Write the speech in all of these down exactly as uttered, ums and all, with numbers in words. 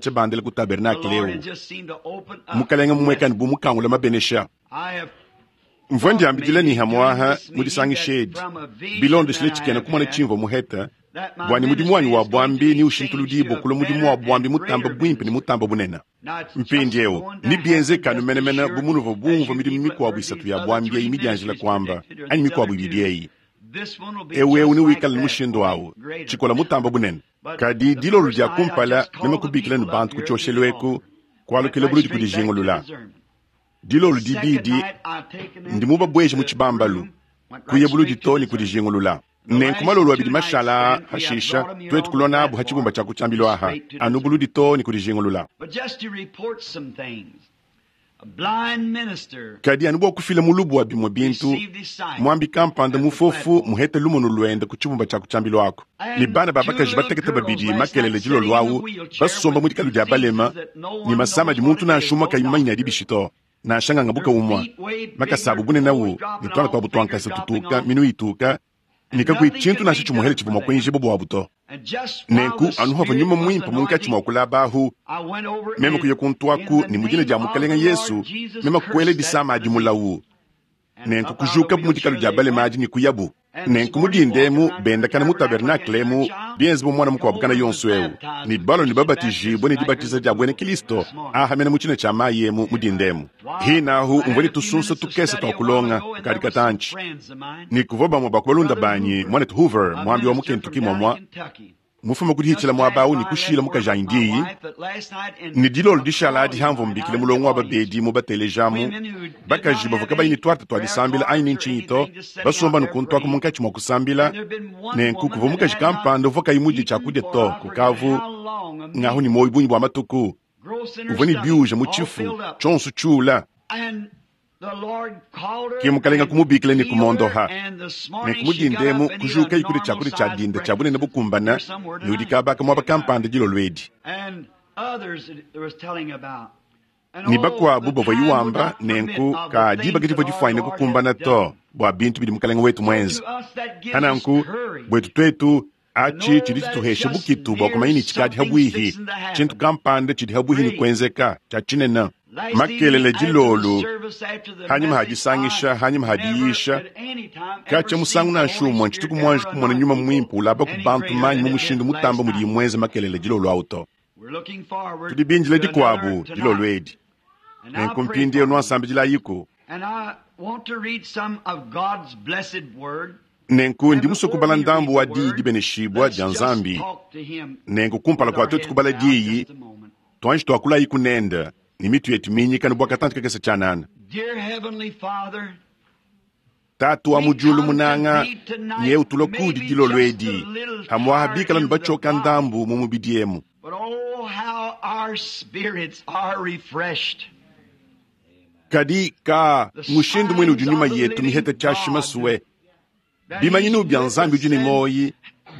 katshia bandela ku The tabernakele Lord eu had just seemed to open up mukalenge mumuekane blessings. bu mukangula mabenesha I have mvua thought ndiambidila maybe ni during hamwaha this mu meeting disangisha that edi from a vision bilondeshile that I tshikena have kumona had, tshimvua muheta that my bua ne mudimu wanyi ministry wa is going to bwambi be ni changed ushintuludibo to a kula mudimu wa better bwambi and mutamba greater bwimpe ne ministry. mutamba bunene Now it's just mpindiewu going to ni happen bienzekanu just as menemene sure bu munuvua as bumvua you midimu people have mikuabu heard isatu these ya other bwambi three eyi midianjila ministries kuamba predicted, or anyi these mikuabu other ibidi two. eyi Ewu ewu newikale ne mushindu awu, tshikola mutamba bunene. Kadi dilolo dia kumpala meme kubikila ne bantu ku tshioshelu eku, kualukila buludi ku dijingulula. Dilolo dibidi ndi mubabweje mu tshibambalu, kuya buludi to ne ku dijingulula. Nenku malolo abidi mashala hashisha twetu kulona abu ha tshibumba tshia kutshiambilo aha anu buludi to ne ku dijingulula. Kadi anu bua kufila mulubu wa bimue bintu, mwambi kampanda mufofu muhete lumonu luende ku tshibumba tshia kutshiambilo ako. Ne bana ba bakaji batekete babidi makelele dilolo awu basomba mu dikalu dia balema ne masama di muntu nansha umue kayi mumanye ne adi bishi to. Nansha nganga buka umue makasabu bunene awu ne tuana tuabu tuankasa tutuka minu ituka ne kakuyi tshintu nansha tshimuhele tshivua mua kuenjibua buabu to. Nenku anu havua nyuma muimpe munkatshi mua kulabahu, meme kuya kuntuaku ne mu dina dia Mukalenga Yesu, meme kuela disama adi mulawu. Nenku kujukabu mu dikalu dia balema adi ne kuyabu. Nenku mudindemu bendakana mu tabernacle emu bienze bu mwana mukuabu kana yonso ewu ne balo ne babatijibue ne dibatiza dia buena Kristo aha mena mu tshina tshia mayi emu mudindemu. Hinahu umvua ne tusunsa tukese tua kulonga kadi katantshi. Ne kuvua bamue ba ku balunda banyi mwanetu Hoover mwambi wa mu Kentucky mwamwa mufuma kudihitshila muaba awu ne kushila mukajanyi diyi ne dilolo dishala adi hamvua mbikile mulongo wa babedi mu batelejamu bakaji bavua kabayi ne tuata tua disambila anyi ne ntshinyi to basomba nukuntuaku munkatshi mua kusambila. Nenku kuvua mukaji kampanda uvua kayi mudie tshiakudia to kukavu ngahu ne moyo bungi bua matuku uvua ne biuja mu tshifu tshionso tshiula. Ke mukalenga kumubikila ne kumondoha. Nenku mudindemu kujuka ikudia tshiakudia tshia dinda tshia bunene bukumbana ne udi kabaka muaba kampanda dilolo edi. Ne bakuabu bavua yiwamba nenku ka diba kadivua difuanyine kukumbana to bua bintu bidi mukalenga wetu muenze. Hananku bwetu twetu achi tshidi tshituhesha bukitu bua kumanya ne tshikadi habwihi tshintu kampanda tshidi habwihi ne kuenzeka tshia tshinene. Makelele dilolo hanyima hadisangisha hanyima hadiyisha katshia musangu nansha umue ntshituku muanji kumona nyuma muimpe ulaba ku bantu manyi mu mushindu mutamba mudi muenze makelele dilolo awu to. Tudi bindile dikuabu dilolo edi. Nenku mpindieu nuasambidilayiku. Nenku ndi musue kubala ndambu wa diyi dibeneshibua dia Nzambi. Nenku kumpala kua twetu kubala diyi tuanji tuakulayiku nende ne mitu yetu minyika ne bua katantshi kakese tshianana. Tatu wa mu diulu munanga nye utula kudi dilolo edi hamwaha bikala ne batshioka ndambu mu mubidi emu. Kadi ka mushindu muine udi nyuma yetu miheta tshiashi masue bimanyinu bia Nzambi udi ne moyi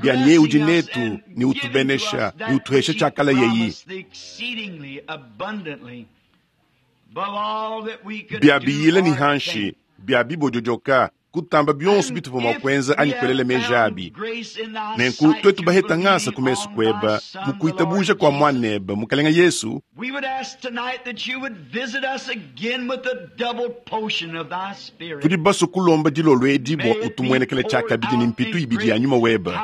bia nye udi netu ne utubenesha ne utuhesha tshiakala yeyi. Bia biyila ni hanshi bia bibodyodoka kutamba bionso bituvua mua kuenza anyi kuelela meji abi. Nenku twetu baheta ngasa ku mesu kueba mu kuitabuja kua mwaneba Mukalenga Yesu, tudi baso kulomba dilolo edi bua utumuenekele tshiakabidi ne mpitu ibidi ya nyuma weba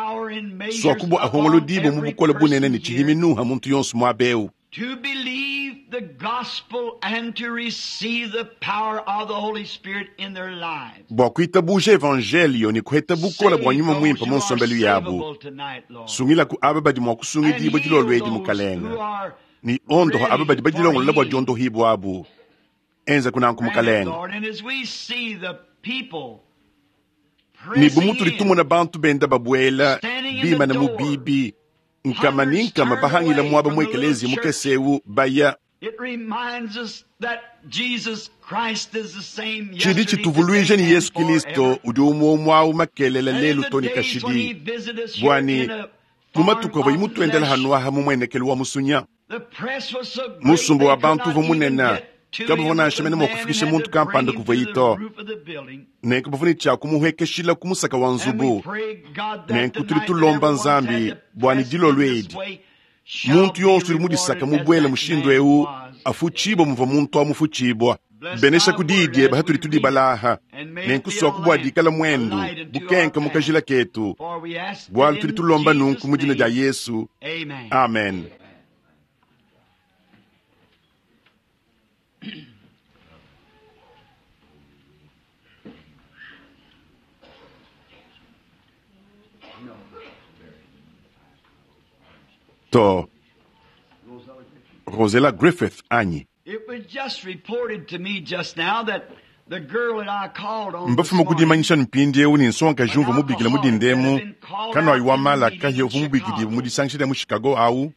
swaku bua ahongolo dibo mu bukole bunene ne tshihiminuha muntu yonso muaba ewu. To believe the gospel and to receive the power of the Holy Spirit in their lives. Bua kuitabuja evangelio ne kuheta bukola bua nyuma muimpe mu nsombelu yabu. Sungilaku aba badi mua kusungidibua dilolo edi Mukalenga. Ne ondoha aba badi badilongolola bua diondohibua abu. Enza kunanku Mukalenga. Ne bu mutudi tumona bantu benda babuela bimana mu bibi nkama ni nkama bahangila muaba mu ekelezia mukese ewu baya. Tshidi tshituvuluija ni Yesu Kristo udi umue umue awu makelele lelu to ne kashidi. Bwani mu matuku avua imutuendela hanu aha mu muenekelu wa musunya. Musumba wa bantu uvua munene kabavua nansha mene mua kufikisha muntu kampanda kuvua ito. Nenku bavua ne tshia kumuhekeshila ku musaka wa nzubu. Nenku tudi tulomba Nzambi bua ne dilolo edi muntu yonso udi mudisaka mubuele mushindu ewu afutshibua muvua muntu amufutshibua. Benesha ku diyi diebe hatudi tudibalaha. Nenku swaku bua dikala muendu bukenka mu kajila ketu. Bualu tudi tulomba nunku mu dina dia Yesu. Amen. To Rosella Griffith anyi? Mbafuma kudimanyisha mpindieu ne nsongakaji umvua mubikila mu dindemu kanwayi wa malaka ye uvua mubikidibue mu disangisha dia mu Chicago awu.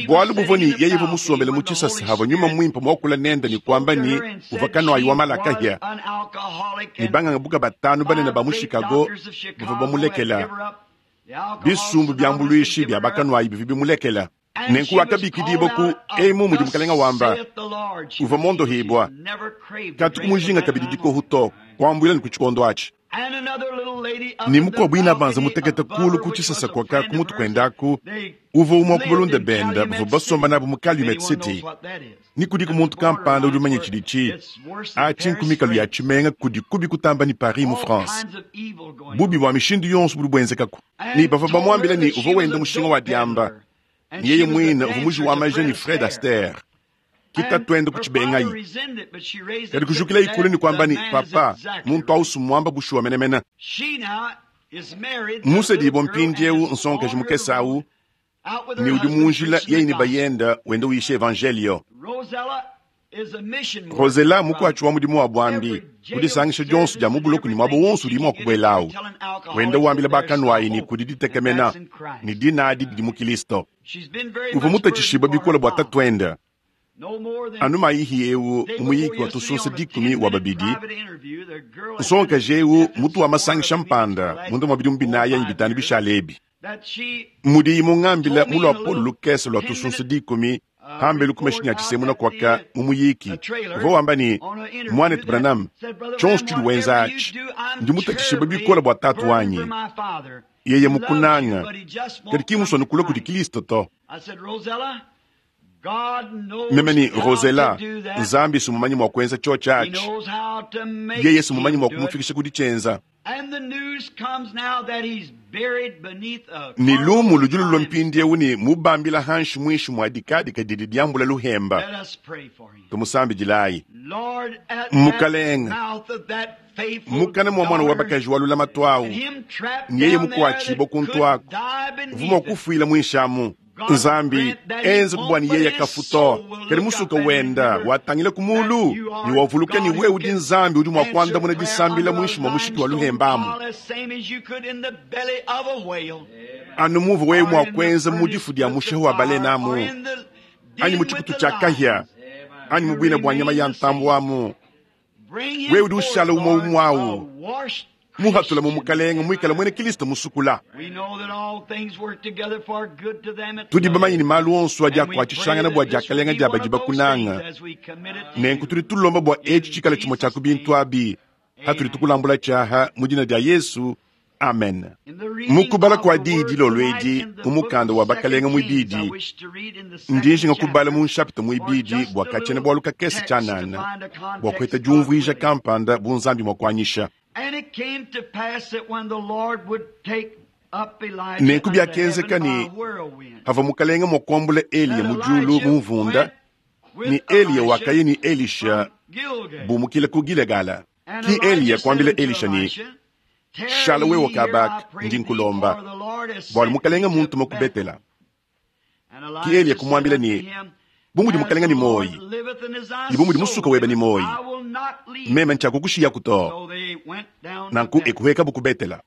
Bualu buvua ne yeye uvua musombele mu tshisasa havua nyuma muimpe muakula nende ne kuamba ne uvua kanwayi wa malaka hia. Ne banganga buka batanu banene ba mu Chicago bavua bamulekela. Bisumbu bya mbuluishi bya bakanwayi bivua bimulekela. Nenku wakabikidibua ku emu mudi mukalenga wamba uvua mondohibua katuku mujinga kabidi dikohu to kuambuila ne ku tshikondo atshi. Ne mukuabu ina banza mutekete kulu ku tshisasa kwaka ku mutu kuendaku uvua umue ku balunda benda bavua basomba nabu mu Calumet City. Ni kudiku muntu kampanda udi umanye tshidi atshi nkumikalu ya tshimenga kudi kubi kutamba ni Paris mu France. Bubi bua mishindu yonso budi buenzekaku. Ni bavua bamuambila ne uvua wenda mushinga wa diamba. Yeye mwine uvua muji wa maja ni Fred Astaire. Kita twende ku tshibengayi. Kadi kujukila ikulu ni kwamba ni papa muntu ausu mwamba bushuwa menemene. Musedibua mpindieu nsongakaji mukese awu ne udi munjila yeye ne bayenda wenda uyisha evangelio. Rosella mukuatshi wa mudimu wa bwambi kudisangisha dionso dia mubuloku ne mwabo wonso udi mua kubuelawu. Wenda wambila bakanwayi ne kudi ditekemena ne dinadi didi mu Kilisto. Uvua mutatshishibua bikole bua tatuenda. Anu mayihi eu muyiki wa tusunsa dikumi wa babidi nsongakaji eu mutu wa masangisha mpanda munda mwa bidimu binayi anyi bitanu bishale ebi. Mudiyi mungambila mulua Paul lukese lwa tusunsa dikumi hambelu kumeshinya tshisemuna kwaka mu muyiki uvua wamba ne mwanetu Branham tshionso tshidi wenza atshi ndi mutatshishibua bikole bua tatu wanyi. Yeye mukunanga kadi ki musua nukula kudi Kilisto to. Meme ni Rosella Nzambi sumumanyi mwa kuenza cho atshi. Yeye sumumanyi mwa kumufikisha kudi tshienza. Ni lumu ludi lulua mpindieu ne mubambila hanshi mwishi mwa dikadika didi diambula luhemba. Tumusambidilayi. Mukalenga mukana mwa mwana wa bakaji wa lulama twawu nyeye mukuatshibua kuntu aku uvua kufuila mwishamu. Nzambi enze kubwani yeye kafuto kadi musuka wenda watangila kumulu ni wavuluka ni wewe udi Nzambi udi mwa kuandamuna disambila mwishi mwa mushiki wa luhembamu. Anu muvu wewe mwa kuenza mudifu dia mushehu wa balenamu anyi mu tshikutu tshia kahia anyi mu bwina bwa nyama ya ntambu amu. Wewe udi ushala umwe umwawu muhatula mu mukalenga mwikala mwene Kilisto musukula. Tudi bamanyi ni malu onso adi akuatshishangana bua diakalenga dia badi bakunanga. Nenku tudi tulomba bua etshi tshikala tshimue tshia ku bintu abi hatudi tukulambula tshiaha mu dina dia Yesu. Amen. Mukubala kua diyi dilolo edi mu mukanda wa bakalenga muibidi ndinjinga kubala mu nshapita muibidi bua katshiena bualu kakese tshianana bua kuheta diumvuija kampanda bu Nzambi mua kuanyisha. Nenku biakenzeka ne havua mukalenga mua kuambula Eliya mu diulu mu mvunda ne Eliya wakaya ne Elisha bumukila ku Gilegala. Ki Eliya kuambila Elisha ne shala wewe kabaka ndi nkulomba bualu mukalenga muntuma ku Betela. Ki Eliya kumuambila ne bu mudi mukalenga ni moyi ne bu mudi musuka webe ni moyi meme ntshiakukushiyaku to. Nanku ekuhekabu ku Betela.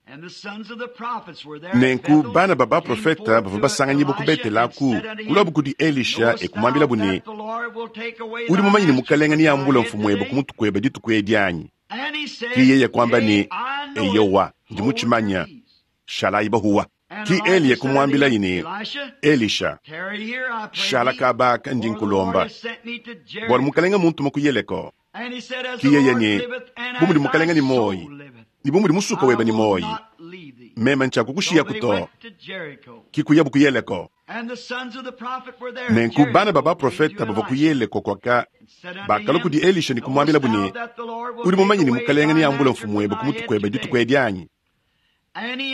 Nenku bana ba baprofeta bavua basanganyibua ku Betela aku kuluabu kudi Elisha ekumuambilabu ne udi mumanyi ne mukalenga niambula mfumu ebe ku mutu kuebe dituku edi anyi? Ki yeye kuamba ne eyowa ndi mutshimanya shalayi bahuwa. Ki Eliya kumuambilayi ne Elisha shala kabaka ndi nkulomba bualu mukalenga muntuma ku Yeriko. Ki yeye ne bu mudi mukalenga ni moyi ne bu mudi musuka webe ni moyi meme ntshiakukushiyaku to. Ki kuyabu ku Yeriko. Nenku bana ba baprofeta bavua ku Yeriko kwaka bakalua kudi Elisha ne kumuambilabu ne udi mumanyi ne mukalenga niambula mfumu webe ku mutu kuebe dituku edi anyi?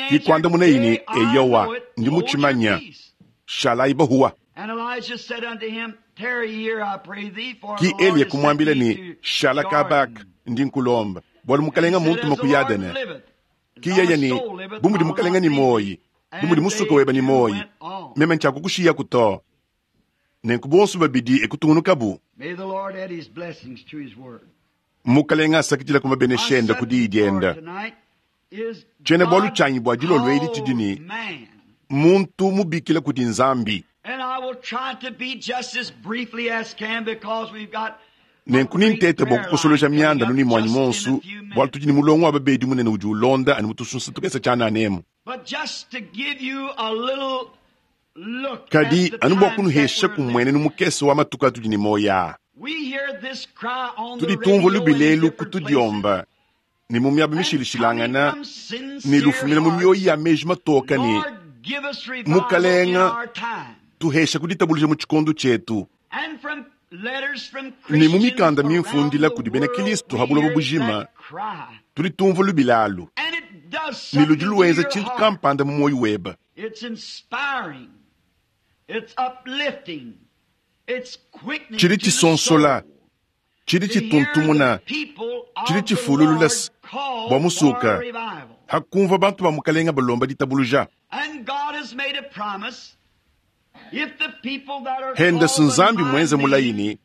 Ki kuandamunayi ne eyowa ndi mutshimanya shalayi bahuwa. Ki Eliya kumuambila ne shala kabaka ndi nkulomba bualu mukalenga muntuma ku Yadene. Kiyeya ne bu mudi mukalenga ne moyi, bu mudi musuka weba ne moyi, meme ntshiakukushiyaku to. Nenku bonso babidi ekutungunukabu. Mukalenga asakidila ku mabenesha enda ku diyi dienda. Tshiena bualu tshianyi bua dilolo edi tshidi ne muntu mubikila kudi Nzambi. Nenku nintete bua kukosoloja mianda nuni muanyi monsu, bualu tudi ne mulongo wa babedi munene udi ulonda ani mutusunsa tukesa tshianana. Kadi anu bua kunuhesha kumwenenu mukese wa matuku atudi ne moya. Tudi tumvua lubilelu kutudiomba ne mu miaba mishilishilangana ne lufumina mu mioyo ya meji matoka ne mukalenga tuhesha kuditabuluja mu tshikondo tshietu. Ne mu mikanda mimfundila kudi bena Kristo ha buloba bujima tudi tumvua lubilalu ne ludi luenza tshintu kampanda mu moyo weba. Tshidi tshisonsola, tshidi tshituntumuna, tshidi tshifululula bua musuka hakumva bantu ba mukalenga balomba ditabuluja. Henda Nzambi mwenze mulayini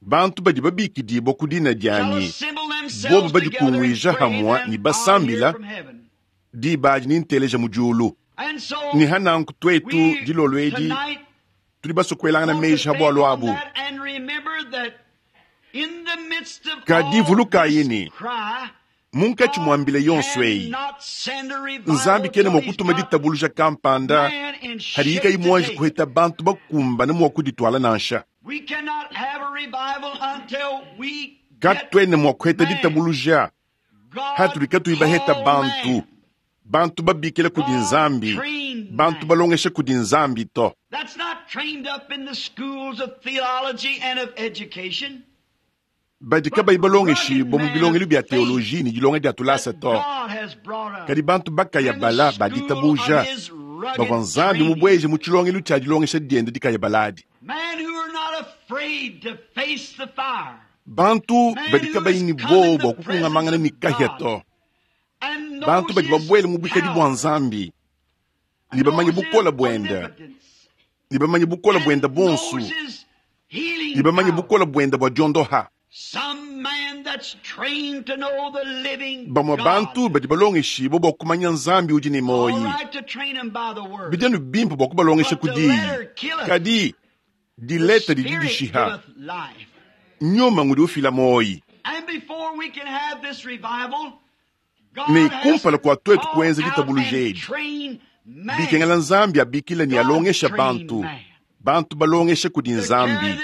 bantu badi babikidibwa ku dina dianyi bobo badikunguija hamwa ni basambila diba adi ninteleja mu diulu. Ni hananku twetu dilolo edi tudi basokwelangana meji ha bwalu abu. Kadi vulukayi ne munkatshi mwambile yonso eyi Nzambi kena mua kutuma ditabuluja kampanda hadi yikayi muanji kuheta bantu bakumbana mua kuditwala nansha. Katwene mua kuheta ditabuluja hatuli katuyi baheta bantu bantu babikila kudi Nzambi, bantu balongesha kudi Nzambi to. Badi kabayi balongeshibwa mu bilongelu bya teoloji ne dilonga dia tulasa to. Kadi bantu bakaya bala baditabuja bavua Nzambi mubweje mu tshilongelu tshia dilongesha diende dikaya baladi. Bantu badi kabayi ne bobo bua kukungamangana ne kahia to. Bantu badi babwele mu bwikadi bua Nzambi ne bamanye bukola bwenda, ne bamanye bukola bwenda bonso, ne bamanye bukola bwenda bua diondoha. Bamwe bantu badi balongeshibwa bua kumanya Nzambi udi ne moyi. Bidi anu bimpe bua kubalongesha ku diyi. Kadi dileta didi dishiha nyuma ngudi ufila moyi. Ne kumpala kua twetu kuenza ditabuluja edi, bikengela Nzambi abikila ne alongesha bantu, bantu balongesha kudi Nzambi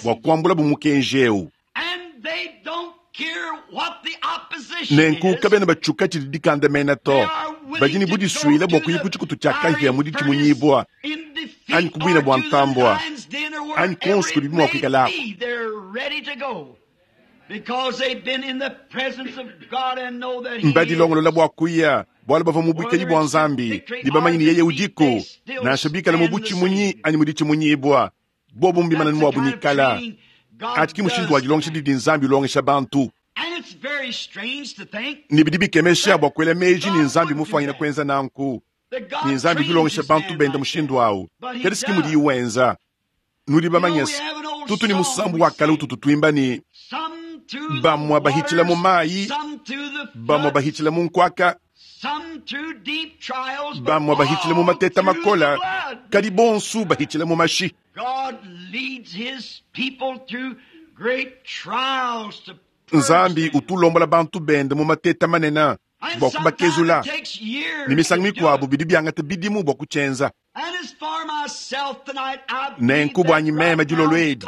bua kuambula bu mukenji eu. Nenku kabena batshuka tshidi dikandamena to, badi ne budisuile bua kuya ku tshikutu tshia kahia mu ditshimunyibua anyi ku buina bua ntambua anyi konso kudi mua kuikalako. Mbadilongolola bua kuya bualu bavua mu bwikadi bua Nzambi ne bamanye ne yeye udiku, nansha bikala mu butshimunyi anyi mu ditshimunyibua, bobo mbimana ne muabu nikala. Ati ki mushindu wa dilongesha didi Nzambi ulongesha bantu. Ne bidi bikemesha bua kuela meji ne Nzambi mufwanyina kuenza nanku. Ne Nzambi dilongesha bantu benda mushindu awu. Kadi siki mudiyi wenza. Nudi bamanyese tutu ni musambu wa kale ututu tuimba ni bamwa bahitshila mu mayi, bamwa bahitshila mu nkwaka, bamwa bahitshila mu mateta makola, kadi bonsu bahitshila mu mashi. Nzambi utulombola bantu bende mu mateta manene bua kubakezula. Ne misangu mikuabu bidi biangata bidimu bua kutshienza. Nenku bwanyi meme dilolo edi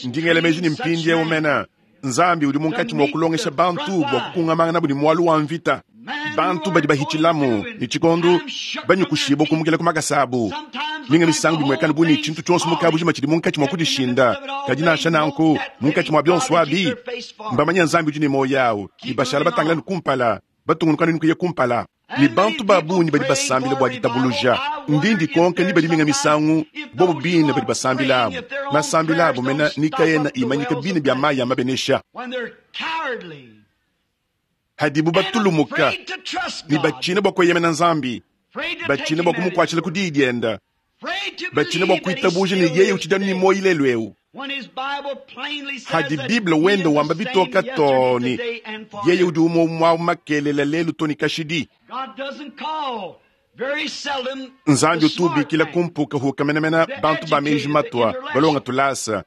ndingela meji ne mpindiewu mena Nzambi udi munkatshi mua kulongesha bantu bua kukungamangana budi mwalu wa mvita. Bantu badi bahitshilamu ne tshikondo banyukushibwa kumukila ku makasa abu. Minga misangu bimwekana buni tshintu tshionso mukabujima tshidi munkatshi mua kudishinda. Kadi nansha nanku munkatshi mua bionso abi mbamanya Nzambi udi ne moyo awu ne bashala batangila ne kumpala batungunuka ne kuya kumpala. Ni bantu babunyi badi basambila bua ditabuluja ndindi konka ni badi minga misangu bobo bine badi basambila abu masambila abu mena nikayena imanyika bine bya mayi ya mabenesha. Hadibu batulumuka ne batshina bua kueyemena Nzambi, batshina bua kumukuatshila ku diyi diende, batshina bua kuitabuja ne yeye utshidi anu ne muoyo lelu eu. Hadi Bible wenda wamba bitoka too ne yeye udi umue umue makelela lelu to ne kashidi. Nzambi utu ubikila kumpuka huka menemene bantu ba meji matua balonga tulasa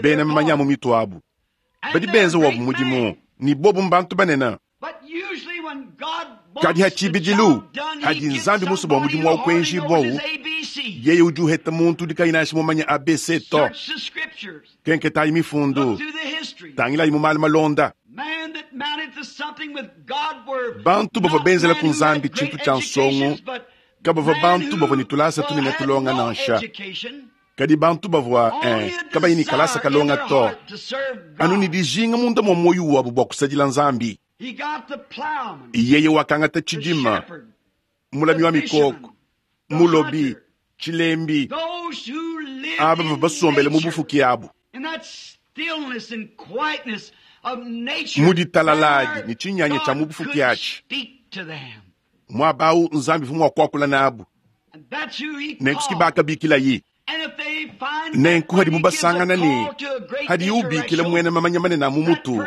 bena mamanya mu mitu abu badi benza wabu mudimu ni bobu mbantu banene. Kadi hatshibidilu hadi Nzambi musu bua mudimu wa kuenji bowu yeye udi uheta muntu udi kayi nansha mumanya A B C to. Kenketayi mifundu tangilayi mu malu malonda. Bantu bavua benzela ku Nzambi tshintu tshia nsongo kabavua bantu bavua ne tulasa tunene tulonga nansha. Kadi bantu bavua eh, kabayi ne kalasa kalonga to anu ne dijinga munda mua muoyo wabu bua kusadila Nzambi. Yeye wakangata tshidima mulami wa mikoko mulobi tshilembi aba bavua basombele mu bufuki abu mu ditalaladi ne tshinyanya tshia mu bufuki atshi muaba awu Nzambi uvua mua kuakula nabu nenku bakabikilayi nenku hadibu basangana ne hadi ubikila mwene mamanya manene a mu mutu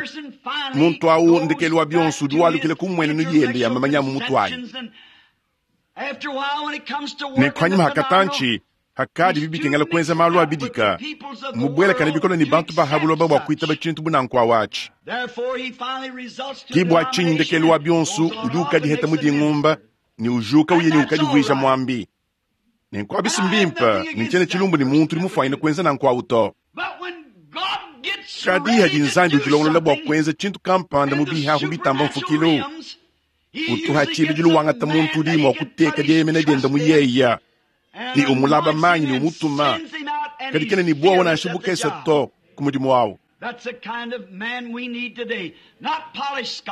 muntu awu ndekelu wa bionso udi walukila ku mmuenenu yende ya mamanya mu mutu ayi. Nenku hanyima hakatanchi hakadi bibikengela kuenza malu abidika mubwelakane bikono ne bantu bahabuloba bua kuitaba tshintu bunanku awatshi. Ki bua tshinyi ndekelu wa bionso udi ukadiheta mu dingumba ne ujuka uye ne ukadivuija mwambi. Nenku abisi mbimpe ne tshiena tshilumbu ne muntu udi mufuanyine kuenza nanku awu to. Kadi hadi Nzambi udilongolola bua kuenza tshintu kampanda mu bihahu bitamba mfukilu utuha tshibidilu wangata muntu udi mua kuteka dieyemena diende mu yeya ni umulaba manyi ni umutuma kadi kena ni buowa nansha bukesa to ku mudimu wawu.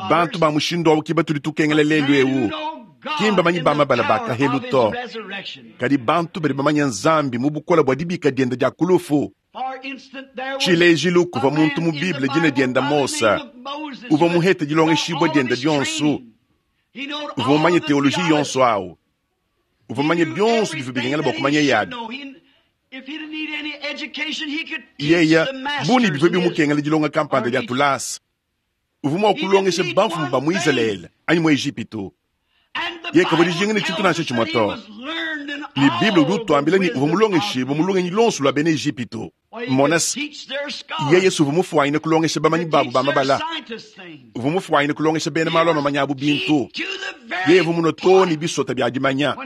Bantu ba mushindu awu ki batudi tukengela lelu ewu ki mbamanyi ba mabala ba kahelu to kadi bantu badi bamanya Nzambi mu bukola bua dibika diende dia kulufu. Tshilejilu kuva muntu mu Bible dina dienda Mosa uvua muhete dilongeshibua diende dionso uvua mumanye teoloji yonso awu uvua mumanye bionso bivua bikengela bua kumanya yabi. Yeya buni bivua bimukengela dilonga kampanda dia tulasa uvua mua kulongesha bamfumu ba mu Israele anyi mu Ejipitu. Ye kavua dijinga ne tshintu nansha tshimue to. Ne Bible udi utuambila ne uvua mulongeshibue mu lungenyi lonso lua bena Ejipitu. Mona yeye uvua mufuanyine kulongesha bamanyi babu ba mabala uvua mufuanyine kulongesha bena malu a mamanya abu bintu. Yeye uvua muno too ne bisota bia dimanya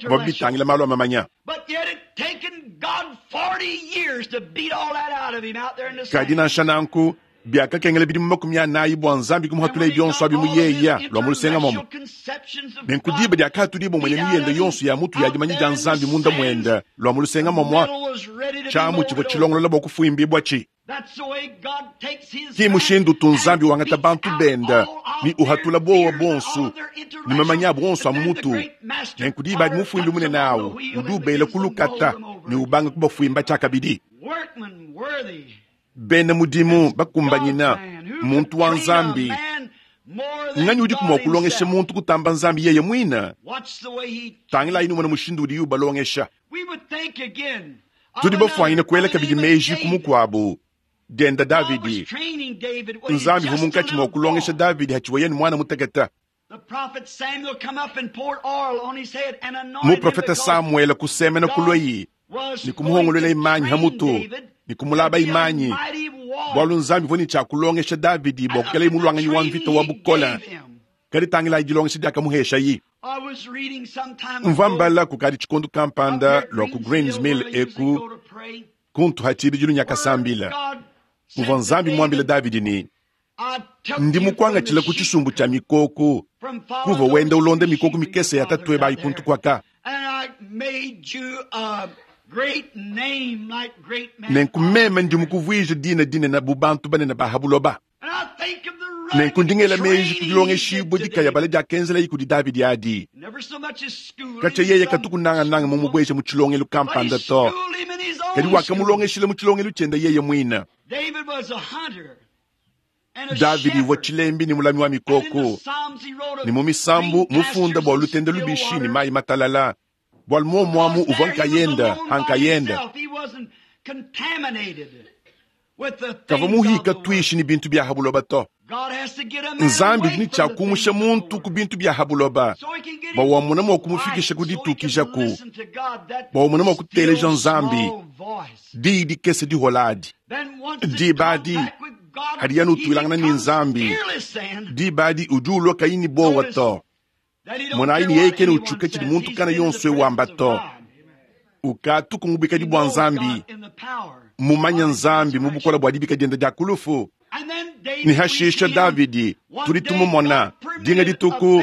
bavua bitangila malu a mamanya. Kadi nansha nanku biakakengela bidimu makumi anayi bua Nzambi kumuhatulaye bionso abi mu yeya lua mu lusenga momo. Nenku diba diakatudibua muenenu yende yonso ya mutu ya dimanya dia Nzambi munda muende lua mu lusenga momwa tshiamu tshivua tshilongolola bua kufuimbibua tshi. Ki mushindu tu Nzambi wangata bantu bende ni uhatula bowa bonso ni mamanya abu onso a mu mutu. Nenku diba adi mufuimbi munene awu udi ubela kulukata ni ubanga kubafuimba tshiakabidi. Bena mudimu bakumbanyina muntu wa Nzambi nganyi udi kumua kulongesha muntu kutamba Nzambi yeye mwina. Tangilayi numona mushindu udi ubalongesha. Tudi bafuanyine kuela kabidi meji ku mukuabu dienda Davidi. Nzambi uvua munkatshi mua kulongesha Davidi hatshivuaye ne mwana mutekete. Muprofeta Samuele kusemena kulweyi ni kumuhongolola imanyi hamutu ni kumulaba imanyi bwalu Nzambi uvua ne tshia kulongesha Davidi bua kukela mulwanganyi wa mvita wa bukola. Kadi tangilayi dilongesha diakamuheshayi. Mvua mbala kukadi tshikondu kampanda lua ku Greens Mill eku kuntu hatshibidilu nyakasambila muvua Nzambi muambile Davidi ne ndi mukuangatshila ku tshisumbu tshia mikoko kuva wenda ulonda mikoko mikese ya tatuebe ayi kuntu kwaka. Nenku meme ndi mukuvuija dina dinene bu bantu banene ba habuloba. Nenku ndingela meji ku dilongeshibua dikayabala diakenzelayi kudi Davidi adi. Katshia yeye katukunangananga mumubweja mu tshilongelu kampanda to kadi wakamulongeshila mu tshilongelu tshiende yeye mwina. Davidi uvua tshilembi ne mulami wa mikoko, ne mu misambu mufunda bua lutende lubishi ne mayi matalala, bualu muomuamu uvua nkayenda hankayenda. Kavua muhika tuishi ne bintu bia habuloba to. Nzambi udi ne tshia kumusha muntu ku bintu bia habuloba bua wamona mua kumufikisha ku ditukijaku, bua wamona mua kuteleja Nzambi diyi dikese diholadi. Diba adi hadi yanu utuilangana ne Nzambi, diba adi udi ulua kayi ne bowa to. Monayi ne yeye kena utshuka tshidi muntu kana yonso wamba to. Ukatu kumubikadi bua Nzambi, mumanya Nzambi mu bukola bua dibika dienda dia kulufu. Ni hashisha Davidi tudi tumumona dinga dituku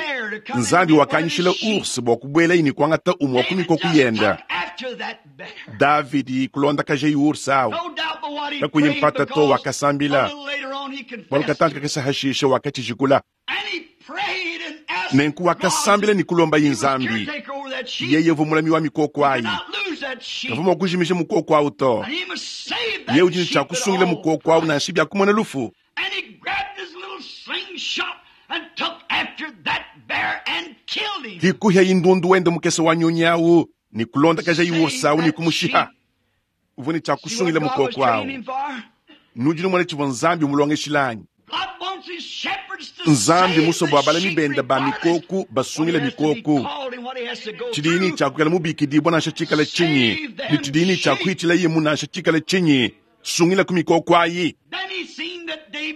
Nzambi wakanyishila ours bua kubuela ini kuangata umwe wa ku mikoko yenda. Davidi kulondakaja ours awu kakuyi mpata to wakasambila bualu katanka kakese hashisha wakatshijikula. Nenku wakasambila ni kulomba yi Nzambi. Yeye uvua mulami wa mikoko ayi, kavua mua kujimisha mukoko awu to. Yeye udi ne tshia kusungila mukoko awu nansha bia kumona lufu. Hikuhya indundu wende mukese wa nyonyi awu ni kulondakaja yi ours awu ni kumushiha. Uvua ne tshia kusungila mukoko awu. Nudi numona tshivua Nzambi mulongeshilanyi. Nzambi muswa bua balami benda ba mikoko basungile mikoko. Tshidini tshia kukala mubikidibwa nansha tshikala tshinyi, ne tshidini tshia kuhitshila yemu nansha tshikala tshinyi, sungila ku mikoko ayi.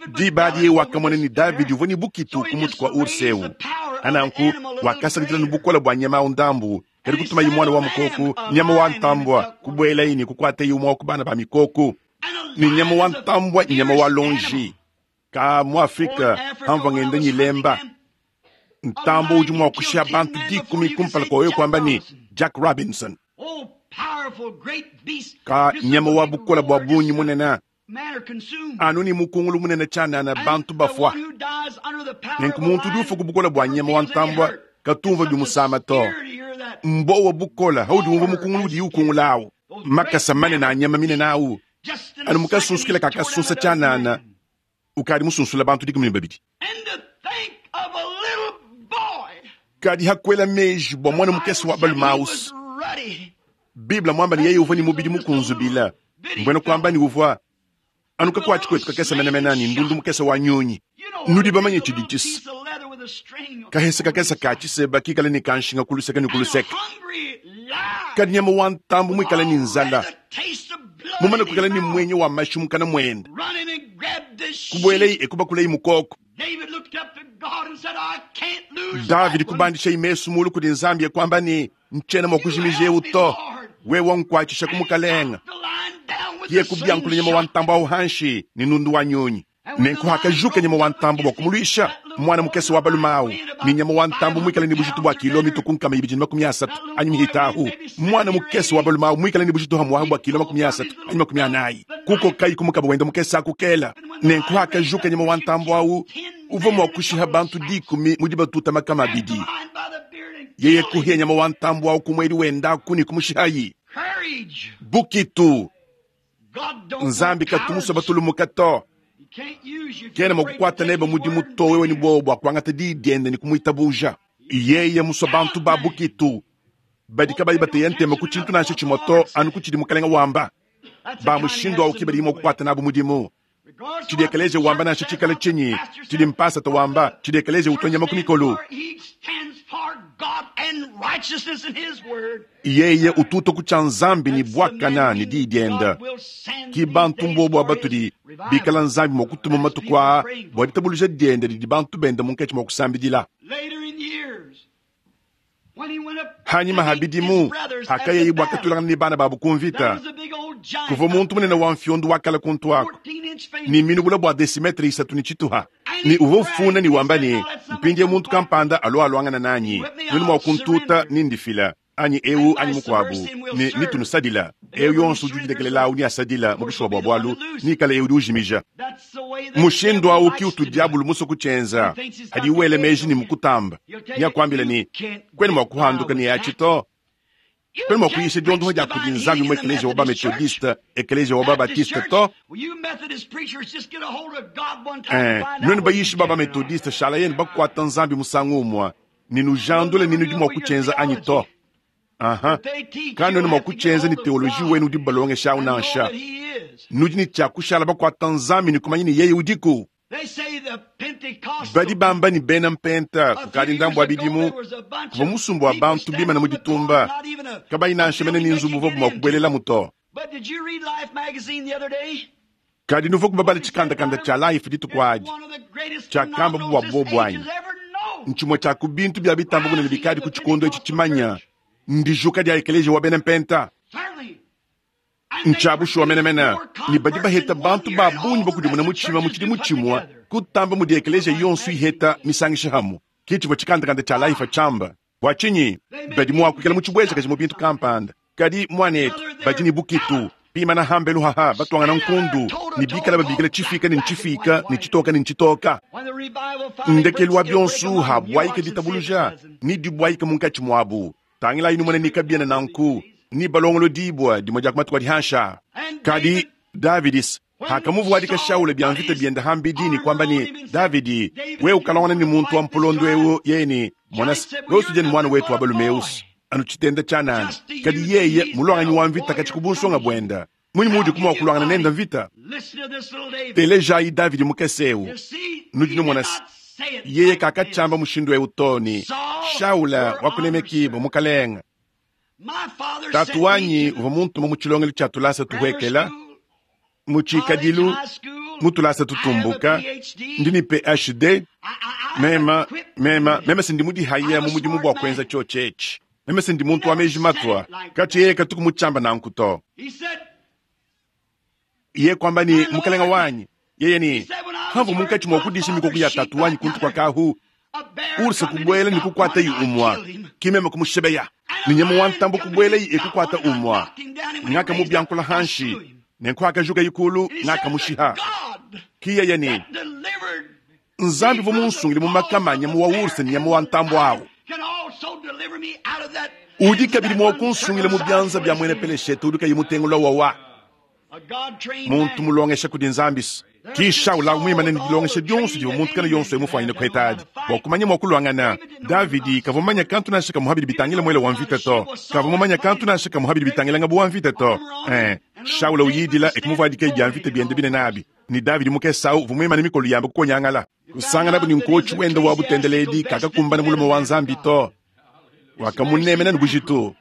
Diba adi wakamona ni Davidi uvua ne bukitu ku mutu kua ours ewu. Ananku wakasakidila ne bukola bua nyama awu ndambu, kadi kutumayi mwana wa mukoko, nyama wa ntambua, kubuelayi ne kukuatayi umwe wa ku bana ba mikoko. Ni nyama wa ntambua, nyama wa lonji. Ka mu Afrika hamva ngenda nyilemba. Ntambo udi mua kushia bantu dikumi kumpala kwa wewe kwamba ni Jack Robinson. Ka nyama wa bukola bua bunyi munene. Anu ni mukungulu munene tshianana bantu bafua. Nenku muntu udi ufa ku bukola bua nyama wa ntambua katumva bimusama to. Mbo wa bukola haudi umva mukungulu udi ukungula awu. Makasa manene a nyama minene awu. Anu mukasunsukila kakasusa tshianana. Ukadi musunsula bantu dikumi ne babidi. Kadi hakwela meji bua mwana mukese wa balume-aus. Biblia mwamba ni yeye uvua ni mubidi mukunzubila. Mbwena kwamba ni uvua anu kakwatshi kwetu kakese menemene ni ndundu mukese wa nyonyi. Nudi bamanye tshidi tshisa. Kahese kakese ka tshiseba kikale ni kanshinga kuluseka ni kuluseka. Kadi nyama wa ntambu mwikale ni nzala. Mumane kukala ni mwenye wa mashi mukana mwenda. Kubuelei ekubakulei mukoko. Davidi kubandisha imesu mulu kudi Nzambi kwamba ni nchena mwakujimije uto. Wewe nkwachisha kumukalenga. Ye kubyankula nyama wa ntambo au hanshi ni nundu wa nyonyi. Nenku hakajuka nyama wa ntambo bwa kumulwisha mwana mukese wa balume ni nyama wa ntambo mwikale ni bujitu bwa kilo mituku nkama ibidi na makumi asatu anyi mihitahu. Mwana mukese wa balume mwikale ni bujitu hamwahu bwa kilo makumi asatu anyi makumi anayi. Kuko kai kumukaba wenda mukese akukela. Nenku hakajuka nyama wa ntambo au uvua mwa kushiha bantu dikumi mudi batuta makama abidi. Yeye kuhia nyama wa ntambo au kumweli wenda kuni kumushihayi. Bukitu Nzambi katumusa batulumuka to. Kena mwakukwata neba mudimu to wewe ni bobo bua kuangata diyi diende ni kumuitabuja. Yeye muswa bantu ba bukitu. Badi kabayi bateya ntema ku tshintu nansha tshimwe to anu ku tshidi mukalenga wamba. Ba mushindu awu kibadi mwakukwata nabu mudimu. Tshidi ekeleje wamba nansha tshikala tshinyi. Tshidi mpasa ta wamba. Tshidi ekeleje utwa nyama ku mikolo. Yeye ututa ku tshia Nzambi ni bwakana ni diyi dienda. Ki bantu mbobo abatudi bikala Nzambi mwa kutuma matuku aa bua ditabuluja dienda didi bantu benda munkatshi mwa kusambidila. Hanyima habidimu hakayeyi bua katulangana ni bana babu kumvita. Kuvua muntu munene wa mfyondo wakala kuntu ako. Ni minubula bua desimetre isatu ni tshituha. Ni uvua ufuna ni wamba ni mpindie muntu kampanda alo aluangana nanyi. Mwini mwa kuntuta ni ndifila. Anyi ewu anyi mukwabu ni nitunusadila. Ewu yonso udi udilekelela ni asadila mu bushuwa bua bualu ni kala ewu udi ujimija. Mushindu awu ki utu diabulu muso kutshenza. Hadi uwele meji ni mukutamba. Ni akwambila ni kwene mwa kuhanduka ni yatshi to. Kwena mua kuyisha diondoha dia kudi Nzambi mu ekeleziya wa ba-Methodiste, ekeleziya wa ba-Baptiste to. Eh, nuenu bayishi ba ba-Methodiste shala yenu bakuata Nzambi musangu umue ne nujandule ne nudi mua kutshienza anyi to. Aha. Kanuena mua kutshienza ne teoloji wenu udi balongesha awu nansha. Nudi ne tshia kushala bakuata Nzambi ne kumanya ne yeye udiku. Badi bamba ne bena mpenta kukadi ndambu wa bidimu kuvua musumba wa bantu bimana mu ditumba kabayi nansha mene ne nzubu uvuabu mua kubuelelamu to. Kadi nuvua kubabala tshikandakanda tshia Life dituku adi tshiakamba bua bobu anyi? Ntshimue tshia ku bintu bia bitamba bunene bikadi ku tshikondo etshi tshimanya ndijuka dia ekeleziya wa bena mpenta. Ntshia bushuwa menemene ne badi baheta bantu ba bungi bakudimuna mutshima mu tshidimu tshimue kutamba mudi ekeleziya yonso iheta misangisha hamu. Ke tshivua tshikandakanda tshia Life tshiamba. Bua tshinyi badi mua kuikala mu tshibuejakaji mu bintu kampanda, kadi muanetu badi ne bukitu bimana hambelu haha batuangana nkundu ne bikala babikila tshifika ne ntshifika ne tshitoka ne ntshitoka. Ndekelu wa bionso habuayika ditabuluja ne dibuayika munkatshi muabu. Tangilayi numone ne kabiena nanku ni balongolo dibwa dimue dia ku matuku adi hansha. Kadi Davidis hakamuvuadika Shaula bia mvita bienda hambidi ne kwamba ne Davidi wewe ukalongana ne muntu wa mpolondo ewu yeye ne mwanasi wewe usuje ne mwana wetu wa balume eusi anu tshitenda tshia nani. Kadi yeye mulwanganyi wa mvita katshi kubunsonga buenda munyi mudi kumua kulwangana nenda mvita. Telejayi Davidi mukese ewu nudi numona yeye kakatshamba mushindu ewu to ne Shaula wakunemekibwa mukalenga. Tatu wanyi uvua muntuma mu tshilongelo tshia tulasa tuhuekela mu tshikadilu mu tulasa tutumbuka ndi ne P H D mema mema mema sindi mudihaya mu mudimu bua kuenza tshio tshetshi meme sindi muntu wa meji matua katshi yeye katuku mutshamba nanku to. Iye kwamba ni mukalenga wanyi yeye ni hamvu munkatshi mua kudisha mikoko ya tatu wanyi kuntu kwa kahu ursa kubuela ni kukwata yi umwa kimeme kumushebeya ni nyama wa ntambo kubuela yi ekukwata umwa ngaka mubyankula hanshi nenkwaka juka yikulu ngaka mushiha. Kiye ni Nzambi vo munsungile mu makamanya mu wa ursa ni nyama wa ntambo awo udi kabidi mua kunsungile mu byanza bya mwene peleshete udi kayi mutengula wawa muntu mulongesha kudi Nzambi kisha ula mwimane ne dilongesha dionso divua muntu kana yonso emufwanyine kuhetadi bua kumanya mua kulwangana. Davidi kavua mumanya kantu nansha kamuhabidi bitangila mwele wa mvita to, kavua mumanya kantu nansha kamuhabidi bitangila ngabu wa mvita to. Eh, Shaula uyidila ekumuvuadika bya mvita biende bine nabi ni Davidi mukesau uvua mwimane mikolo yamba kukonyangala kusangana bu ni nkochi wenda wa butendeledi kakakumbana mulume wa Nzambi to wakamunemena ne bujitu.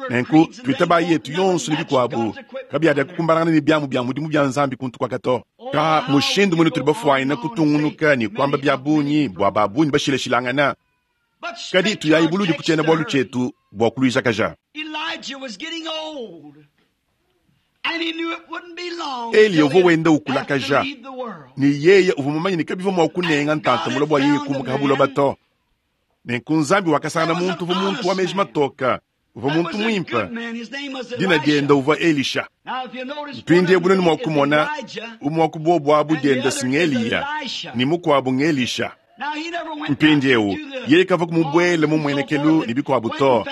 Nenku twitaba yetu yonso ne bikuabu kabiada kukumbanana ne byamu bya mudimu bya Nzambi kuntu kwakato ka mushindu mwene tuli bafuayina kutungunuka ne kwamba bya bunyi bua babunyi bashilashilangana. Kadi tuyayibuludi kutshiena bualu tshietu bua kuluijakaja. Eliya uvua wenda ukulakaja ne yeye uvua mumanye ne kabivua mua kunenga ntanta mula bua yeye kumuka habuloba to. Nenku Nzambi wakasangana muntu uvua muntu wa meji matoka uvua muntu muimpe dina dienda uvua Elisha. Mpindie bunene mua kumona umwe wa kubobu abu dienda sing'Eliya ni mukuabu ng'Elisha. Mpindiewu yeye kavua kumubwele mu mwenekelu ne bikuabu to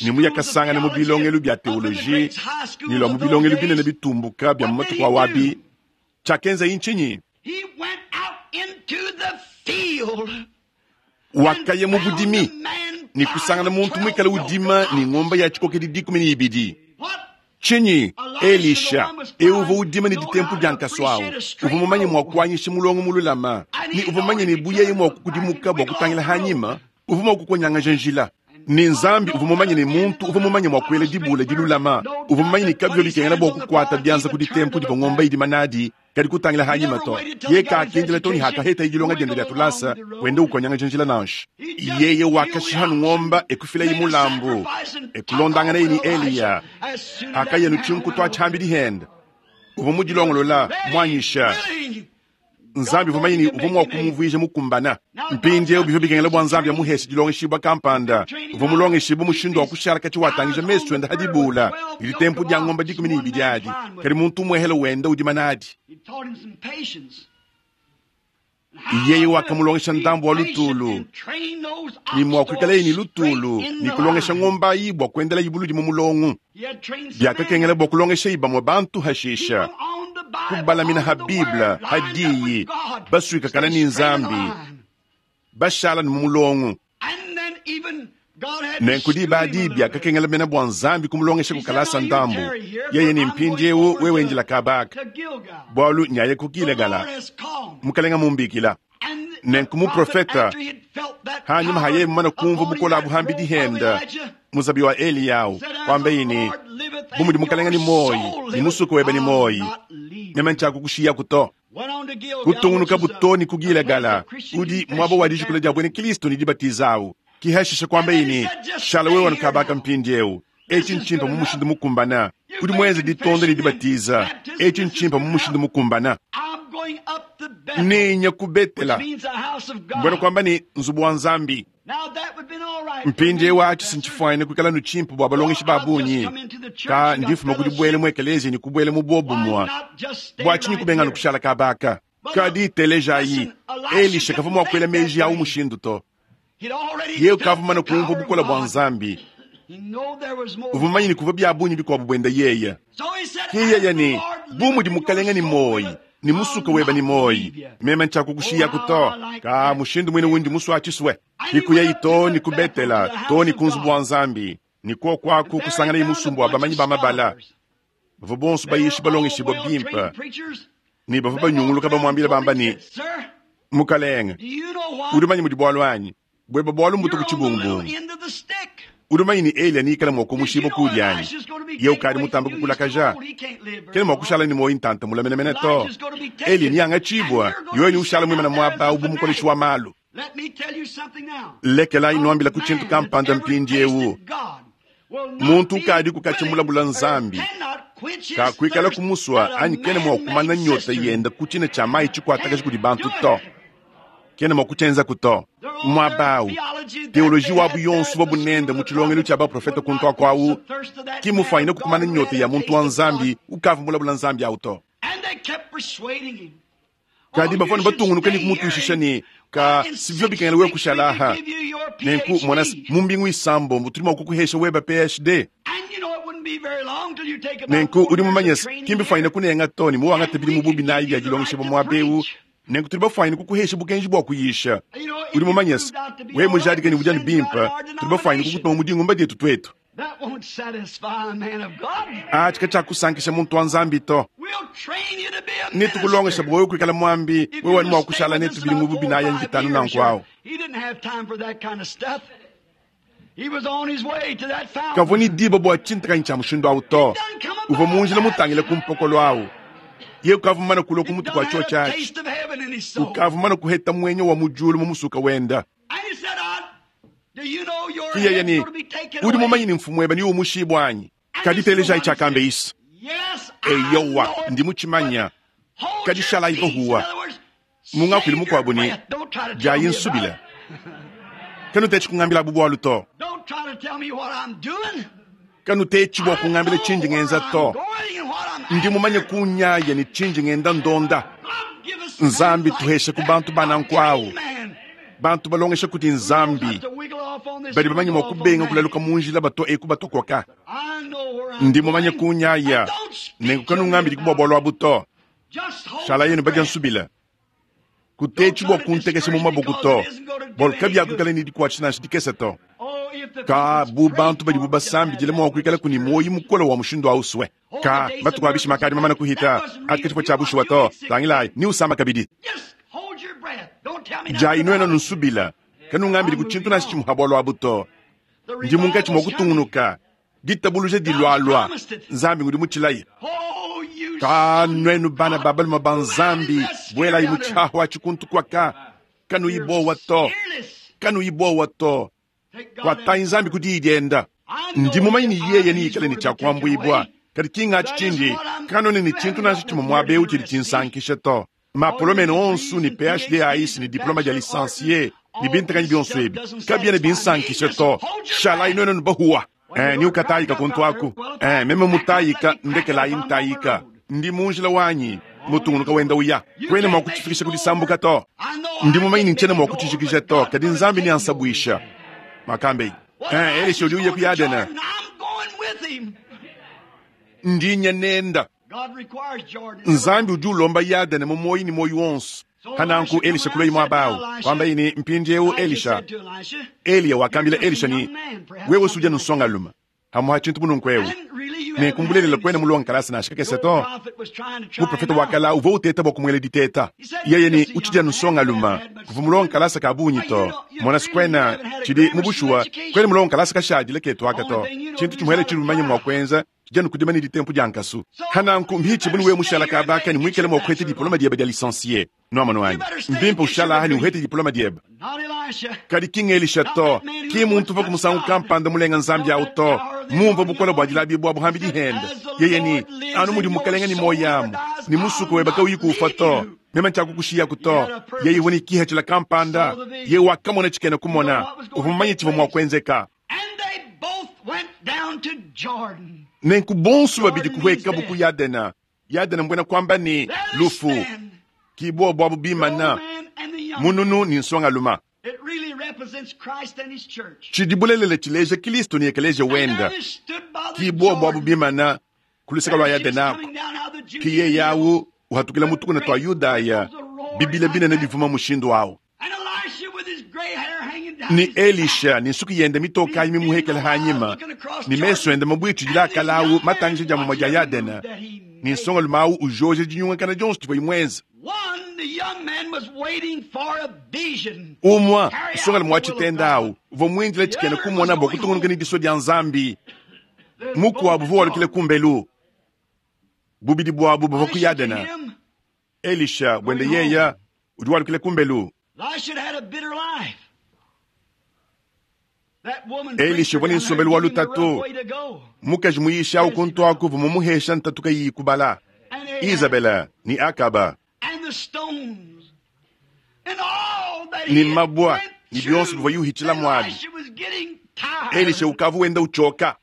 ne muyakasangana mu bilongelu bya teoloji ne lwa mu bilongelu binene bitumbuka bya mu matuku awabi. Tshiakenza intshinyi? Wakaya mu budimi ni kusangana muntu mwikala udima ni ng'ombe ya tshikokedi dikumi ne ibidi. Tshinyi Elisha euva udima ne ditempu dia nkasu awu uvua mumanye mua kuanyisha mulongo mululama ni uvua mumanye ne buyeye mua kukudimuka bua kutangila hanyima uvua mua kukonyangaja njila. Ni Nzambi uvua mumanye ne muntu uvua mumanye mua kuela dibula dilulama uvua mumanye ne kabio bikengela bua kukuata byanza ku ditempu divua ng'ombe idima nadi kadi kutangila hanyima to. Ye kakendela to ni hakaheta idilonga dienda dia tulasa wenda ukonyangaja njila nansha. Yeye wakashihanu ng'omba ekufila yi mulambu ekulondangana ye ni Eliya akayenu tshinku twa tshambidi henda uvua mudilongolola mwanyisha. Nzambi uvua mumanye ni uvua mua kumuvuija mukumbana. Mpindiewu bivua bikengela bua Nzambi amuheshe dilongeshibwa kampanda uvua mulongeshibwa mushindu wa kushala katshi watangija mesu enda hadibula ili tempu dia ng'ombe dikumi ne ibidi adi kadi muntu umuehele wenda udima nadi. Yeye wakamulongesha ndambu wa lutulu ni mwakwikalaye ni lutulu ni kulongesha ng'ombayi bua kuendela ibuludi mu mulongo. Biakakengela bua kulongesha ibamwe bantu hashisha kubalamina ha Biblia hadiyi baswikakana ni nzambi bashala ni mu mulongo. Nenku badi biakakengela mena bua nzambi kumulongesha kukalasa ndambu. Yeye ni mpindi ewu wewe njila kabaka bwalu nyaye kukilegala mukalenga mumbikila. Nenku muprofeta hanyuma haye mumana kumva bukola buhambi dihenda muzabi wa Eliyahu kwambe ini bumudi mukalenga ni moyi ni musuku webe ni moyi meme nchakukushiya kuto kutungunuka butoni kugilegala udi mwabo wa dijikula dia bwene Kristo ni dibatizawu kihashisha kwambe ini shala wewe wanukabaka mpindi ewu echi nchimpa mumushindu mukumbana kudi mwenze ditonda ni dibatiza echi nchimpa mumushindu mukumbana ninya kubetela mbwena kwamba ni nzubu wa nzambi mpindi ewu achi sinchifwaine kwikala nuchimpa bwa balongeshi babunyi ka ndifuma kudibwele mu ekelezia ni kubwele mu bobumwa bwachinyi kubenga nukushala kabaka kadi telejayi Elisha kava mwakwela meji awu mushindu to ye ukavumana kumva bukola bwa nzambi uvumanyini kuva byabunyi bikwabu bwenda yeya kiyeye ni bumudi mukalenga ni moyi ni musuka weba ni moyi meme nchakukushiya kuto ka mushindu mwine wundi musu achiswe ikuya ito ni kubetela to ni kunzu bwa nzambi ni kwo kwaku kusangana imusumbu wa bamanyi bamabala bava bonso bayishi balongeshibwa bimpa ni bava banyunguluka bamwambila bamba ni mukalenga udi manyi mudi bwalu anyi bweba bwalu mbuto ku chibumbungu udi manyi ni Eliya niikala mwa kumushiba kudyanyi ye ukali mutamba kukulakaja kene mwa kushala ni moyi ntanta mulamenemene to Eliya niyanga chibwa yoyo ni ushala mwimana mwaba ubu mukoleshi wa malu. Lekela inwambila ku chintu kampanda mpindi ewu muntu ukadi kukachimulabula nzambi kakwikala kumuswa anyi kene mwa kumana nyota yenda kuchina cha mayi chikwatakaji kudi bantu to kene mwa kuchenza kuto mwabawu teoloji wabu yonso babunenda mu chilongelo cha baprofeta kuntu akwawu kimufaine kukumana nyota ya muntu wa nzambi ukavumulabula nzambi awu to kadi bafana batungunuka ni kumutushisha ni ka sivyo bikengela we kushalaha nenku mwana mumbingu isambo mutulima kukuhesha weba P H D nenku udi mumanyesa kimbi faine kunenga toni muwanga tebili mububi nayi bya jilongesha bamwabewu nenku tuli bafaine kukuhesha bukenji bwa kuyisha udi mumanyesa we mujadika ni bujani bimpa tuli bafaine kukutuma mudingumba dietu twetu achi kachakusankisha muntu wa nzambi to nitukulongesha bwa wewe kwikala mwambi wewe wani mwakushala netu bili mububi nayi anjitanu nankwawo kavua ni diba bwa chintakanyi cha mushindu awu to uva munjila mutangile kumpokolo awu ye ukavumana kulo kumutu kwa cho chachi ukavumana kuheta mwenyo wa mujulu mumusuka wenda kiyeye ni udi mumanyi ni mfumu eba ni umushibwa anyi kaditeleja ichakambe isa eyowa ndi muchimanya kadishala ivohuwa mungakwili mukwabo ni jayi nsubila kanu techi kungambila bubwalu to kanu techi bwa kungambila chinji ngenza to ndi mumanye kunyaya ni chinji ngenda ndonda nzambi tuheshe ku bantu banankwawu bantu balongesha kuti nzambi badi bamanye mwa kubenga kulaluka munjila bato eku batokoka ndi mumanye kunyaya nenku kanu ngambili kubwa bwalwa buto shala yenu baja nsubila kutechi bwa kuntekesha mu maboko to bwalu kabyakwikala ni dikwachi dikesa to ka bu bantu badi bubasambidile mwa kuikala kuni moyi mukola wa mushindu auswe ka matuku abishi makadi mamana kuhita atikatipo cha bushuwa to tangilayi ni usamba kabidi jayi nwena nusubila kanungambili kuchintu nasi chimuhabwalwa abuto ndi munkachi mwa kutungunuka ditabuluje dilwalwa nzambi ngudi muchilayi ka nwenu bana babaluma ba nzambi bwelayi muchahu achikuntu kwaka kanuyibowa to kanuyibowa to kwatayi nzambi kudiidyenda ndi mumanyi ni yeye niyikale ni chakwambwibwa kadi kingachi chindi kanone ni chintu nasi chimwe mwabeu chili chinsankisha to mapolomene onsu ni P H D aisi ni diploma dia licencié ni bintakanyi bionso ebi kabiene binsankisha to shalayi nwenu nubahuwa eh, ni ukatayika kuntu aku eh, meme mutayika ndekelayi ntayika ndi munjila wanyi Mutungunuka wenda uya. Kwena mwa kuchifikisha kudisambuka to. Ndi mumanyi nchena mwa kuchijikisha to, kadi nzambi ni ansabwisha. Makambe. Eh, Elisha uli uye ku Yadena. Ndi nyenenda. Nzambi udi ulomba Yadena mu moyi ni moyi wonso. Hananku Elisha kuloi mwabawu. Kwamba ini mpindieu Elisha. Eliya wakambila Elisha ni wewe suja nusonga luma. Hamuha chintu mununkwewu. Ne kumbulelela kwena mulonga kalasa na shikakese to. Muprofeta wakala uvo uteta bwa kumwele diteta. Yeye ni uchija nusonga luma. Kuva mulonga kalasa kabunyi to. Mwana sikwena chidi mubushuwa kwena mulonga kalasa kashadile ketu akato. Chintu chimwele chilumanya mwa kwenza. Janu kudima ni ditempo jankasu. Hananku mbichi bunu we mushala kabaka ni mwikele mwa kwete diploma dieba dia licencié. No mano wanyi. Mbimpa ushala hani uhete diploma dieba. Kadi king Elisha to. Ki muntu va kumusangu kampanda mulenga nzambi au to. Mumva bukola bwa dilabi bwa buhambi dihenda. Yeye ni anu mudi mukalenga ni moyamu. Ni musuko weba kauyi kufa to. Mema nchakukushiya kuto. Yeye woni kiha chila kampanda. Ye wakamona chikena kumona. Uvumanyi chivo mwa kwenzeka. Nenku bonsu babidi kuweka buku Yadena. Yadena mbwena kwamba ni lufu. Kibwa bwabu bimana. Mununu ni nsonga luma. Chidibulelele chileje Kristo ni ekeleje wenda. Kibwa bwabu bimana kuluseka lwa Yadena. Kiye yawu uhatukila mutuku na twa Yudaya. Bibile bine ne bivuma mushindu wao. Ni Elisha ni nsuku yende mitoka imi muhekele hanyima ni meso yende mabwichu jila kalawu matangije jamu moja Yadena ni nsonga lumawu ujoje jinyunga kana Jones tipo imwenza umwa nsonga lumawu chitendawu uvo mwinjile chikene kumona bo kutungunuka ni diso dia nzambi mukuwabu vo walukile kumbelu bubidi bwabu bava ku Yadena Elisha bwende yeya udi walukile kumbelu Elisha voni nsombelu wa lutatu mukaji muyisha au kuntwaku vumumuhesha ntatuka yi kubala Isabela ni Akaba ni mabwa ni bionso bivwa yuhichila mwabi Elisha ukavu wenda uchoka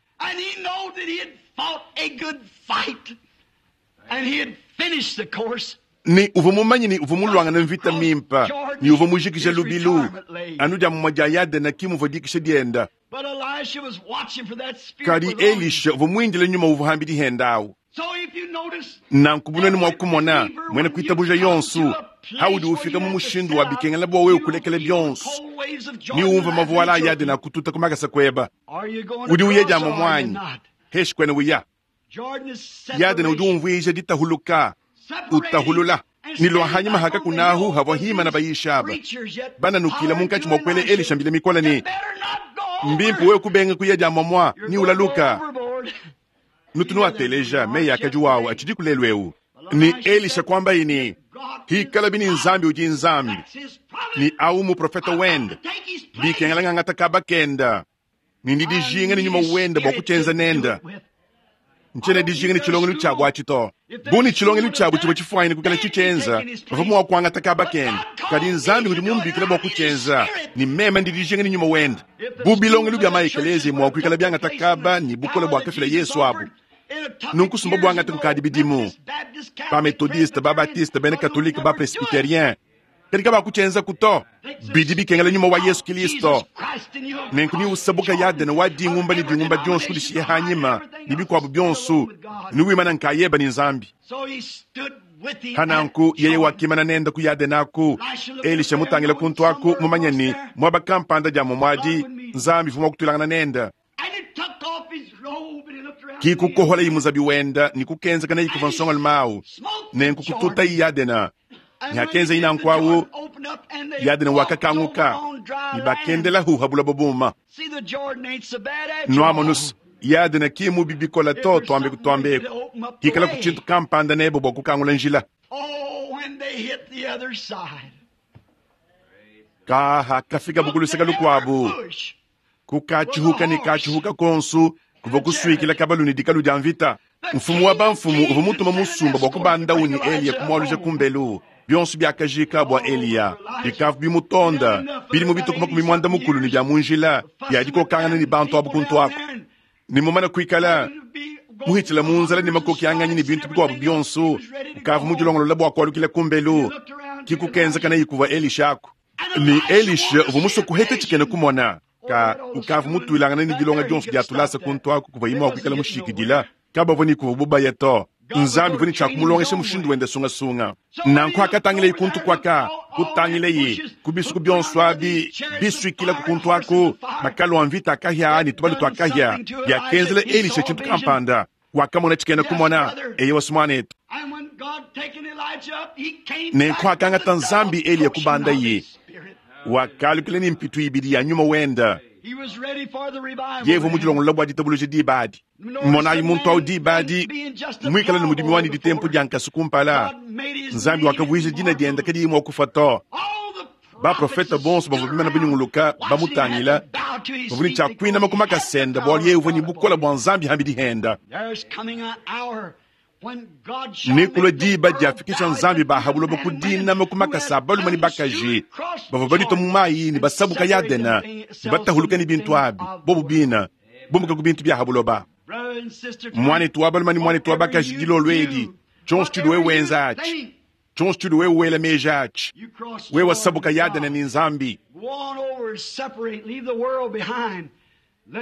ni uvo mumanyi ni uvo mulwanga na mvita mimpa ni uvo mujikisha lubilu anu dia mmoja Yadena kimu dikisha dienda kadi Elisha uvo mwindile nyuma uvo hambi dihendawu nanku bunene mwa kumona mwene kuitabuja yonsu haudi ufika mu mushindu wa bikengela bwa wewe kulekele byonsu ni umva mavuala Yadena kututa kumakasa kweba udi uyeja mwanyi heshi kwene uya Yadena udi umvwije ditahuluka utahulula nilwahanyima haka kunahu havwahima na bayishaba bananukila munkachi mwakwele Elisha mbile mikola ni mbimpu we kubenga kuya jamwamwa ni ulaluka nutunu ateleja meya akajuwawu achidi kulelwewu ni Elisha kwamba ini hikala bini nzambi uji nzambi ni au muprofeta wenda bikengela ng'ang'ata kaba kenda ni ndidijinga ni nyuma wenda bwa kuchenza nenda nchene dijinga ni chilongelo chabu achito buni chilongelo chabu chibwe chifwaine kukala chichenza bavumu wakwangata kaba kenda kadi nzambi kuti mumbikile bwa kuchenza ni mema ndi dijinga ni nyuma wenda bubilongelo bya maikelezi mwa kuikala byangata kaba ni bukola bwa kafila Yesu abu nunkusumba bwangata kukadi bidimu ba metodiste ba baptiste bene katolike ba presbyterien kadi kaba kuchenza kuto bidi bikengela nyuma wa Yesu Kristo nenku ni usabuka Yadena wa dingumba ni dingumba dyonsu kudishiye hanyima ni bikwabu byonsu ni wimana nkayeba ni nzambi hananku yeye wakimana nenda ku Yadenaku Elisha mutangila kuntwaku mumanyani mwaba kampanda ja mumwadi nzambi vumwa kutulangana nenda kikukohola imuzabi wenda ni kukenzekana ikuva nsonga lumawu nenku kututa Yadena nyakenze inankwawu Yadena wakakanguka ni bakendela huha bula bobuma nwamonus Yadena kimu bibikola to twambe kutwambeko hikala kuchintu kampanda nebo bwa kukangula njila kaha kafika bukuluseka lukwabu kukachihuka ni kachihuka konsu kuva kuswikila kabaluni dikalu dia mvita mfumu wa bamfumu uva mutuma musumba bwa kubanda uni Eliya kumwaluja kumbelu byonso byakajika bwa Eliya bikavu bimutonda bilimu bituku makumi mwanda mukulu ni bya munjila byadikokangana ni bantu abu kuntu ako nimumana kuikala Muhitshila munzala ne makoki anganyi ne bintu bikuabu bionso, ukavua mudilongolola bua kualukila kumbelu. Kikukenza kana ikuvua Elisha aku. Ni Elisha uvua musue kuheta tshikena kumona. Ka ukavua mutuilangana ne dilonga dionso dia tulasa kuntu aku kuvua imua kuikala mushikidila. Kabavua ni kuvua bubaya to. Nzambi vua ne tshia kumulongesha mushindu wende sungasunga. Nanku akatangila ikuntu kwaka, kutangila ye, kubisuku bionso abi, bisuikila kukuntu aku, makalo a mvita akahya ne tubalu tuakahya, biakenzela Elisha tshintu kampanda. Wakamona tshikena kumona, eye wasumwanetu. Nenku akangata Nzambi Eliya kubanda ye, wakalukila ne mpitu ibidi ya nyuma wenda. Yevu mudilongolola bua ditabuluja diba adi. Monayi muntu awu diba adi, muikale ne mudimu wani ditempu dia nkasu kumpala. Nzambi wakavuija dina diende kadiyi mua kufa to. Baprofeta bonso bavua bimana binyunguluka bamutangila, bavua ne tshia kuinama ku makasenda bualu yeye uvua ne bukole bua Nzambi hambidi henda. Nekulua diba diafikisha Nzambi bahabuloba ku dinama ku makasa a balume ne bakaji bavua baditua mu mayi ne basabuka Yadena ne batahuluka ne bintu abi bobu bina bumuka ku bintu bia habuloba. Mwanetu wa balume ne mwanetu wa bakaji dilolo edi, tshionso tshidi wewe wenza atshi, tshionso tshidi wewe wela meji atshi, wewe wasabuka Yadena ne Nzambi.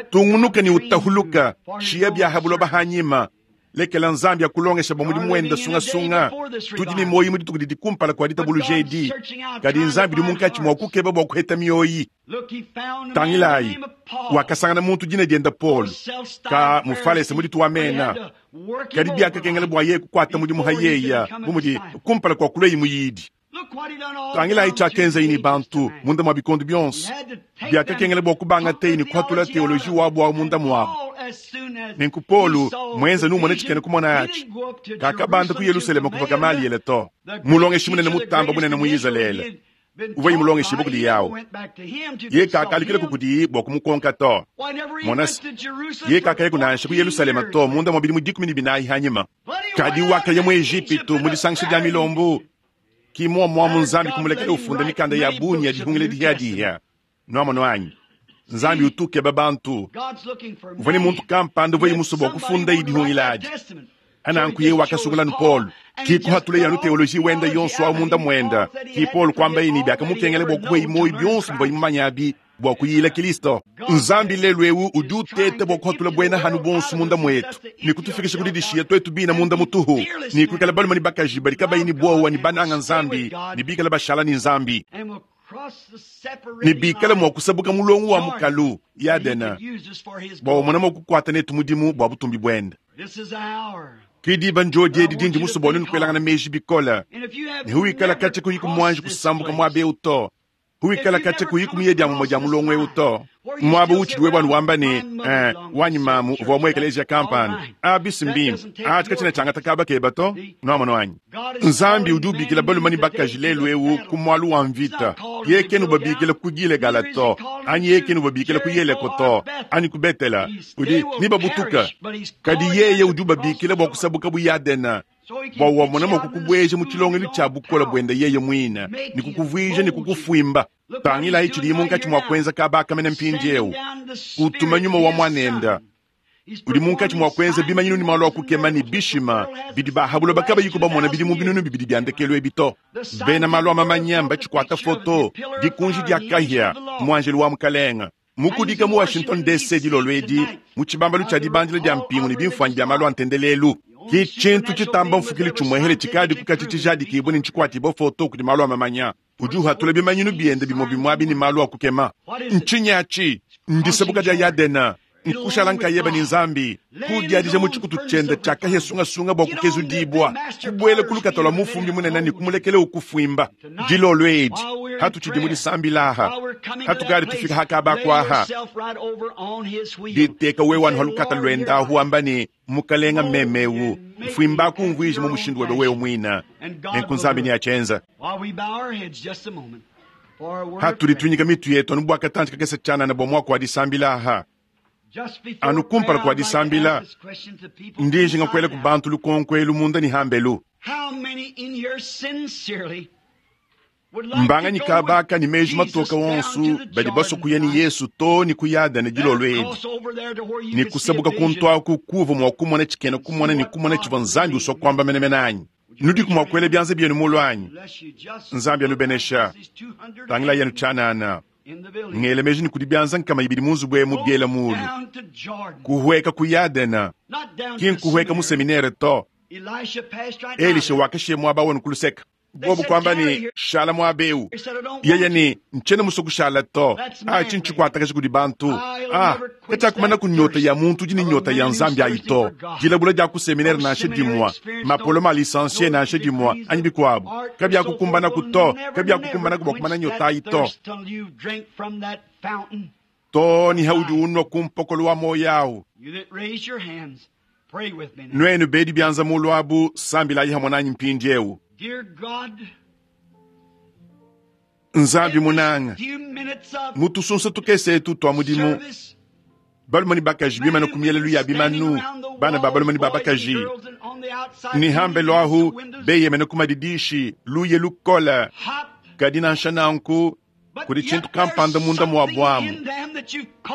Tungunuka ne utahuluka shia bia habuloba hanyima. Lekela Nzambi akulongesha bua mudimu wenda sungasunga. Tudi ne moyi mu dituku didi kumpala kua ditabuluja edi. Kadi Nzambi udi munkatshi mua kukeba bua kuheta mioyi. Tangilayi, wakasangana muntu dina dienda Paul, ka mufalese mu ditu wa mena. Kadi biakakengela bua yeye kukuata mudimu ha yeya, bu mudi kumpala kua kulua muyidi. Tangilayi tshiakenza ne bantu munda mua bikondo bionso. Biakakengela bua kubanga teyi ne kuhatula teoloji wabu wa munda muabu. Nenku Paulo mwenza numone tshikena kumona atshi. Kakabanda ku Yerusalema kuva Gamaliele to. Mulongeshi munene mutamba munene mu Izalele. Uvua imulongeshi bukudi yawo. Ye kakalikila kukudi bua kumukonka to. Monasi, ye kakaya kunansha ku Yerusalema to munda mua bidimu dikumi ne binayi hanyima. Kadi wakaya mu Ejipitu mu disangisha dia milombu. Ki mua mua mu Nzambi kumulekela ufunda mikanda ya bungi ya dihungila dihadiha. Nuamono anyi? Nzambi utukeba bantu. Uvua ne muntu kampanda uvua musue bua kufunda idihungila adi. Ananku ye wakasungula nu Paul. Ki kuhatula yanu teoloji wenda yonso wa munda mwenda. Ki Paul kwamba yini biakamukengela bua kuhwa imoyi bionso bivua imumanya abi bua kuyila Kristo. Nzambi lelu ewu udi uteta bua kuhatula bwena hanu bonso munda mwetu. Ni kutufikisha kudidishia twetu bina munda mutuhu. Ni kuikala balume ni bakaji badi kabayi ni bowa ni bananga Nzambi. Ni bikala bashala ni Nzambi. Ni bikala mua kusabuka mulongo wa mukalu Yadena. Bua umona mua kukuata netu mudimu bua butumbi bwenda. Kidiba njodi edi dindi musobonu nikuelangana meji bikola. Ne huikala kache kuyiku mwanji kusambuka mwabe uto. Huikala kache kuyiku miyedi ya mmoja mulongo eu to. Mwabo uchi bwana wamba ne eh, wanyi mamu uvua mu eklezia kampani. Abisi mbimbi. Achi kachina changata kaba keba to. Nuamono wanyi. Nzambi udi ubikila balume ne bakaji lelu eu ku mwalu wa mvita. Ye kenu babikila ku Gilegala to. Anyi ye kenu babikila ku Yeriko to. Anyi ku Betela. Udi ni babutuka. Kadi yeye udi ubabikila bua kusabuka bu Yadena. Bua wamona mua kukubweja mu tshilongelu tshia bukola bwenda yeye mwina. Ni kukuvuija ni kukufuimba. Tangila ichi munkatshi mua kuenza kabaka mene mpindi eu. Utuma nyuma wa mwanenda. Udi munkatshi mua kuenza bimanyinu ni malu a kukema ni bishima. Bidi bahabulo bakaba yiko bamona bidi mu binunu bibidi bia ndekelu ebi to. Bena malu a mamanya mbatshikwata foto. Dikunji dia kahia, mwanjelu wa mukalenga. Mukudika mu Washington D C dilolo edi, mu tshibambalu tshia dibandila dia mpingu ne bimfuanyi bia malu a ntendelelu. Ki tshintu tshitamba mfukili tshimwehele tshikadi kukatshi tshijadikibwe ne tshikwatibwa foto kudi malu a mamanya. Udi uhatula bimanyinu biende bimwe bimwe abi ne malu a kukema. Ntshinyi ndisabuka dia Yadena. Nkushala nkayeba ni Nzambi. Kudiadija mu tshikutu tshiende tshia kahia sungasunga bua kukezudibwa. Kubwela kulukata lwa mufumbi munene ne kumulekele ukufuimba. Dilolo edi, hatu tshidi mu disambilaha. Hatukadi tufika hakaba kwaha. Diteka wewe wanu halukata lwenda huamba ne mukalenga memewu. Mfuimba kumvuija mu mushindu webe wewe mwina. Nenku Nzambi ni achenza. Hatulitunyika mitu yetu anu bua katanji kakese tshanana bua mua kwa disambilaha. Anu kumpala kwa disambila, ndinji ngakwela ku bantu lukonko elu munda ni hambelu. Mbanganyi kabaka ne meji matoka onso badi basua kuya ne Yesu to ne ku Yadene dilolo edi ne kusabuka kuntu aku kuva mua kumona tshikena kumona ne kumona tshivua Nzambi usua kuamba menemene anyi? Nudiku mua kuela bianza bienu mulu anyi? Nzambi anubenesha. Tangila yenu tshianana. Ngela meji ne kudi bianza nkama ibidi mu nzubu emu biela mulu. Kuhueka ku Yadene ki nkuhueka mu seminere to. Elisha wakashiye muaba wenu ku luseka. Bobu kwamba ne shala muaba eu. Yeye ne ntshiena musue kushala to. Ah, tshintu tshikuatakaja kudi bantu. Ah, katshiakumana ku nyota ya muntu udi ne nyota ya Nzambi ayi to. Dilabula dia ku seminere nansha dimua, mapoloma a licencié nansha dimua, anyi bikuabu. Kabiakukumbanaku to, kabiakukumbanaku bua kumana nyota ayi to. To ni haudi unwa ku mpokolo wa moyo awu. Nuenu bedi bianza mulu abu sambilayi hamwe nanyi mpindiewu. Nzambi munanga, mutusunsa tukese etu twa mudimu, balume ne bakaji bimana ku mielelu ya bimanu, bana ba balume ne ba bakaji ne hambelo ahu beyemene ku madidishi luye lukola kadi nansha nanku kudi tshintu kampanda munda mua buamu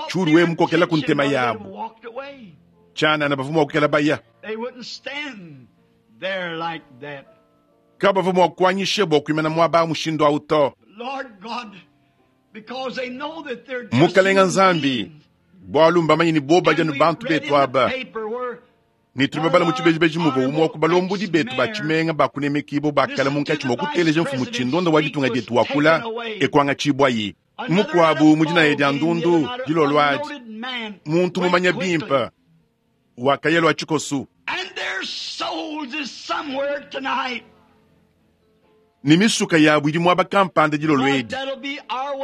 tshiudi we mukokela ku ntema yabu tshianana bavua mua kukela baya kabavua mua kuanyisha bua kuimana muaba mushindu awu to. Mukalenga Nzambi, bualu mbamanyi ne boba dianu bantu betu aba ne tuli babala mu tshibejibeji muvua umue wa ku balombodi betu ba tshimenga bakunemekibo bakala munkatshi mua kuteleja mfumu tshindonda wa ditunga dietu wakula ekuangatshibwayi mukuabu mu dinaye dia ndundu dilolo adi muntu mumanya bimpe wakayelwa tshikosu ne misuka yabu idi muaba kampanda dilolo edi.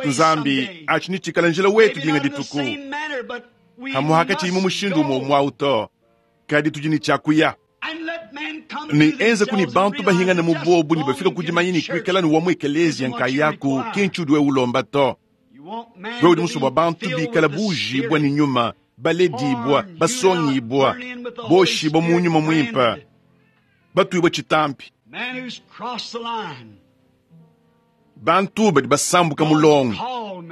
Nzambi atshi ni tshikala njila wetu dinga dituku hamuhaka tshiyi mushindu umue umue to kadi tudi ne tshiakuya ne enza kuni bantu bahingana mu bobu ne bafika kudimanya ne kuikala ne wa mu ekelezia nkayaku ki ntshudi we ulomba to. Wewe udi musue bua bantu bikala bujibwa ne nyuma baledibwa basongibwa boshibwa mu nyuma muimpe batuibwa tshitampi. Bantu badi basambuka mulongo,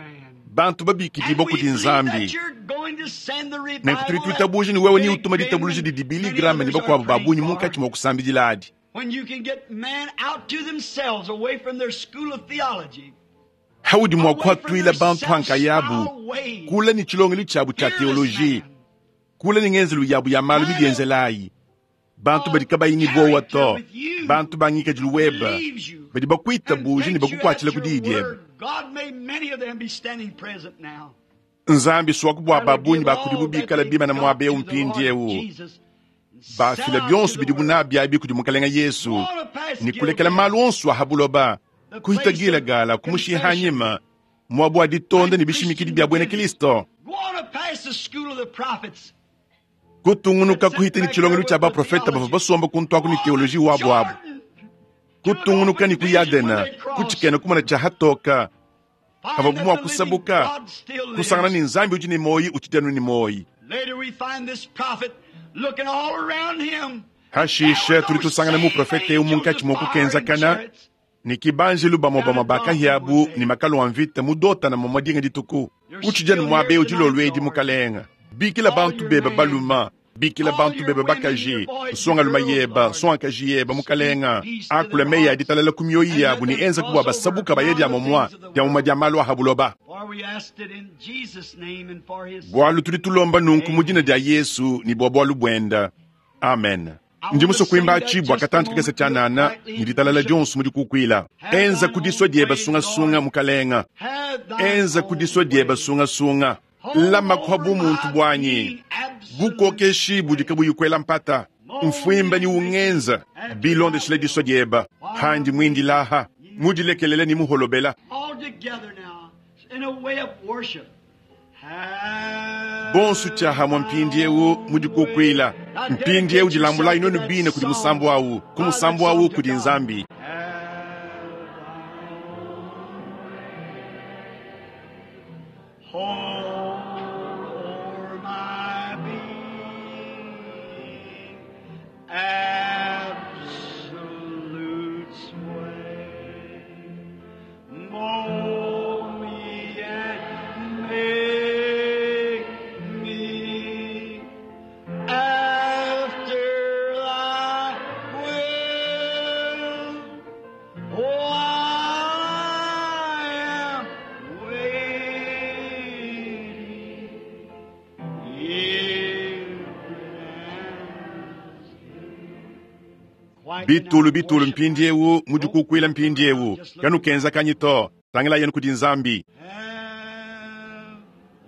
bantu babikidibwa kudi Nzambi. Nenku tudi tuitabuja ne wewe ni utuma ditabuluja didi Billy Graham ne bakuabu ba bungi munkatshi mua kusambidila adi. Haudi mua kuatuila bantu hankayabu kula ne tshilongelu tshiabu tshia teoloji, kula ne ngenzelu yabu ya malu midienzelayi. Bantu badi kabayi ne bowa to, bantu bangikadilu weba badi bakuitabuja ne bakukuatshila ku diyi diebe. Nzambi suaku bua babunyi bakudibu bikala bimana muaba eu mpindiewu bafila bionso bidibu nabi abi kudi Mukalenga Yesu ne kulekela malu onso aha buloba kuhita Gilagala kumushiha hanyima muabu wa ditonda ne bishimikidi bia buena Kristo kutungunuka kuhita ne tshilongelu tshia baprofeta bavua basomba kuntu aku ne teoloji wabu abu kutungunuka ne ku Yadena kutshikena kumona tshia hatoka havabu mua kusabuka kusangana ne Nzambi udi ne moyi utshidi ne moyi. Hashishe tuli tusangana muprofete eu munkatshi mua kukenzakana ne kibanjilu bamue bamue bakahiabu ne makalo a mvita mudotana momua dinga dituku utshidi anu muaba eu dilolo edi mukalenga bikila bantu bebe baluma bikila bantu bebe bakaji nsongaluma yeba nsongakaji yeba mukalenga akula meyi adi talala ku mioyi yabu ne enza kubua basabuka baye dia momua dia momua dia malu aha buloba. Bualu tudi tulomba nunku mu dina dia Yesu ne bua bualu buenda. Amen. Ndi musue kuimba tshibua katantu kakese tshianana ne ditalala dionso mudi kukuila. Enza kudisua diebe sungasunga mukalenga. Enza kudisua diebe sungasunga. Lama kwa bumuntu bwanyi bukokeshi budi kabuyi kuela mpata mfuimba ni ungenza bilondeshile disua dieba handi mwindilaha mudilekelele ni muholobela. Bonsu tshiahamwa mpindiewu mudi kukuila mpindiewu dilambulayi nonu bine kudi musambu awu ku musambu awu kudi Nzambi. Bitulu bitulu mpindiewu mudikukwila mpindiewu kanukenzakanyi to tangila yenu kudi Nzambi. Have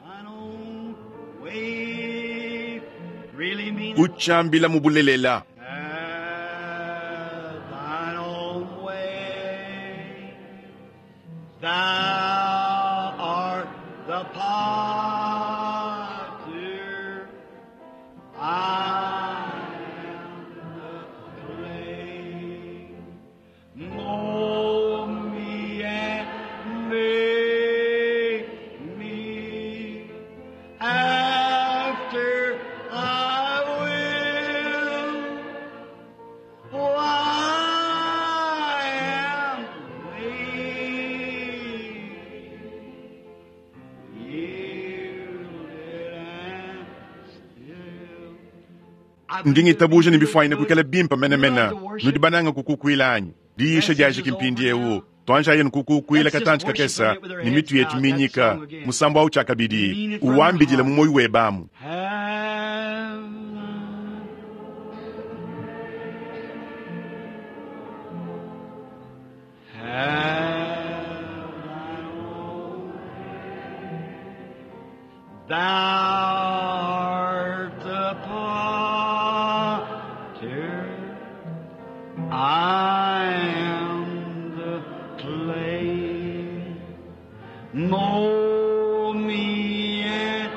thine own way. Really mean it. Uchambila mubulelela. Have thine own way. Thou art the potter. I am the clay. Mold me and make me after thy will. Oh, I am waiting, yielded and still. Ndingitabuja ni bifuanyine kuikala bimpa menemene nudi bananga kukukwila diisha diajiki mpindiewu twanja yenu kukukwila katanji kakesa ni mitu yetu minyika musambo au chakabidi uwambidile mu moyo webamu. Have Have thine own Thou art the potter, I am the clay. Mold me and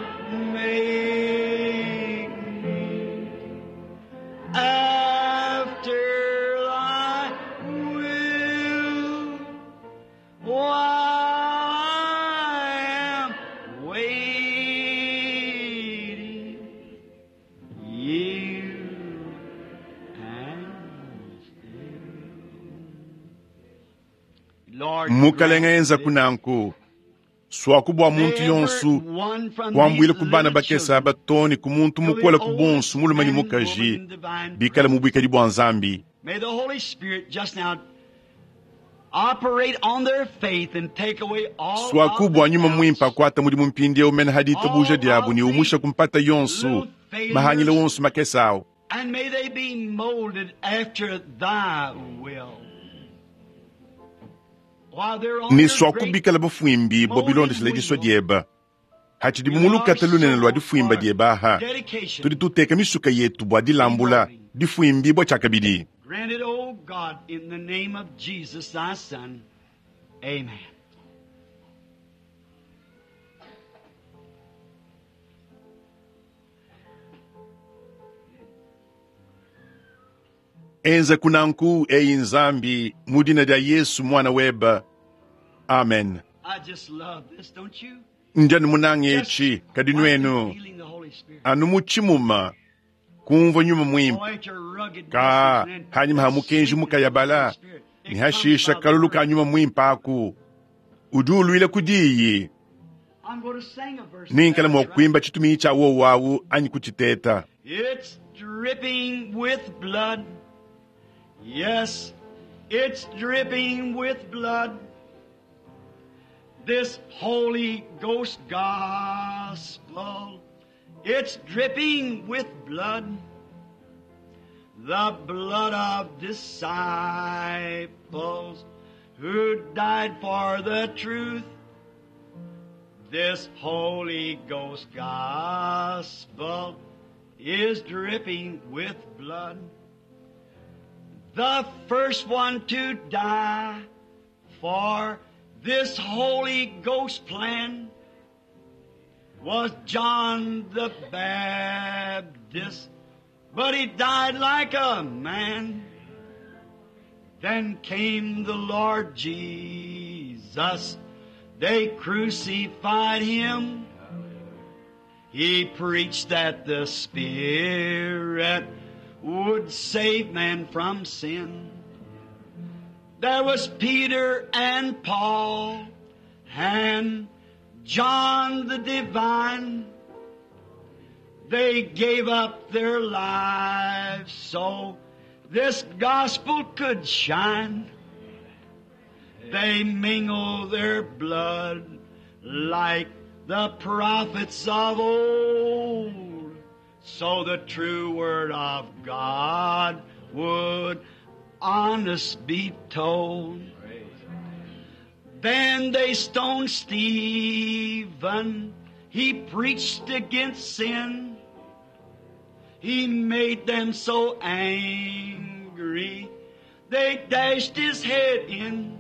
make me after thy will. Oh, I am waiting, yield and still. Lord, Mukalenga grant enza this. kunanku swaku bua muntu yonsu kuambuila ku bana bakesa batoni ku muntu mukola ku bonsu mulume ne mukaji bikala mu buikadi bua Nzambi. May the Holy Spirit just now operate on their faith and take away all Swaku of bua the nyuma mwimpa doubts, akwata mudimu mpindiewu mene hadi itabuja diabu ni umusha kumpata yonsu mahangile wonsu makesa awo. and may they be molded after thy will. While they're on Ni their swaku great bikala bafuimbi bo bilondeshela diswa dieba hachidi mumulukata lunene lwa difuimba dieba aha dedication, tudi tuteka misuka yetu bua dilambula difuimbi bua chakabidi. grant it, O God, in the name of Jesus, thy Son. Amen. Enza kunanku eyi Nzambi mudina dia Yesu mwana weba. Amen. I just love this, don't you? Njani munange Just echi kadi like nwenu feeling the Holy Spirit. anu muchimuma kumva nyuma mwimpa Oh, ain't your rugged ka message and hanyuma ha mukenji mukayabala Holy Spirit. It ni hashisha comes by the kalulu word. ka nyuma mwimpa aku udi ulwile kudiyi I'm going to sing a verse. ninkala That's mwa right. kuimba chituminyi cha wowawu anyi kuchiteta. It's dripping with blood. Yes, it's dripping with blood. This Holy Ghost gospel, it's dripping with blood. The blood of disciples who died for the truth. This Holy Ghost gospel is dripping with blood. The first one to die for this Holy Ghost plan was John the Baptist, but he died like a man. Then came the Lord Jesus. They crucified him. He preached that the Spirit would save man from sin. There was Peter and Paul and John the Divine. They gave up their lives so this gospel could shine. They mingle their blood like the prophets of old, so the true word of God would honest be told. Then they stoned Stephen. He preached against sin. He made them so angry. They dashed his head in.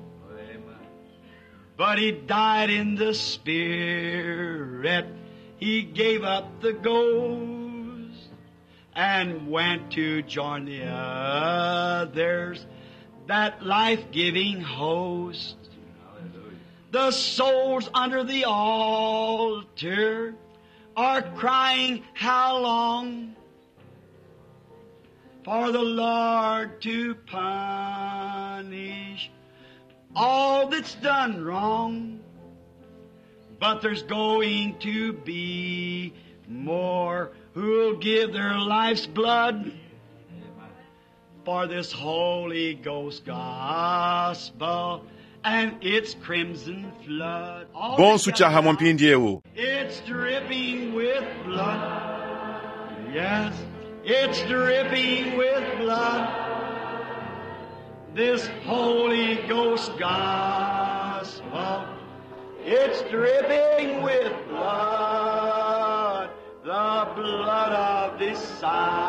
But he died in the spirit. He gave up the ghost and went to join the others, that life-giving host. The souls under the altar are crying, how long? For the Lord to punish all that's done wrong. But there's going to be more who'll give their life's blood for this Holy Ghost gospel and its crimson flood. All Bonsu together chaha now. mwampindiewu. It's dripping with blood. Yes, it's dripping with blood. This Holy Ghost gospel. It's dripping with blood. The blood of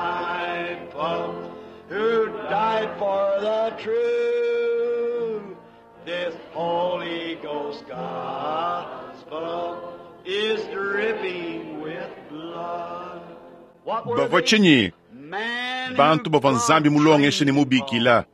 disciple who died for the truth. This Holy Ghost gospel is dripping with blood. What were Bavua they? tshinyi Man bantu who bavua God Nzambi mulongeshe ne trained mubikila.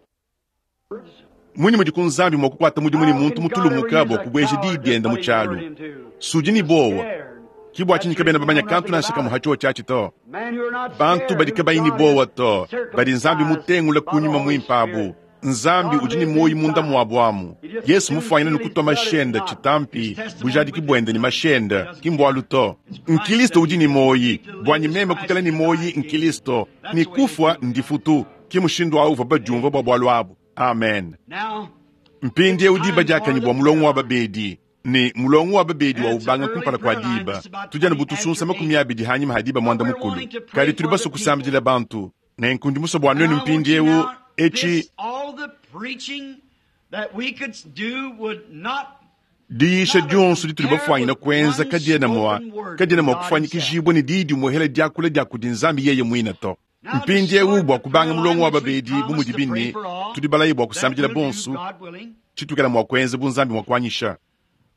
Munyi mudi ku Nzambi mua kukuata mudimu ne How muntu can God ever mutulumuka use bua a kubueja coward diyi to dienda mu put his tshialu? word into? Sudi ni bowa. Scared. Ki bua tshinyi That's kabena reason they bamanya know kantu nothing nansha about kamwe it. hacho tshiatshi to. Men who are not Bantu scared, badi who kabayi ni God bowa has to, badi Nzambi circumcised mutengula by the kunyuma Holy muimpabu. Spirit. Nzambi God udi ne lives muoyi munda inside. muabu amu. He just Yesu soon mufuanyina feel his nikutua blood is mashenda not. chitampi His testimony bujadiki with bwende his ni blood mashenda doesn't kimbwalu to. It's Christ Nkilisto that udi he ni is. moyi Seek to live bwanyi is meme Christ kukala ni and to die moyi is gain. nkilisto That's ni the way they kufwa feel about it. ndifutu kimushindu awu bajumva bwa bwalu abu. Amen. Now, Mpindi it's eu diba time for diakanyi the bua mulongo prayer wa line. babedi ni mulongo wa babedi wa And it's an ubanga early kumpala kwa prayer line, diba just about tujana twenty butusunsa after makumi eight. abidi hanyuma ha diba But mwanda we're mukulu wanting to pray kali tuli for the baso kusambidila people. bantu nenkundi muso bua And nwenu I want mpindi you eu now, eci this, all the preaching that we could do would not, diyisha not have dionso dituli compared bafwanyina with kuenza one kadiena mua spoken word kadiena from mua God Himself. kufanyikijibwa ni diyi dimuhela diakula dia kudi nzambi yeye mwina to. Now to Mpindi eu start bua the kubanga prayer mulongo line wa which we babedi bu promised mudi to pray bine for all, tudi balayi bua that kusambidila we'll do, bonsu God willing. chitukela mua kuenza bu nzambi mua kuanyisha.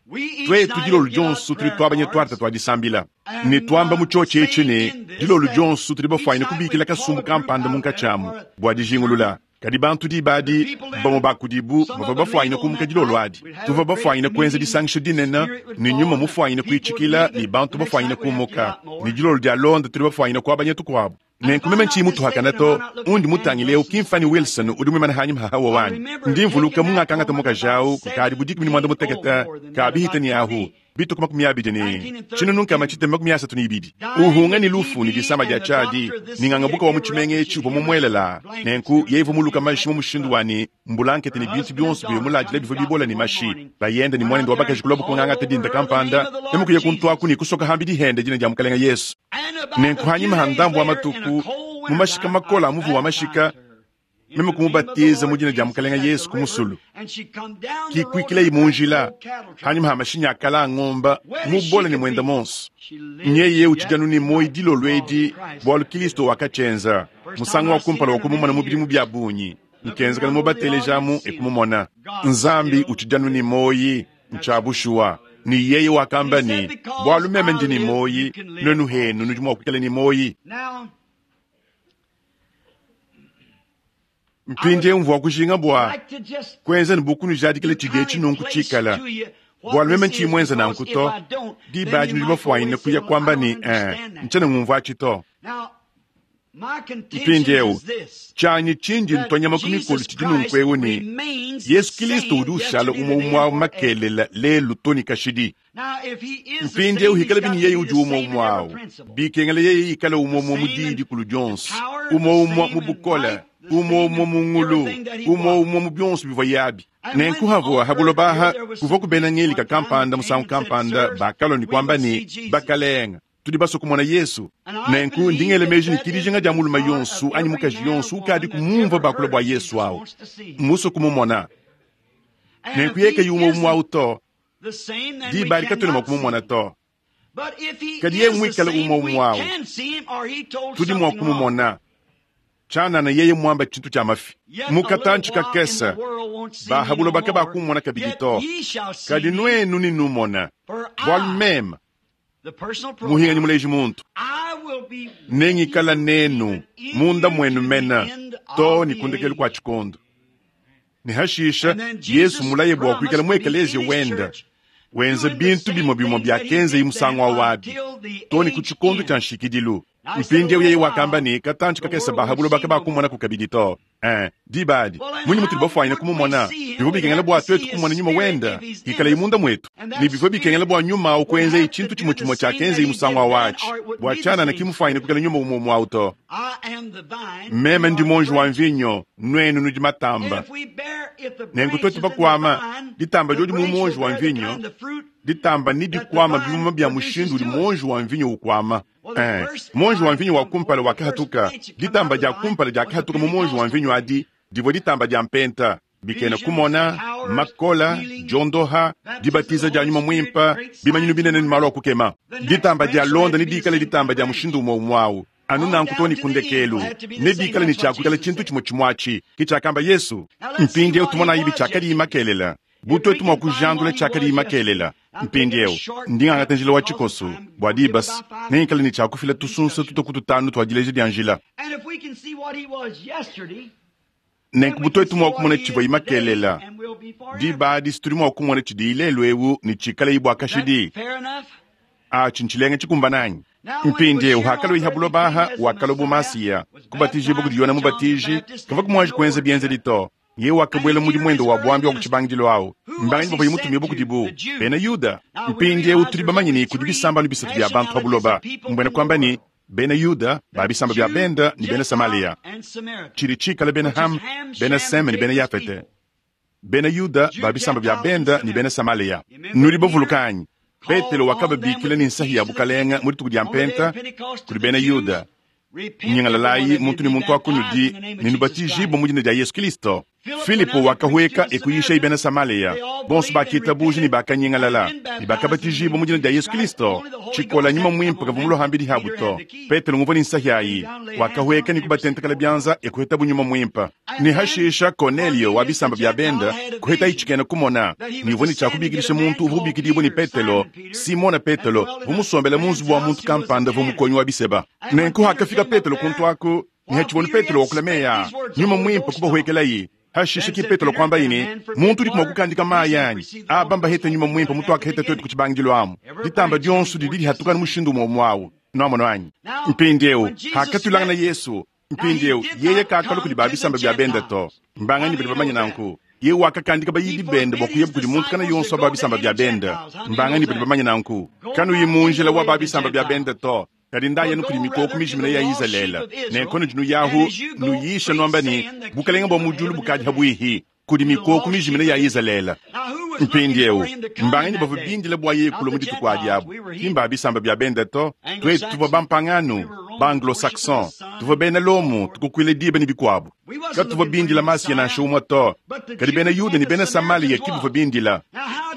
We each Twetu night dilolo have give out dionso tuli prayer twabanya twarta cards twadisambila ne and twamba uh, mu chochi echi saying ne in this dilolo that dionso tuli each bafwanyina night we kubikila call kasumbu a group kampanda out there munkachamu for a bua dijingulula sermon. kadi bantu The dibadi people bamwe then, bakudibu some bava of them leave bafwanyina on kumuka that dilolo night. adi We'd have tuva a great bafwanyina kuenza meeting. disangisha dinene Spirit would ne fall nyuma and the mufwanyina people would kuichikila leave ni it. bantu The next bafwanyina night we'd have to give kumuka out ni more. dilolo dia londa tuli bafwanyina kuabanya tukuabu And if nenkumeme I'm not nchiyi mutuhakana mistaken, am I to not looking undi at Dan mutangileu Wilson kimfani something like Wilson that? udi mwimana hanyuma hahawa I wanyi remember ndi mvuluka taking that mungakangata woman about mukajawu kukadi budikumi ni mwanda seventeen, oh, muteketa more than that, kabihita about ni ahu twenty, bituku makumi abidi ni nineteen and chino nunka thirty-two. machite makumi asatu ni ibidi Dying uhunga with ni lufu ni T B disama dia and the chadi doctor of this ni city had ng'angabuka wa given her up muchimenge and echi she'd uvo given her mumwelela blankets and nenku everything yeivo muluka in mashi that mu mushindu blood. wani mbulankete Her ni bintu husband and bionso daughter byomuladila come and bivyo got bibola me ni one mashi morning. bayenda ni Went mwanendo out wa there bakaji and kulobo called kung'ang'ata over dinda her the name kampanda of the Lord nemukuye kuntwaku Jesus. ni kusoka hambi dihende jina dia mukalenga Yesu And about nenku a few hanyuma days handambu wa later, in a matuku cold mu mashika winter time, makola I amuvu wa mashika baptized her in meme the name of the kumubatiza mu Lord jina dia Jesus mukalenga at the Yesu river, kumusulu and she come down the road kikwikila in a great imunjila old cattle truck. hanyuma ha mashinya akala ang'omba Wet as she mubola ni could mwenda be. monso She lives nyeye yet uchijanu ni moyi tonight dilolo because edi Christ bwalu liveth. Kristo wakachenza First time musango I wa seen kumpala her wa in kumumona many mu bidimu years. bya bunyi Looking nkenzekana around over the mubatelejamu audience, seeing ekumumona God nzambi still uchijanu ni lives. moyi That's right. nchabushuwa ni yeye And wakamba he said, ni because bwalu meme I ndi ni live, you moyi can live nwenu henu also. nudi mwa kuikala ni moyi Now, I would mpindi mvua kujinga bwa like to just kwenza ni bukunu jadikile to chige kind of chinunku place chikala to you what bwalu meme this is, nchimwenza because if nankuto I don't, then dibaji you nudi might go away bafwanyina and say, kuya well, I kwamba don't ni eh, understand that. nchene ngumva achito Now, my contention mpindiewu is this, chanyi chinji that ntonyama kumikulu Jesus chidi nunku Christ ewu ni remains the Yesu Kristo same udi ushala yesterday, umwe today, umwe and forever. makelela lelu toni kashidi Now, if he is the mpindiewu same, he's hikala got bini to yeye be udi the umwe same in umwe every awu principle. bikengela yeye ikala The umwe umwe same in mudidi kulu dyonso power, the umwe umwe same mu in bukola might, the umwe same umwe in mu ngulu everything that he umwe was. umwe mu byonso bivwa yabi And when nenkuhavo on earth here habulobaha there was kuva some kubena people ng'elika one time kampanda that came musangu and said, kampanda Sirs, bakaloni we kwamba would see ni Jesus. bakalenga Tudi basue kumona Yesu. Nenku ndingele meji ne kidijinga dia mulume yonso anyi mukaji yonso ukadi kumumva bakula bua Yesu awu. Musue kumumona. Nenku yeke yumwe umwe awu to. Diba likatwena mua kumumona to. Kadi yeye mwikale umwe umwe awu. Tudi mua kumumona. Tshianana yeye mwamba tshintu tshia mafi. Mukatanchi kakese. Bahabulo baka bakumona kabidi to. Kadi nuenu ni numona. Bwalu meme. Muhinganyi muleji muntu. Nengikala nenu munda mwenu mena to ni kundekelu kwa chikondo. Ni hashisha Yesu mulaye bwa kuikala mu ekelezia wenda. Wenze bintu bimwe bimwe bya kenze imusango wabi. To ni ku chikondo cha nshikidilu. Mpindiewu yeye wakamba ni katanchi kakese bahabulo baka bakumona kukabidi to. Eh, dibadi. Munyi mutu bafwanya kumumona. Bivyo bikengela bwa twetu kumona nyuma wenda. Ikala imunda mwetu. Ni bivyo bikengela bwa nyuma ukwenze ichintu chimwe chimwe cha kenze imusango wachi. Bwa chana na kimufwanya kukala nyuma umwe umwe auto. Meme ndi monji wa mvinyo, nwenu nudi matamba. Nenku twetu bakwama, ditamba jodi mu monji wa mvinyo, ditamba ni dikwama bimuma bya mushindu udi monji wa mvinyo ukwama. Eh, monji wa mvinyo wa kumpala wakahatuka, ditamba dia kumpala dia kahatuka mu monji wa mvinyo adi, divua ditamba dia mpenta. Bikena kumona, makola, jondoha, dibatiza dia nyuma mwimpa, bimanyinu binene ni malo akukema. Ditamba dia londa ni dikala ditamba dia mushindu umwe umwawu. Anu nanku toni kundekelu. Ne dikala ni chakukala chintu chimwe chimwachi. Kichakamba Yesu. Mpindiewu tumona ibi chakadi imakelela. Butwe tumwa kujandula chakadi imakelela. Mpindiewu ndingangata njila wa chikoso bwa dibas nengikala ni chakufila tusunsa tutokututanu twadileje dia njila. Nenku butwe tumwa kumona chivwa imakelela. Diba disituri mwa kumona chidi ilelu ewu ni chikala ibwa kashidi. A chinchilenga chikumbananyi. Mpindiewu hakalo ihabulo baha wakalo bumasiya kubatije bukudiyona mubatiji kava kumwaji kwenza bienze lito. Ye wakabwela mudi mwendo wa bwambi wa kuchibangilo awo. Mbanganyi bava yimutumye bukudibu. Bena Yuda. Mpindiewu tuli bamanyini kudi bisamba nubisatu bya bantu habuloba. Mbwena kwamba ni bena Yuda ba bisamba bya benda ni bena Samaria. Chiri chikala bena Ham, bena Sem ni bena Yafete. Bena Yuda ba bisamba bya benda ni bena Samaria. Nuri bavulukanyi. Petelo wakababikila ni nsahi ya bukalenga muri tuku dia mpenta kuli bena Yuda. Nyingalalayi muntu ni muntu akunudi ninubatiji bo mujina dia Yesu Kristo. Filipo wakahweka ekuyisha ibena Samaria. Bonso bakita buji ni bakanyingalala. Ni bakabatiji bo mujina dia Yesu Kristo. Chikola nyuma mwimpa kavumulo hambili habuto. Petelo nguvo ni nsahi ayi. Wakahweka ni kubatentekala byanza ekuheta bunyuma mwimpa. Ni hashisha Cornelio wa bisamba bya benda kuheta ichikena kumona. Ni ni chakubikilisha muntu uvubikilibo ni Petelo. Simona Petelo vumusombela munzu wa muntu kampanda vumukonyi wa biseba. Nenku hakafika Petelo kuntwaku ni hachibonu Petelo wakulameya. Nyuma mwimpa kubahwekelayi. Hashisha ki Petelo kwamba ini muntu uri kumwakukandika mayi anyi abamba hete nyuma mwimpa mutu akaheta twetu kuchibangilo amu ditamba dionso didi lihatukana mushindu umwe umwawu noamono anyi. Mpindiewu hakatulangana Yesu. Mpindiewu yeye kakalo kudi babisamba bya benda to mbanganyi badi bamanya nanku. Ye wakakandika bayidi benda bwa kuyebu kudi muntu kana yonso babisamba bya benda mbanganyi badi bamanya nanku. Kanu yimunjila wa babisamba bya benda to. Kadi ndaya nukuli mikoko mijimina ya Izalele. Nenkono jinu yahu nuyisha nwamba ni bukalenga bwa mujulu bukadi habwihi kudi mikoko mijimina ya Izalele. Mpindiewu mbanganyi bava bindila bwa yekulu mu dituku adi abu. Kimba bisamba bya benda to twetu tuvua bampanganu ba anglo-saxon tuvua bena Lomu tukukwile diba ni bikwabu. Katuvua bindila masiya nansha umwe to. Kadi bena Yuda ni bena Samaria kibuvua bindila.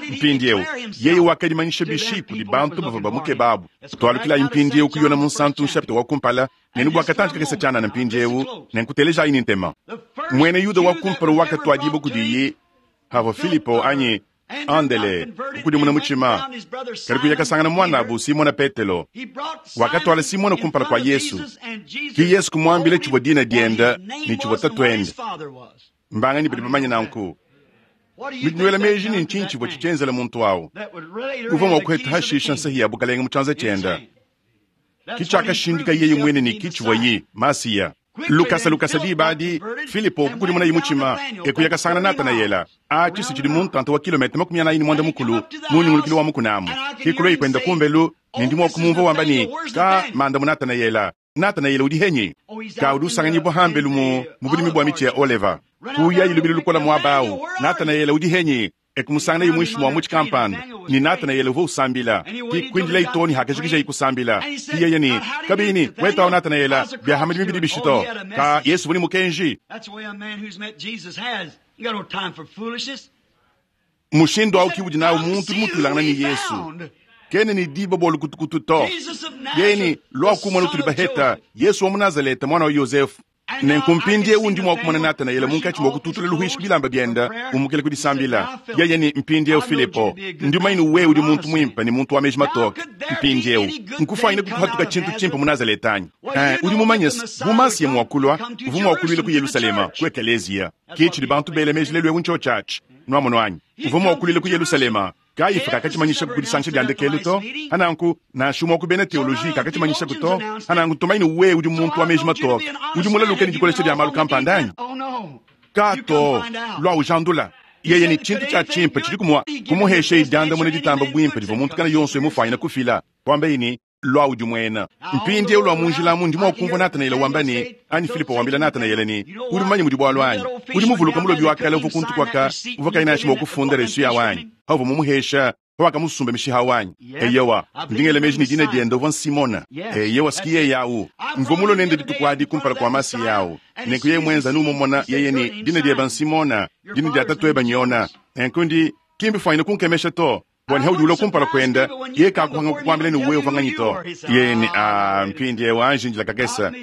Mpindiewu yeye wakadimanyisha bishi kudi bantu bava bamuke babu. Twalukila mpindiewu kuyona munsantu nshapita wa kumpala nenu bwakatanji kakesa tshianana mpindiewu nenkuteleja ini ntema. Mwene Yuda wa kumpala wakatwadibo kudiye havo Filipo anyi Andele kukudimuna muchima kali kuyakasangana mwanabu Simona Petelo. Wakatwala Simona kumpala kwa Yesu. Ki Yesu kumwambile chivwa dina dienda ni chivwa tatwende. Mbanganyi badi bamanya nanku. Midinwela meji ni nchinchi bwa chichenzela muntu awu. Uva mwa kuheta hashisha nsahi ya bukalenga muchanza chenda. Kichakashindika yeye mwene ni kichivwa yi Masiya. Lukasa lukasa dibadi Filipo kukulimuna yimuchima ekuyakasangana Natanayela. Achi sichili muntu anta wa kilomita makumi anayi ni mwanda mukulu munyungulukilo wa mukunamu. Kikulo ikwenda kumbelu nindi mwa kumumva wamba ni ka manda mu Natanayela. Natanayela udi henyi. Ka udi usanganyibwa hambelu mu mubulimi bwa michi ya oleva. Kuya ilubili lukola mwabawu. Natanayela udi henyi. Ekumusangana imwishi mwa muchi kampanda ni Nathanael uvua usambila kikwindila itoni hakajikija ikusambila iyeye ni kabini wetawo Nathanael byahamadi mibidi bishito ka Yesu vuni mukenji That's the way a man who's met Jesus has. You got no time for foolishness. mushindo au kiwudi nawo muntu mutulangana ni Yesu kene ni diba bolu kutukutu to Jesus of yeni Nazareth, lwa the kumona son tuli of baheta Joseph. Yesu wa Munazareta mwana wa Yosefu nenkumpindie undi mwakumona Nathanaele munkachi mwakututula luhishi bilamba byenda umukele kudisambila yeye ni mpindiewu Filipo ndi maini wewe uli muntu mwimpa ni muntu wa meji matoka mpindiewu nkufaine kutuhatuka chintu chimpa munazaretanyi eh, uli mumanyesi bumasiye mwakulwa uvu mwakulwile ku Yerusalema ku ekeleziya kichili bantu bele meji lelwewu ncho chachi nwamono anyi uvu mwakulwile ku Yerusalema kaifa kakachimanyisha kudisangisha lya ndekelu to hananku nashumwa kubena teoloji kakachimanyisha kuto hananku tumaini we udi muntu wa meji matoka udi mulaluke ni dikolesha lya malu kampandanyi Oh no. kato lwa ujandula yeye ni chintu cha chimpa chili kumwa kumuhesha idyanda mune ditamba bwimpa diva muntu kana yonso emufanyina kufila kwamba ini lwa udi mwena mpindi lwa munjilamu ndimo wakumva Nathanaele wamba ni ani Filipo wambila Nathanaele ni uli mmanyi mudi bwalu anyi uli muvuluka mulobi wakale uva kuntu kwaka uva kaina shima okufunda resu ya wanyi hauva mumuhesha hawakamusumba mishiha wanyi eyewa ndingele meji ni dina dienda uva nsimona eyewa sikiye yawu mvomulo nende ditukwadi kumpala kwa masi yawu nenku ye mwenza numumona yeye ni dina dieba nsimona dina dia tatu nyona nenkundi kimbi fwaine kunkemesha to bwani haudi ulo kumpala kwenda ye kakuhanga kukwambila ni uwe uvanganyi to yeni a mpindi ye njila kakesa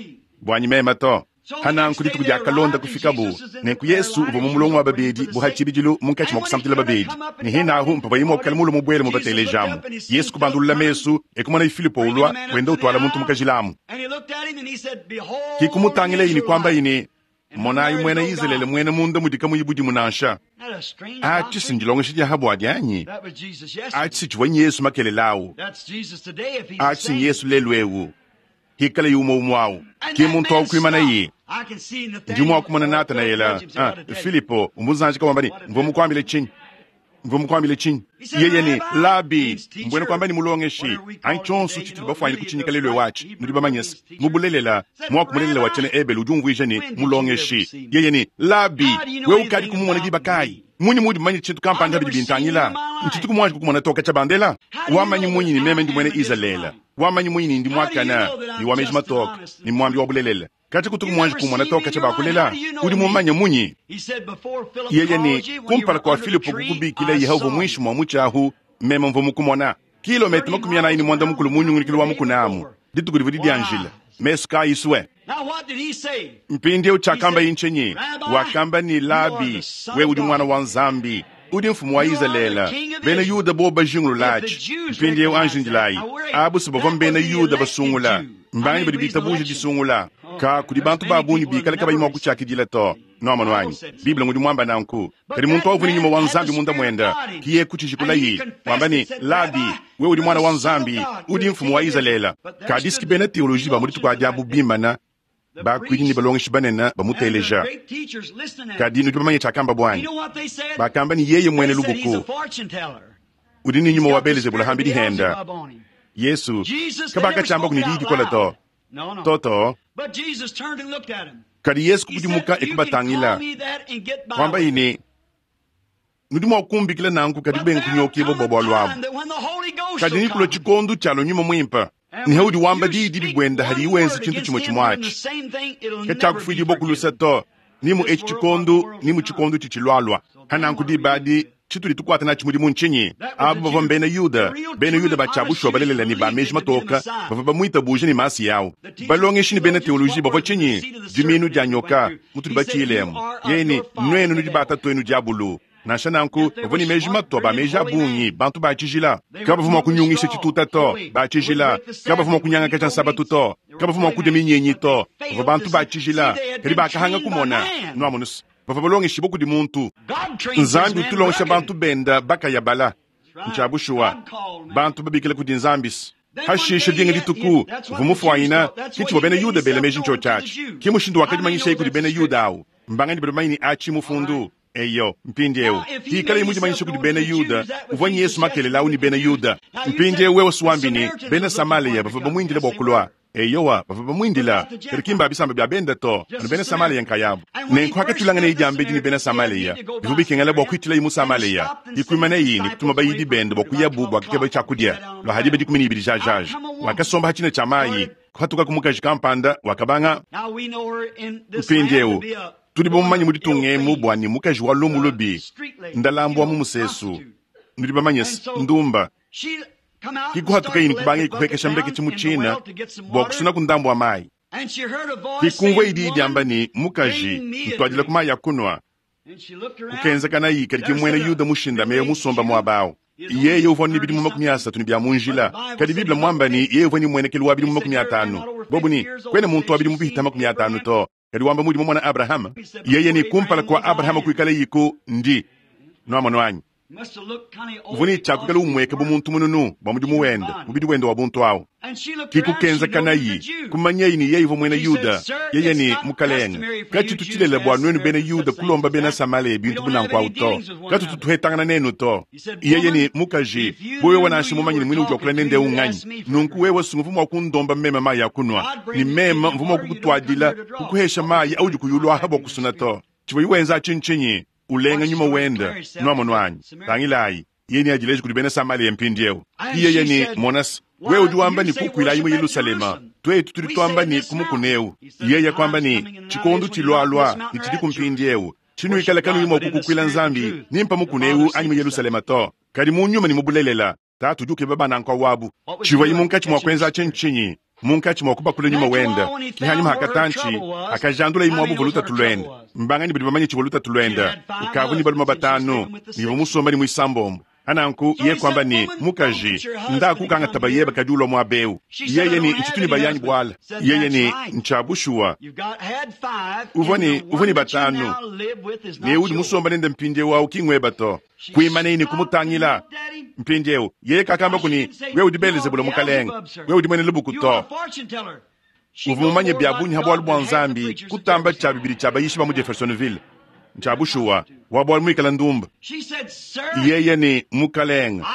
bwanyi mema to hananku dituku dia kalonda kufikabu nenku Yesu uva mumulongo wa babedi buhachibijilu munkachi mwakusamtila babedi ni hinahu mpava yimwe okukala mulo mubwele mubatelejamu Yesu kubandulula mesu ekumona ifilipo ulwa wenda utwala muntu mukajilamu And he looked at him and he said, Behold, kikumutangila yini kwamba Israelite. yini monayi mwena Israele mwene munda mudika muyibudimu nansha Not a strange achi doctrine. sindilongesha dia habwadi anyi That was Jesus yesterday. achi sichivwa Yesu makelelawu That's Jesus today if he's the achi same. Yesu lelwewu hikala yumo umwawu And ki that muntu man wakukwimana yi stopped. I can see Nathaniel. ndimo wakumona Nathanaela ah, Filipo umuzanji kawambani mvomukwambile chinyi mvomukwambile chinyi yeye ni labi mbwene kwamba ni mulongeshi anchonso chituli bafwanyile kuchinyika lelwe wachi nudi bamanyesi mubulelela mwakumulelela wachene ebele udi umvwija ni mulongeshi yeye ni labi we ukadi kumumona dibakayi munyi mudi mmanyi chintu kampanda bidi bintangila nchitu kumwanji kukumona toka cha bandela wamanyi munyi ni meme ndi mwene Israela wamanyi munyi ni ndi mwakana ni wameji matoka ni mwambi wa bulelela kati kutuku mwanji kumona toka cha bakulela udi mumanya munyi He said before Philip yeye called ni you, when you kumpala were kwa under the Filipo tree, kukubikila I yehova saw you. mwishi mwa muchahu meme mvo mukumona kilomita makumi anayi mwanda mukulu munyungulikilo wa mukunamu dituku livudi dya njila mesu kayiswe Now what did he say? mpindieu chakamba inchenyi wakamba ni labi we udi mwana wa nzambi udi mfumu wa Israela bena Yuda bo bajingulu lachi mpindieu anjinjilayi abu sibava mbena Yuda basungula mbanyi badi bitabuja disungula ka kudi bantu babunyi bikala kabayi mwa kuchakidila to nomano wanyi biblia ngudi mwamba nanku kadi muntu wavuni nyuma wa nzambi munda mwenda kiye kuchijikulayi mwamba ni labi we udi mwana wa nzambi udi mfumu wa Israela kadiski bena teoloji ba mudi tukwadiabu bimana The bakwidi ni priests balongeshi banene and the bamuteleja great teachers listening at him. kadi nudi bamanye chakamba You bwanyi know what they said? bakamba ni yeye mwene They said he's a lubuku fortune teller. udi ni nyuma He's wa got the Belzebula spirit of hambi dihenda Beelzebub on him. Yesu Jesus, they never kabakachamba spoke kuni it out didikola to loud. No, no. toto But Jesus turned and looked at him. kadi Yesu He said, kukudimuka you can ekubatangila call me that and get by kwamba with it. ini nudi mwakumbikila nanku kadi But kubenga there kunyokiva come a bwa lwabu time that when the Holy Ghost kadi will nikula come, chikondu chalo nyuma mwimpa and nihe when udi wamba you didi speak bibwenda hali one iwenza word chintu against chimwe him doing the chimwachi same thing, it'll never be kachakufwidi bokulusa forgiven. to nimu This eci world, what the chikondu world nimu will come. chikondu chichilwalwa So then hananku what are we going to dibadi do? chituli tukwata nachi mudimu nchinyi That was abo the bava Jew. mbena The Yuda real, bena true, Yuda and honest bachabushwa Jews balelela ni believed bameji him to be the matoka Messiah. bava bamwita buje ni masi yawo The teachers, balongeshi ni bena theologians, teoloji what bava were the chinyi seed of the diminu serpent dia as it went nyoka through? mutuli He said, You bachilemu are of yeni your father nwenu the nudi devil. bata twenu diabulu nansha nanku Yet they bava were ni meji smart, matwa ba brilliant, meji holy abungi men. bantu bachijila They were kabavuma moving kunyungisha straw, chituta to holy. They would bachijila break the Sabbath. kabavuma They would kunyanga eat kacha no nsabatu meats. to They were kabavuma holy kudya men. minyenyi But to they bava failed bantu to see. See, bachijila they had kadi been bakahanga trained by kumona man. nwamunusu bava balongeshi bokudi muntu God trains his nzambi men utulongesha rugged. bantu benda bakayabala That's right. nchabushuwa God called man. bantu babikila kudi nzambisi Then one hashisha day dinga he, he, dituku that's what the Jews vumufwayina thought. That's what kichiwa he bena made Yuda bele himself meji known ncho to the chachi Jews. kimushindu How many wakadimanyisha know ikudi that's bena a Yuda scripture? awu mbangani bali maini achi All right. mufundu eyo mpindiewu Now, if he hikala made imudimanyisha himself kudi known bena to the Yuda Jews, that was uvwanyi Yesu Jesus makelele yesterday awu ni with the bena Jews. Yuda Now you mpindiewu said wewe the suwambini Samaritans bena was looking for Samaliya him to bava come. bamwindile Yes, they bokulwa were. Eyowa, bavua bamuindila, kadi ki mba bisamba bia benda to, anu bena Samaleya nkayabu. Nenku hakatulanganayi diambedi ne bena Samaleya, bivua bikengela bua kuitilayi mu Samaleya. Ikuimaneyi ne kutuma bayidi bende bua kuyabu bua kukeba tshiakudia. Lua hadi ba dikumi ne ibidi jajaja. Wakasomba ha tshina tshia mayi, kuhatuka ku mukaji kampanda, wakabanga. Mpindieu tudi bamumanye mu ditunga emu bua ne mukaji wa lumu lubi, ndalambu wa mu musesu. Nudi bamanye ndumba. Kikuhatuka yini kubanga ikuhekesha mbeketshi mu tshina bua kusuna ku ndambu wa mayi. Kikumvua idi idiamba ne mukaji ntuadila ku mayi ya kunua. Kukenzekana kadi ki muena Yuda mushindame musomba muaba awu. Yeye uvua ne bidimu makumi asatu ne bia mu njila. Kadi Biblia mwamba ni yeye uvua ni mwenekelu wa bidimu makumi atanu. Bobu ni kwena muntu wa bidimu bihita makumi atanu to. Kadi wamba mudi mwana Abraham. Yeye ni kumpala kwa Abraham kuikala yiku ndi. Nwamonu anyi. Uvuni chakukala umweke bu muntu mununu bwa mudimu wende, mubidi wende wa buntu awu. Kikukenzekanayi kumanyeyi ni yeye uvua muena Yuda, yeye ni mukalenge. Katshitu tshilela bua nuenu bena Yuda kulomba bena Samaleya bintu bunanku awu to. Katutu tuhetangana nenu to. Yeye ni mukaji, wewe nansha mumanye ni mwine udi wakula nende unganyi. Nunku wewe sunguvu mwa kundomba mema mayi ya kunwa. Ni mema mvuma kukutwadila kukuhesha mayi audi kuyulwaha bua kusuna to. Tshivua wenza tshinchinyi. Ulenga nyuma wenda nwamonu anyi. Tangilayi yeni ajileji kudi bena Samaleya mpindieu. Yeye ni monas wewe udi wamba ni kukuilayi mu Yerusalema, twetu tudi twamba ni kumukuneu. Yeye kwamba ni chikondu chilwalwa ni chidi kumpindieu. Chinuikala kanu yimwa kukukwila nzambi nimpa mukuneu anyi mu Yerusalema to. Kadi mu nyuma ni mubulelela tatu udi ukeba bana nkwa wabu. Chivwa yimunkachi mwa kwenza chinchinyi. Munkachi mwa kubakula nyuma wenda. Kihanyuma hakatanchi akajandula imwabu voluta tulwenda. Mbangani badi bamanye chivoluta tulwenda. Ukavu ni baluma batano, ni musomba ni mwisambombo. Ananku ye kwamba ni mukaji nda kukanga tabayeba kadulwa mwabeu. Yeye ni nchituni bayanyi bwala. Yeye ni nchabushua. Uvoni uvoni batano. Ne udi musomba nende mpinde wa ukingweba to. Kuimane ni kumutangila mpindeu. Yeye kakamba kuni we udi Belzebula mukalenga. We udi mwene lubuku to. Uvumanye byabunyi habwalu bwa nzambi kutamba cha bibili cha bayishi ba mu Jeffersonville. Nchabushua wabwa mwikala ndumba. Yeye ni mukalenga.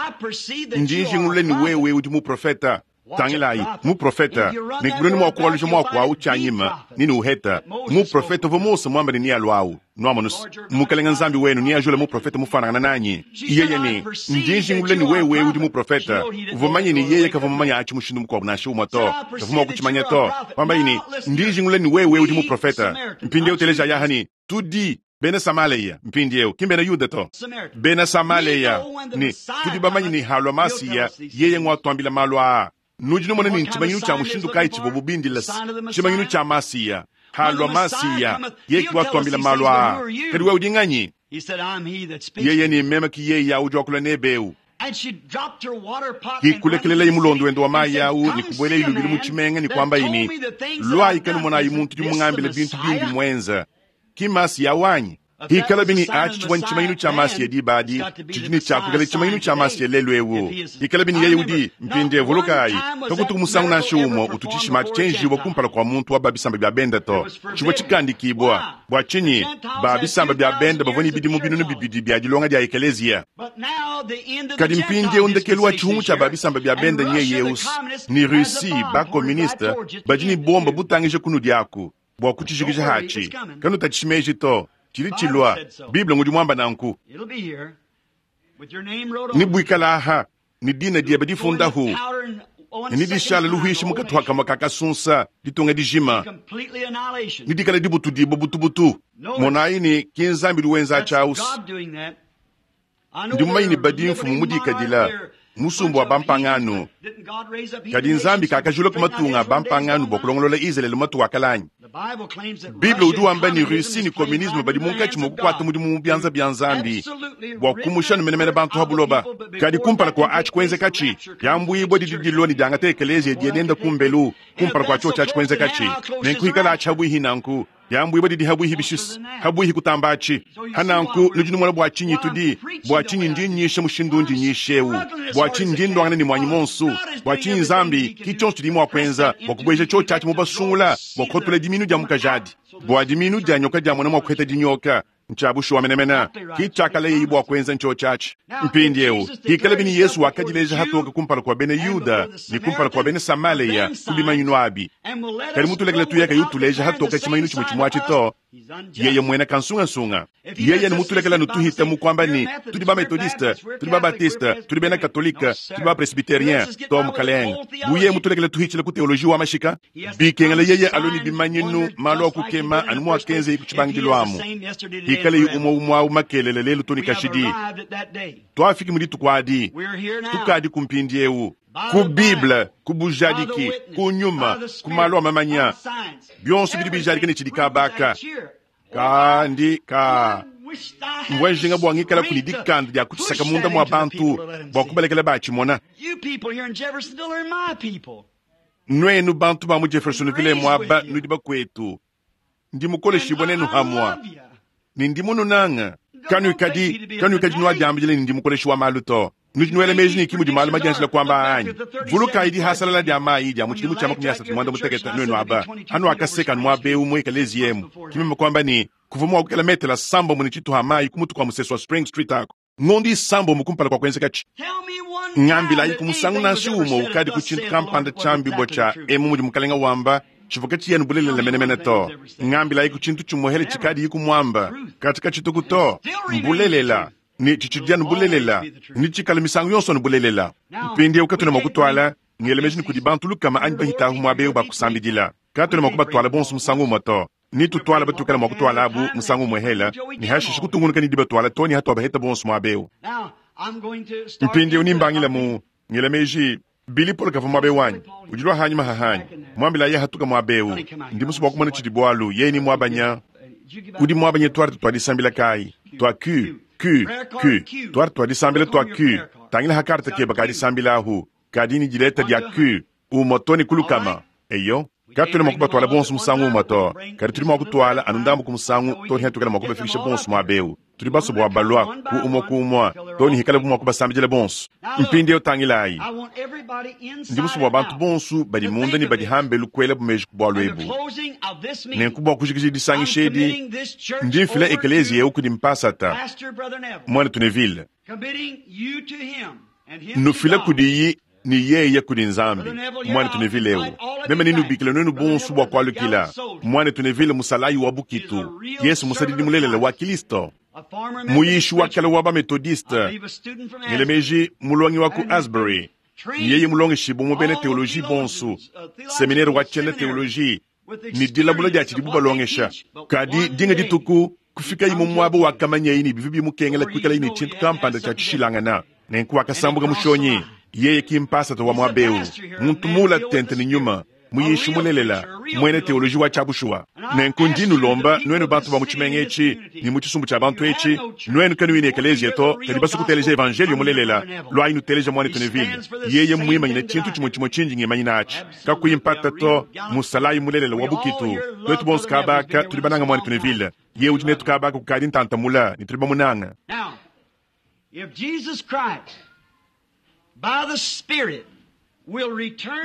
Njinji ngule ni wewe udi mu profeta. Tangilayi mu profeta. Nikuloni mwa kuwalusha mwa kwa uchanyima nini uheta. Mu profeta vo Mose mwamba ni alwau. Nwamonus mukalenga nzambi wenu ni ajula mu profeta mufanana nanyi. Yeye ni njinji ngule ni wewe udi mu profeta. Uvumanye ni yeye kavumanya achi mushindu mukwa nashu mwato. Kavuma kuchimanya to. Kwamba ini njinji ngule ni wewe udi mu profeta. Mpinde uteleja yahani tudi Bena Samaleya mpindieu ki bena Yuda to. Bena Samaleya ni tudi bamanyi ni halwa masiya yeye ngwa twambila malu aa. Nudi nomona ni nchimanyinu cha mushindu kai chibobu bindila chimanyinu cha masiya halwa masiya yeye kwa twambila malu aa. Kadi wewe udi nganyi? Yeye ni mema ki yeye ya udi wakula nebeu. Kikulekelela imulondo wendo wa mayi awu ni kubwela ilubili mu chimenga ni kwamba ini lwa ikanu mona imuntu di mungambile bintu bindi mwenza. Ki masi ya wanyi. Hikala bini achi chibwa nchimayinu cha masi ya dibadi, chijini cha kukala chimayinu cha masi ya lelu ewu. Hikala bini yeye udi mpinde vulukai, kakutu musangu na shumo utuchishi machi chenji wa kumpala kwa muntu wa babisamba bya benda to. Chibwa chikandi kibwa, bwa chinyi, babisamba bya benda bavoni bidi mubinunu bibidi bya dilonga dia ekelezia. Kadi mpinde undekelu wa chihungu cha babisamba bya benda nye yeus, ni Rusi ba komunista, bajini bomba butangije kunu diaku. Bwa kuchijikisha hachi kanu tachimeji to chili chilwa Biblia ngudi mwamba nanku ni bwikala ha ni dina dia badifunda hu ni dishala luhishi mukatwa kama kakasunsa ditunga dijima ni dikala dibutu dibo butubutu monayi ni kinzambi luwenza chaus ndi mumanyi ni badi mfumu mudikadila musumbu wa bampangano. Kadi nzambi kakajula kumatunga bampangano bwa kulongolola Israeli matu wakalanyi. Biblia udi wamba ni Russie ni communisme badi munkatshi mwa kukwata mudimu mu byanza bya nzambi bwa kumusha numenemene bantu habuloba. Kadi kumpala kwa achi kwenzekachi yambwibwa didi diloni dyangata ekelezia dienenda kumbelu kumpala kwa cho chachi kwenzekachi nenkuhikala achi habwihi nanku yambwibwa didi habwihi bishisi habwihi kutambachi hananku nudi numona bwa chinyi tudi bwa chinyi ndi nyishe mushindu ndi nyishewu bwa chinyi ndi ndwangana ni mwanyi monsu bwa chinyi nzambi ki chonso tudi mwa kwenza bwa kubweja cho chachi mubasungula bwa kukotula diminu dia mukajadi bwa diminu dia nyoka dia mwana mwa kuheta dinyoka Ntshia bushuwa menemene. Ki tshiakalaye bua kuenza ntshio atshi. Mpindieu hikala bini Yesu wakadileja hatoka kumpala kua bena Yuda ne kumpala kua bena Samaleya ku bimanyinu abi. Kadi mutulekele tuyeka yutuleja hatoka tshimanyinu tshimue tshimue atshi to. Yeye mwena kansungasunga. Yeye ni mutulekela nutuhita mu kwamba ni tudi ba methodiste, tudi ba baptiste, tudi bena katolika, tudi ba presbyterien, to mukalenga. Buye mutulekela tuhichila ku teoloji wa mashika. Bikengela yeye aloni bimanyinu malu akukema anu mwakenze ikuchibangilo amu. Hikale umwe umwe au makelele lelu toni kashidi. Twafiki mu dituku adi. Tukadi ku mpindiewu. Ku Bible, ku bujadiki, ku nyuma, ku malu a mamanya. Bionso bidi bijadika ne tshidi kabaka. Kandi ka mvua njinga bua ngikala kuni dikanda dia kutshisaka munda mua bantu bua kubalekela batshimona. Nuenu bantu ba mu Jeffersonville muaba nudi bakwetu. Ndi mukoleshibwa nenu hamwa. Ni ndi mununanga. Kanuikadi, kanuikadi nuadiambile ni ndi mukoleshi wa malu to. Nudi nuela meji ni kimu di malu madianjila kwamba anyi. Vulukayi dihasalala dia mayi dia mu tshidimu tshia makumi asatu mwanda mutekete nuenu aba. Anu akaseka anu muaba eu mu ekelezi yemu. Kimema kwamba ni kuva mua kukela metela sambo mu ni tshituha mayi ku mutu kwa musesu wa Spring Street ako. Ngondi sambo mu kumpala kwa kuenzeka tshi. Ngambila ku musangu nansi umo ukadi ku tshintu kampanda tshiambi bua emu mudi mukalenga wamba tshivuka tshiyenu bulelela menemene to. Ngambila ku tshintu tshimuhele tshikadi yiku mwamba katika tshituku to. Mbulelela. Ni chichidianu bulelela ni tshikala misangu yonso ni bulelela. Mpindieu katuna mua kutwala ngelemeji ni kudi bantu lukama anyi bahitahu muaba eu bakusambidila. Katuna mua kubatwala bonso musangu umue to. Ni tutwala batukala mua kutwala abu musangu umue hela ni hashishe kutungunuka ni dibatwala to ni hatwa baheta bonso muaba eu. Mpindieu ni mbangila mu ngelemeji Billy Paul kava muaba eu wanyi ujilwa hanyuma hahanyi mwambila ye hatuka muaba eu ndi musu bua kumona tshidi bualu ye ni muabanya udi muabanya twarte twadisambila kai twa Q Q, Q. Twari twadisambila twa Q. Tangila hakarta keba kadisambila ahu. Kadini dileta dia Q. Umotoni kulukama. Eyo. Katuli mwakuba twala bonso musangu umoto. Kadi tuli mwakutwala anu ndambu ku musangu toni hatukala mwakuba fikisha bonso mwabeu. Tuli baso bwa balwa ku umo ku umwa. Toni hikala bu mwakuba sambijela bonso. Mpindi tangilayi. Ndi musu bwa bantu bonso badi munda ni badi hambe lukwela bumeji ku bwa lwebu. Nenku bwa kujikiji disangishedi. Ndi mfila ekelezi eu kudi mpasata. Mwana Tuneville. Nufila kudiyi ni yeye kudi Nzambi. Mwana Tuneville eu. Meme ninu bikila nwenu bonso bwa kwalukila. Mwana Tuneville musalayi wa bukitu. Yesu musadidi mulelela wa Kristo. Muyishi wa kala wa ba methodiste. Ngelemeji mulongi wa ku Asbury. Yeye mulongeshi mu bena teoloji bonso. Seminaire wa tshiena teoloji. Ni dilabula dia tshidibu balongesha. Kadi dinga dituku kufika imu mwabo wa kamanya ini bivi bimukengela kuikala ini tshintu kampanda tshia tshishilangana. Nenku wakasambuka mushonyi. Yeye kimpasata wa mwabeu. Muntu mula tente ni nyuma. Muyishi mulelela mwene teoloji wa tshiabushuwa. Nenku ndi nulomba nwenu bantu ba mu tshimenga etshi ni mu tshisumbu tshia bantu etshi nwenu kanuyi ekelezia to kadi basukuteleja evangelio mulelela lwayi nuteleja mwana Tuneville. Yeye mwimanyina tshintu tshimue tshimue tshinji ngimanyina atshi kakuyi mpata to musalayi mulelela wa bukitu. Twetu bonso kabaka tudi bananga mwana Tuneville. Ye udi netu kabaka kukadi ntantamula ni tudi bamunanga. If Jesus Christ by the Spirit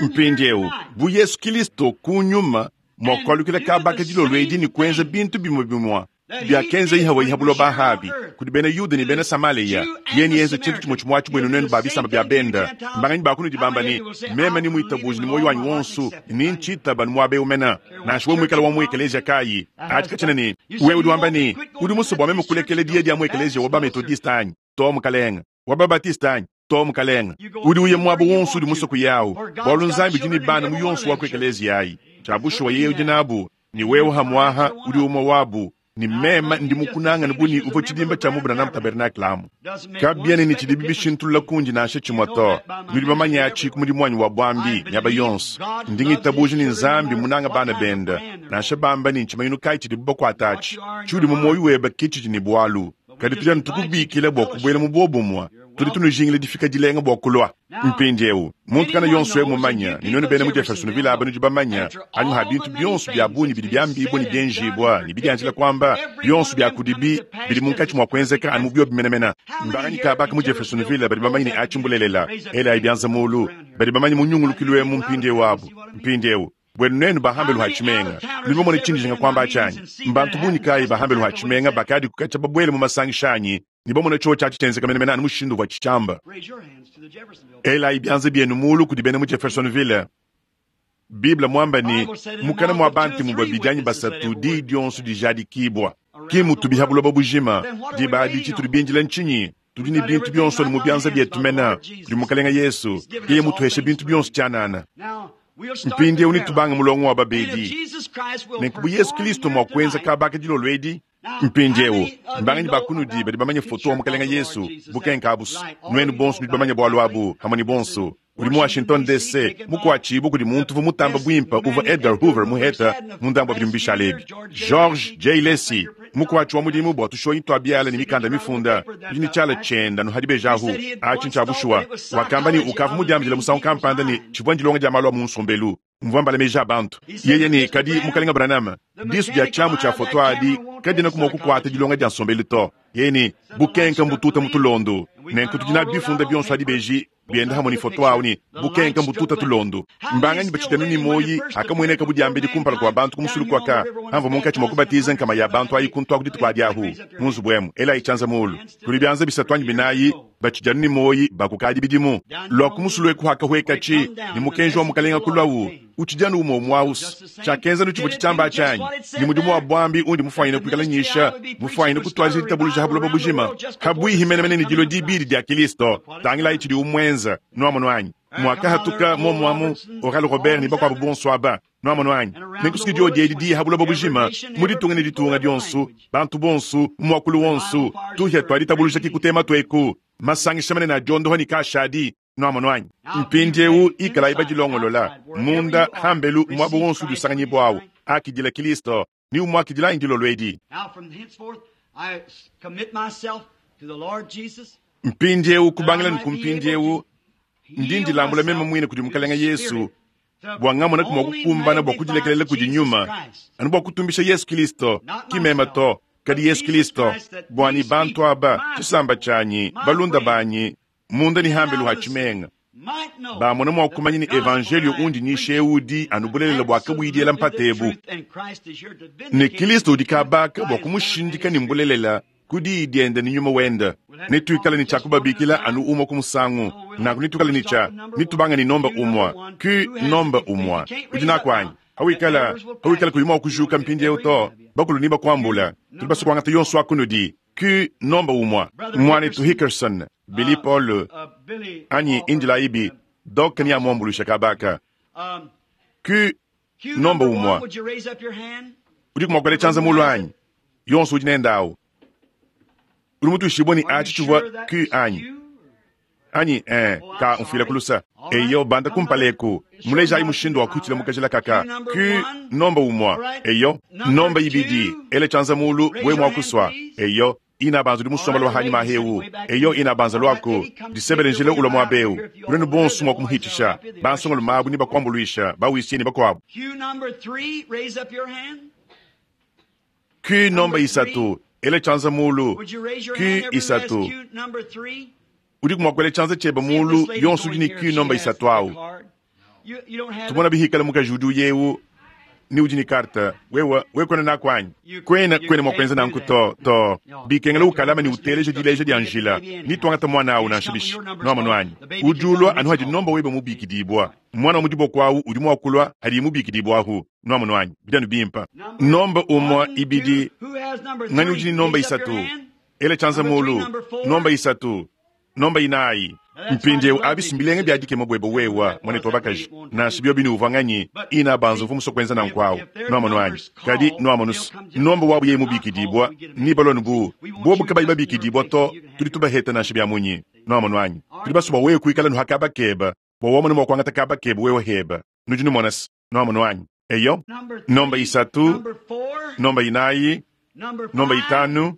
Mpindieu bu Yesu Kristo ku nyuma mwakwalukila kabaka dilolo edi ni kuenza bintu bimwe bimwa byakenza ihawa ihabulo bahabi kudi bena Yuda ni bena Samaleya yeni yenza tshintu tshimwe tshimwe atshi bwenu nenu babisamba bya benda mbanganyi bakunu dibamba ni meme ni mwitabuji ni moyo wanyu wonso ni ntshitaba ni mwabe umena nansha we mwikala wa mu ekelezia kayi ati katshina ni wewe udi wamba ni udi musobo wa meme kulekele diye dia mu ekelezia wa ba methodiste anyi to mukalenga wa ba baptiste anyi to mukalenga udi uye mwabo wonso udi musoku yawu bwalu nzambi udi ni bana mu yonso wa ku ekelezia ayi tshiabushuwa yeye udi nabu ni wewe hamwaha udi umwe wabu ni mema ndi mukunanga nibuni uvo tshidimba tshia mubuna na tabernacle amu kabiene ni tshidibi bishintulula kundi nansha tshimwe to nudi bamanya atshi ku mudimu wanyi wa bwambi miaba yonso ndi ngitabuja ni Nzambi munanga bana benda nansha bamba ni ntshimanyinu kayi tshidibu bakuata atshi tshiudi mu moyo weba ke tshidi ni bwalu kadi tudi anu tukubikila bua kubuela mu bobumwa tudi tunujingila difika dilenga bua kulwa mpindieu muntu kana yonso ye mumanya ni nwenu bena mu Jeffersonville aba nudi bamanya anyu ha bintu byonso bya bunyi bidi byambibwa ni byenjibwa ni bidianjila kwamba byonso bya kudibi bidi munkatshi mwa kuenzeka anu mu byo bimenemena mbanganyi kabaka mu Jeffersonville badi bamanya ni atshi mbulelela ela ayi byanza mulu badi bamanya munyungulukilu emu mpindieu abu mpindieu Bwenu nenu bahambelu ha tshimenga. Nudi bamone tshindi kwamba tshanyi. Mbantu bungi kayi bahambelu ha tshimenga bakadi kukacha babwele mu masangisha anyi ne bamone tshiwo tshiatshi tshienzeka menemene anu mushindu wa tshitshiamba. Raise your hands to the Jeffersonville. Elayi bianza bienu mulu kudi bena mu Jeffersonville. Bible mwamba ni mukana mwa bantu mu babidi anyi basatu di dionso dijadikibwa. Ki mutubiha buloba bujima diba adi tshitudi bindila ntshinyi? Tudi ne bintu bionso ne mu bianza bietu mena kudi Mukalenga Yesu. Yeye mutuheshe bintu bionso tshianana. Now, we'll start Mpindieu the nitubanga mulongo wa And if babedi. Jesus Christ will Nenku bu Yesu perform Kristo here mwa kuenza tonight, kabaka dilolo edi. Mpindieu mbanganyi bakunudi badi bamanye foto wa Mukalenga Yesu bukenka abusu. Nuenu bonso nudi bamanye bwalu abu hamwe bonso. Udi mu Washington D C mukwachibu kudi muntu uvu mutamba bwimpa uva Edgar Hoover muheta mundambo bidi mbishala ebi. George J. Lacey mukwachi wa mudimu bwa tushonyi twa biala ne mikanda mifunda udi ne tshiala tshienda nuhadi bejahu achi ntsha bushuwa wakamba ni ukavu mudiambila musangu kampanda ne tshivua ndilonga dia malu a mu nsombelu mvua mbala meji a bantu yeye ne kadi Mukalenga Branham disu dia tshiamu tshia foto adi kadina kumua kukuata dilonga dia nsombelu to yeye ne bukenka mbututa mutulondo nenku tudi na bifunda bionso adi beji bienda hamwe ni foto awu ni bukenka mbututa tulondo mbanganyi bachitanu ni moyi akamueneka budiambedi kumpala kwa bantu kumusulu kwaka hamva munkatshi mwa kubatiza nkama ya bantu ayi kuntu aku dituku adi ahu munzubu emu ela itshanza mulu kuli bianza bisatu anyi binayi bachijanu ni moyi bakukadi bidimu lwa kumusulu eku hakahwekatshi ni mukenji wa Mukalenga kulwawu uchijanu umo mwausi tshakenza nu tshivua tshitshiamba tshanyi ni mudimu wa bwambi undi mufwanyine kuikala nyisha mufwanyine kutwaja ditabuluja ha buloba bujima habwihi menemene ni dilo dibidi dia Kristo tangilayi tshidi umwenza nuamono anyi mwakahatuka momwamu Oral Robert ni bakuabu bonso aba nuamono anyi nenkusuki dio diedi diya ha buloba bujima mu ditunga ne ditunga dionso bantu bonso muakulu wonso tuhia twa ditabuluja kikutema tweku masangisha manene a diondoho ni kashadi nuamono anyi mpindieu ikalayi badilongolola munda hambelu mwabo wonso udi usanganyibwawu akidila Kristo ni umwakidila indilo edi Now, from henceforth, I commit myself to the Lord Jesus. mpindieu kubangila ni kumpindieu ndi ndilambula meme mwine kudi Mukalenga Yesu bwa ngamona kumwa kukumbana bwa kudilekelela kudi nyuma anu bwa kutumbisha Yesu Kristo kimema to kadi Yesu Kristo bwani bantu aba tshisamba tshanyi balunda banyi munda ni hambelu ha tshimenga bamona mwa kumanya ni evangelio undi nyisha udi anu bulelela bwa kabwidiela mpatebu ne Kristo udi kabaka bwa kumushindika ni mbulelela kudi dienda ni nyuma wenda nituikala ni tshakubabikila anu umwa kumusangu naku nitukala ni tsha nitubanga ni nomba umwa ku nomba umwa udi nakwanyi hawikala hawikala kuyuma kujuka mpindieu to bakulu ni bakuambula tudi basukuangata yonso akunudi ku nomba umwa mwanetu Hickerson Billy Paul anyi indila ibi doka ni amuambulusha kabaka ku nomba umwa udi kumakwela tshanza mulu anyi yonso udi nendawu udi mutuishibwe ni achi tshivua ku anyi anyi eh ka mfila kulusa eyo banda kumpaleku mulejayi mushindu wa kuitila mukajila kaka ku nomba umwa eyo nomba ibidi ele tshanza mulu we mwakuswa eyo ina banza udi musomba lwa hanyi mahewu eyo ina banza lwaku disebele njile ulwa mwabeu ulenu bonso mwa kumuhitisha bansonga lumabu ni bakuambuluisha bawisie ni bakuabu Q number three, raise up your hand. ku nomba isatu ele tshanza mulu Would you raise your ku hand? Everyone has isatu Q number three. udi kumwakwela tshanza tsheba See if mulu this lady yonso going udi ni here, ku she nomba has isatu the awu card. You, you don't have tumona it? bihikala mukaji udi uyewu ni udi ni karta wewa wekwena nakwanyi You- kwena you kwena can't mwakwenza do nanku that. to to No. bikengela ukalama ni uteleja dileja dia njila nitwangata mwana awu nansha bishi nuamanu anyi udi ulwa anu hadi nomba webe mubikidibwa mwana wa mudibo kwawu udi mwakulwa hadi mubikidibwa ahu nuamanu anyi bidanu bimpa nomba umwa One, ibidi two, who has number ngani three? udi ni nomba Raise up your isatu hand. ele tshanza Number three, mulu number four. nomba isatu nomba inayi mpindieu abisi mbilenge byadikema bwebe wewa mwanetu wabakaji nansha byo bini uvanganyi ina banza uvu musokwenza nankwawu nuamanu anyi kadi nuamanusu nomba wabu ye mubikidibwa ni balonu bu bobu kabayi babikidibwa to tudi tubaheta nansha bya munyi nuamanu anyi tudi basuba wewe kuikala nuhakabakeba bwa wamona mwakuangata kabakeba wewe heba nudi numonasi nuamanu anyi eyo Number three, nomba isatu number four, nomba inayi number nomba five, itanu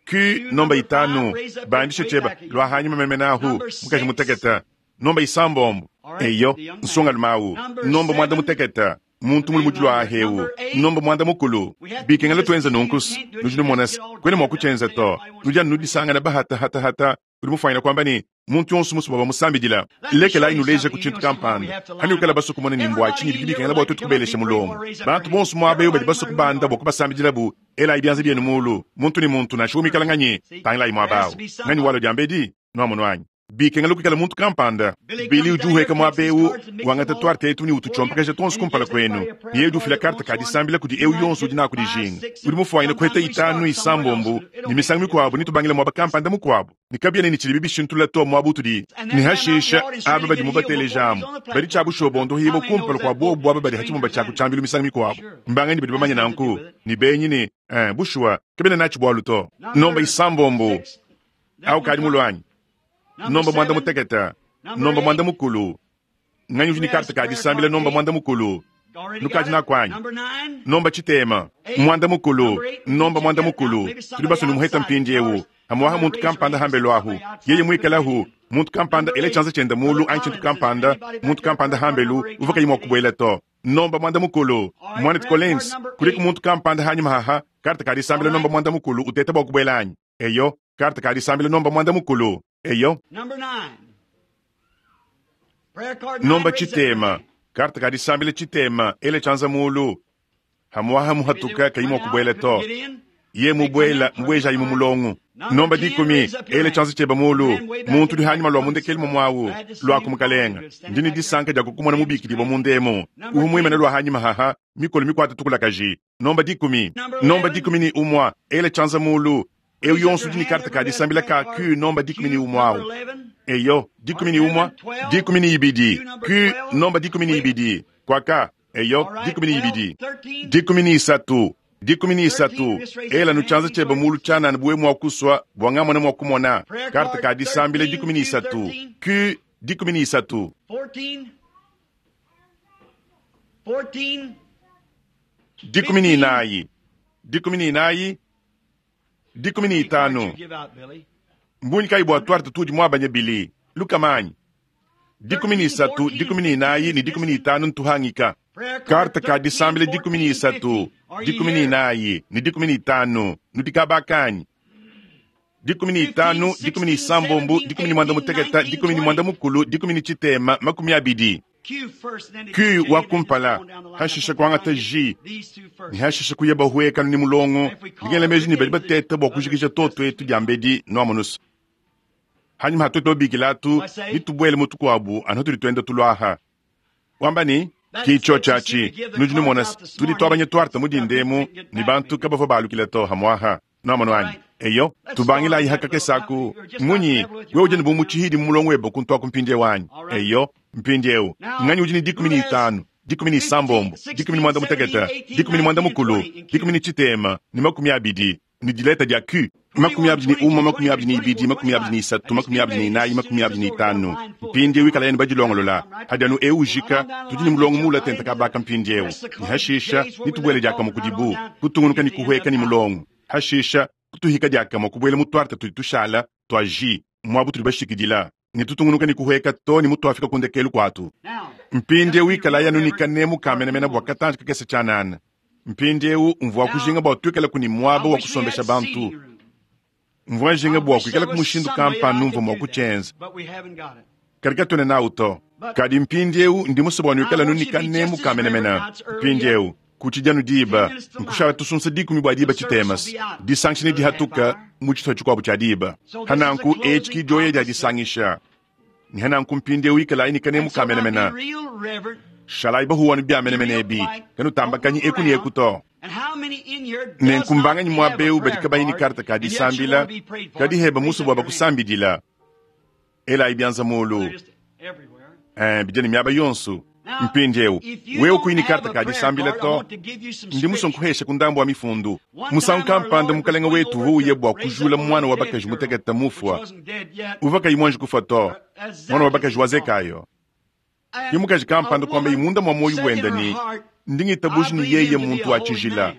ku nomba itanu bandishe cheba lwa hanyuma memenahu mukaji muteketa nomba isambombo eyo nsonga lumawu nomba mwanda muteketa muntu muli mujulu ahewu nomba mwanda mukulu bikengela twenza nunkusi nudi numonasi kwene mwakuchenza to nudi anu nudisangana bahata hata hata udi mufanyina kwamba ni Muntu yonso musue bua bamusambidila. Lekelayi nuleja ku tshintu kampanda. Hanukala basue kumona ne mbua tshinyi bidi bikengela bua tuetu kubelesha mulongo. Bantu bonso muaba eu badi basue kubanda bua kubasambidilabu. Elayi bianza bienu mulu, muntu ne muntu nansha umikala nganyi, tangilayi muaba awu. Nganyi walo diambedi, nuamono anyi. Bikengela kuikala muntu kampanda. Bili udi uheka muaba eu, wangata tuarte etu ne ututshompakaja tuonso kumpala kwenu. Yeye udi ufila karte ka disambila kudi eu yonso udi naku dijinga. Udi mufuanyine kuheta itanu isambombo ne misangu mikuabu nitubangile muaba kampanda mukuabu. Ne kabiena ne tshidibi bishintula to muaba utudi. Ne hashisha aba badi mubatelejamu. Badi tshia bushobondo hibo kumpala kwa bobu aba badi hachimumba tshia kutshambilu misangu mikuabu. Mbangani badi bamanya nanku ni benyi ne eh, bushuwa kabiena nachi bwalu to. Nomba isambombo au kadi mulwanyi. Nomba mwanda muteketa, nomba mwanda mukulu. Nganyi udi ni karte ka disambila nomba mwanda mukulu. Nukadi nakwanyi. Nomba chitema, mwanda mukulu, nomba mwanda mukulu. Tudi basunu muheta mpindi eu. Hamwaha muntu kampanda hambelo ahu. Yeye mwikalahu, muntu kampanda ele chanza chenda mulu anyi chintu kampanda, muntu kampanda hambelu, uvuka yimwa kubwela to. Nomba mwanda mukulu, mwana Collins, kuliko muntu kampanda hanyuma haha, karte ka disambila nomba mwanda mukulu uteta bwa kubwela anyi. Eyo, karte ka disambila nomba mwanda mukulu. Eyo. Nomba chitema, karte ka disambila chitema, ele chanza mulu. Hamwaha muhatuka kayimwa kubwela to. Ye mubwela, mubweja imu mulongo. Nomba dikumi, ele chanza cheba mulu. Muntu di hanyuma lwa mundekeli mwawu, lwa kumukalenga. Ndini disanka dia kukumona mubiki dibo mundemo. Uhu mwimene lwa hanyuma haha, mikolo mikwata tukula kaji. Nomba dikumi, nomba dikumi ni umwa, ele chanza mulu. Eu yonso di ni karta ka disambila ka Q nomba dikumi ni umwa. Eyo, dikumi ni umwa, dikumi ni ibidi. Q nomba dikumi ni ibidi. Kwaka, eyo, dikumi ni ibidi. Dikumi ni isatu. Dikumi ni isatu. Ela nuchanza cheba mulu chana nbuwe mwa kuswa, bwanga mwana mwa kumona. Karta ka disambila dikumi ni isatu. Q dikumi ni isatu. Dikumi ni inayi. Dikumi ni inayi. Dikumi ni itanu. Mbunyi kai bwa tuarte tudi mwabanya bili. Lukamanyi. Dikumi ni isatu, dikumi ni inayi, ni dikumi ni itanu ntuhangika. Karta ka disambila dikumi ni isatu, dikumi ni inayi, ni dikumi ni itanu, nutikabakanyi. Dikumi ni itanu, dikumi ni isambombo, dikumi ni mwanda muteketa, dikumi ni mwanda mukulu, dikumi ni chitema, makumi abidi. Q wa kumpala, hashisha kwangata J, ni hashisha kuyeba hueka ni mulongo, ngele meji ni badi bateta bwa kujikisha toto etu diambedi noamonusu. Hanyuma hatoto bikilatu, nitubwele mutu kwabu, anotu twenda tulwaha. Wamba ni kicho chachi, nujinu monas, tudi twabanye twarta mudindemu, ni bantu kabafo balukila to hamwaha, noamono anyi. Eyo, tubangila ihakake saku, munyi, we ujeni bu muchihidi mulongo webo kuntwa kumpindie wanyi. Eyo, mpindi eu, nganyi ujini dikumi ni itanu, dikumi ni isambombo, dikumi ni mwanda muteketa, dikumi ni mwanda mukulu, dikumi ni chitema, ni makumi abidi, ni dileta dia Q. Makumi abidi ni uma, makumi abidi ni ibidi, makumi abidi ni isatu, makumi abidi ni inayi, makumi abidi ni itanu. Mpindi eu ikala yenu bajilongolola. Hadi anu eu ujika, tudi ni mulongo mula tenta kabaka mpindi eu. Ni hashisha, ni tubwele diaka kudibu, kutungunuka ni kuhweka ni mulongo. Hashisha, kutuhika diaka kubwele mutwarta tudi tushala, twa J, mwabu tudi bashikidila. Ni tutungunuka ni kuhweka to ni mutu afika kundekelu kwatu. Mpindi eu ikala yanu ni kanemu kamenemena bwa katanja kakese chanana. Mpindi eu mvua kujinga bwa tuikala kuni mwaba wa kusombesha bantu. Mvua njinga bwa kuikala kumushindu kampa numva mwa kuchenza. Karika tone na uto. Kadi mpindi eu ndi muso bwa nuikala nuni kanemu kamenemena. Mpindi eu kuchijanu diba nkushala tusunsa dikumi bwa diba chitemas. Disanction dihatuka muchito chikwabu cha diba. Hananku echiki joye dia disangisha. Ni hananku mpindi eu ikala ini kanemu kamenemena. Shalai bahuwanu bya menemenebi. Kanu tambakanyi eku ni ekuto. Nenkumbanga mwa beu badi kabaini karta ka disambila, kadi heba musu bwa bakusambidila. Ela ibianza mulu. Eh, bijani miaba yonsu. Mpindi eu, wewe kuini karta ka disambila to, ndi muso nkuhesha kundambo wa mifundu. Musangu kampanda mukalenga wetu huye bwa kujula mwana wa bakaji muteketa mufwa. Uvaka imwanji kufa to, mwana wa bakaji wazekayo. Yemukaji kampanda kwamba imunda mwa moyo wenda ni ndingitabuji ni yeye muntu wa chijila.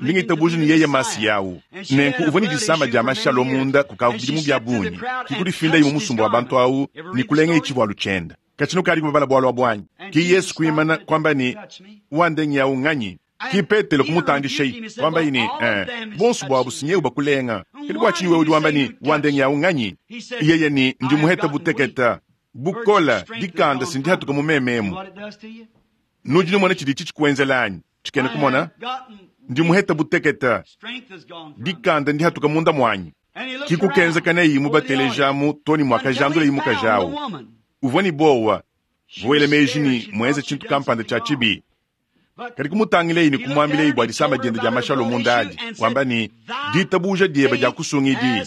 Ndingitabuji ni yeye masi yawu. Nenku uvoni disamba dia mashalo munda kukavu mu bya bunyi. Kikudi finda imu musumbu wa bantu awu ni kulenga ichibwa luchenda. Kachino kali kubabala bwalo wa bwanyi. Ki Yesu kuimana kwamba ni wandengi yawu nganyi. Ki Petelo kumutandishayi, wambayi ne, eh, bonso bwabu sinyewu bakulenga. Kadi bua tshinyi wewe udi wamba ne, wandengi yawu nganyi? Yeye ne, ndi muheta buteketa, bukola, dikanda sindihatuka mu mememu. Nudi numona tshidi tshikuenzela anyi? Tshikena kumona? Ndi muheta buteketa, dikanda ndihatuka munda mwanyi. Kikukenza neyi mubatelejamu toni mwakajandula imukajawu. Uvua ni bowa, vuele meji ni muenze tshintu kampanda tshia tshibi. Kadi kumutangilei ni kumwambilei bua disama diende dia mashalo munda adi, wamba ni ditabuja diebe dia kusungidi.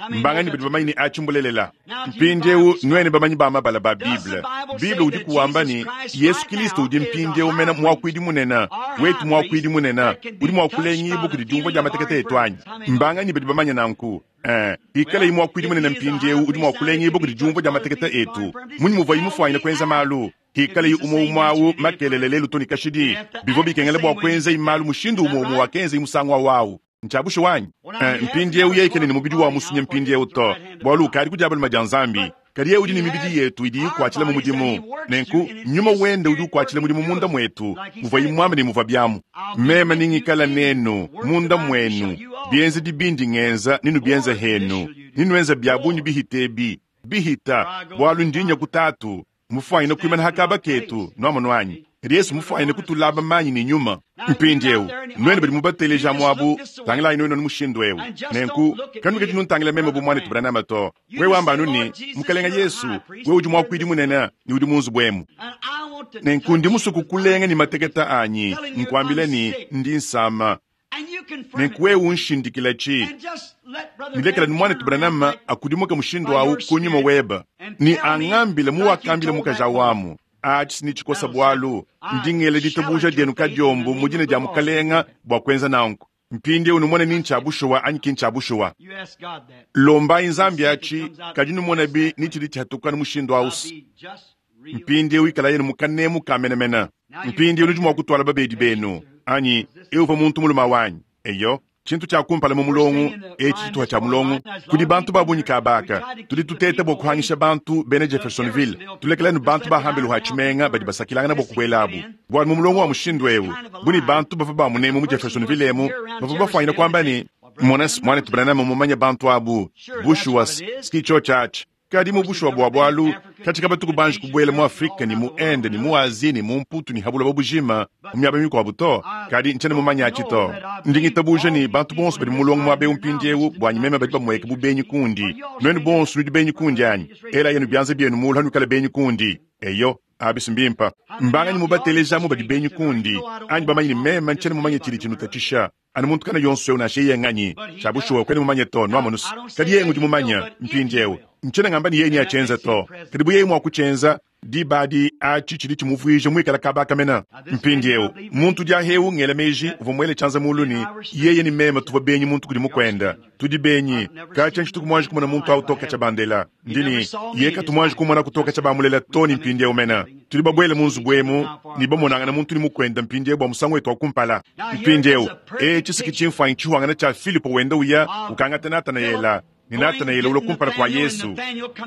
Mbangani badi bamanyi ni achimbulelela. Mpindiewu nwene bamanyi ba mabala ba Bible. Bible udi kuwamba ni Yesu Kristo udi mpindiewu mena mwakuidi munena, wetu mwakuidi munena, udi mwakulengibu kudi diumvua dia matekete etu anyi. Mbangani badi bamanya nanku. Eh, ikale mwakuidi munena mpindiewu udi mwakulengibu kudi diumvua dia matekete etu. Munyi muvua imufwanyina kwenza malu. Hikale umo umwawu makelele lelu toni kashidi. Bivua bikengela bua kwenza imalu mushindu umo umo wakenza imusangu wawu. Nchabusho wanyi. Eh, mpindiewu yekene ni mubidi wa musunya mpindiewu to. Bwalu ukali kudiabalo madia nzambi. Kadi ye udi ni mibidi yetu idi ikwachila mu mudimu. Nenku nyuma wende udi ukwachila mudimu munda mwetu. Muvua imwamba ni muvua byamu. Mema ningikala nenu munda mwenu. Bienze dibindi ngenza ninu bienze henu. Ninu byabunyi bihitebi. Bihita bwalu ndinya kutatu. Mufwanyina kuimana hakaba ketu nwamo nwanyi. Yesu mufwanyina kutulaba manyi ni nyuma. Mpindiewu nwene badi mubateleja mwabu tangilayi nwene mushindu ewu. Nenku kanu kadi nuntangila meme bu mwana tubranama to. Wewe wamba nuni mukalenga Yesu wewe udi mwakuidi munene ni udi munzu bwemu. Nenku ndi musuku kulenga ni mateketa anyi nkwambile ni ndi nsama. Nenku wewe unshindikila chi. Nilekela ni mwana tubranama akudimuka mushindu awu kunyuma weba. Ni angambile muwakambile mukaja wamu. Achi ni chikosa bwalu ndingele ditabuja dienu kadiombo mudine dia mukalenga bwa kwenza nanku. Mpindi unumone ni nchabushuwa anyi kinchabushuwa. Lomba inzambi achi kadi numona bi nichili chatuka mushindu ausi. Mpindi wikala yenu mukanemu kamenemena. Mpindi unudi mwa kutwala babedi benu anyi euva muntu muluma wanyi. Eyo chintu cha kumpala mu mulongo echi chituha cha mulongo kudi bantu babunyi kabaka tudi tuteta bwa kuhangisha bantu bene Jeffersonville tulekelanu bantu bahambelu ha chimenga badi basakilangana bwa kubwelabu bwa mu mulongo wa mushindu ewu buni bantu bava ba munemu mu Jeffersonville emu bava bafwanyina kwamba ni mwana mwana tubranama mumanya bantu abu bushuwa skicho church kadi mu bushuwa bwa bwalu katika batuku banji kubwela mu Afrika ni mu Ende ni mu Asie ni mu Mputu ni habula babujima mu myaba mikwabu to kadi nchene mumanya achito ndingitabuje ni bantu bonso badi mulongo mwabe umpindiewu bwanyi meme badi bamweka bubenyi kundi nwenu bonso nudi benyi kundi anyi ela yenu byanze byenu mulu hanukala benyi kundi eyo abisi mbimpa mbangani mubatelejamu badi benyi kundi anyi bamanyi ni meme nchene mumanya chili chinu tachisha anu muntu kana yonso eu nashe yenganyi chabushuwa kwene mumanye to nwamonusi kadi yengu di mumanya mpindiewu nchene ngamba ni yenyi achenza to kadi buye mwa kuchenza dibadi achi chili chimuvuije mwikala kabaka mena mpindiewu muntu dia heu ngela meji uvumwele chanza muluni yeye ni mema tuva benyi muntu kudi mukwenda tudi benyi kacha nchituku mwanji kumona muntu au toka cha bandela ndini yeka tumwanji kumona kutoka cha bamulela toni mpindiewu mena tudi babwele munzu bwemu ni bamonangana muntu ni mukwenda mpindiewu bwa musango wetu wakumpala mpindiewu e chisiki chimfanyi chihuangana cha Filipo wenda uya ukangata Nathanaela ni Nathanaela ulokumpala kwa Yesu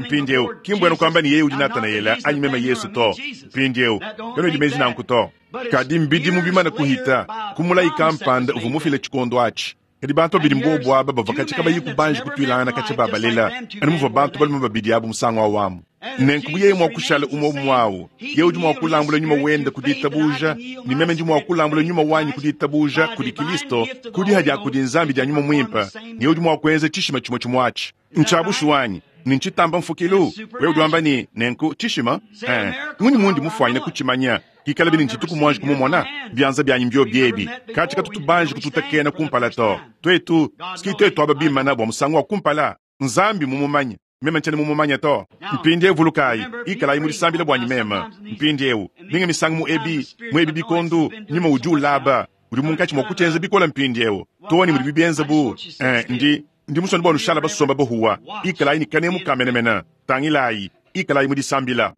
mpindiewu kimbwenu kwamba ni yeye udi Nathanaela anyi mema Yesu to mpindiewu kano idi mezi nanku to kadi mbidi mubimana kuhita kumulayi kampanda uvumufile chikondo achi kadi bantu babidi mbobu aba bava katika bayi kubanji kutwilangana kacha babalela ani muva bantu baluma babidi abu musango awamu nenku buyeye mwakushala umwe mwawu ye udi mwakulambula nyuma wenda kuditabuja ni meme ndi mwakulambula nyuma wanyi kuditabuja kudi Kristo kudi haja kudi nzambi dia nyuma mwimpa ni udi mwakwenza chishima chimwe chimwachi nchabushu wanyi ni nchitamba mfukilu wewe udi wamba ni nenku chishima eh nguni mundi mufwanyina kuchimanya kikala bini nchituku mwanji kumumona byanza byanyi mbyo byebi katika tutubanji kututakena kumpala to twetu sikitetu aba bimana bwa musango wa kumpala nzambi mumumanya mema nchene mumumanya to mpindiewu vulukayi ikalayi mulisambila bwanyi mema mpindiewu ninga misango mu ebi mu ebi bikondu nyuma udi ulaba udi munkachi mwakuchenza bikola mpindiewu toni mudi bibienza bu eh, ndi ndi musoni bwa nushala basomba bohuwa ikalayi nikanemu kamenemena tangilayi ikalayi mulisambila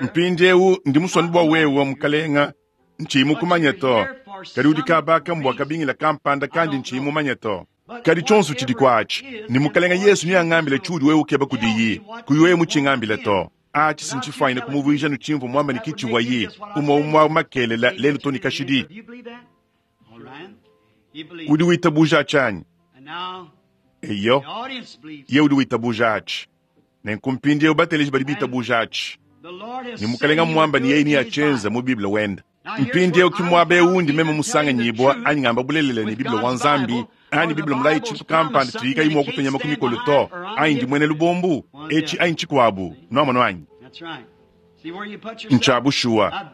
mpindiewu ndi musoni bwa wewe mukalenga nchimu kumanya to kadi udi kabaka mbwa kabingila kampanda kandi nchimu manya to kadi chonso chili kwachi ni mukalenga Yesu ni angambile chudi wewe ukeba kudiyi kuyi wewe muchingambile to Achi sinchifuanyine kumuvuija nutshimvu mwamba ni kichivwayi umwe umwe makelela lelu toni kashidi. Udi witabuja achanyi? Eyo, ye udi witabuja achi. Nenkumpindie ubateleji badi bitabuja achi. Ni mukalenga mwamba ni yeye ni achenza mu Biblia wenda. Mpindie ukimwabe undi meme musanga nyibwa anyi ngamba bulelele ni Biblia wa Nzambi anyi Biblia mulayi tshintu kampanda tiyika imwe okutonya makumi to anyi ndi mwene lubombu echi anyi chikwabu nwamano anyi. Nchabushuwa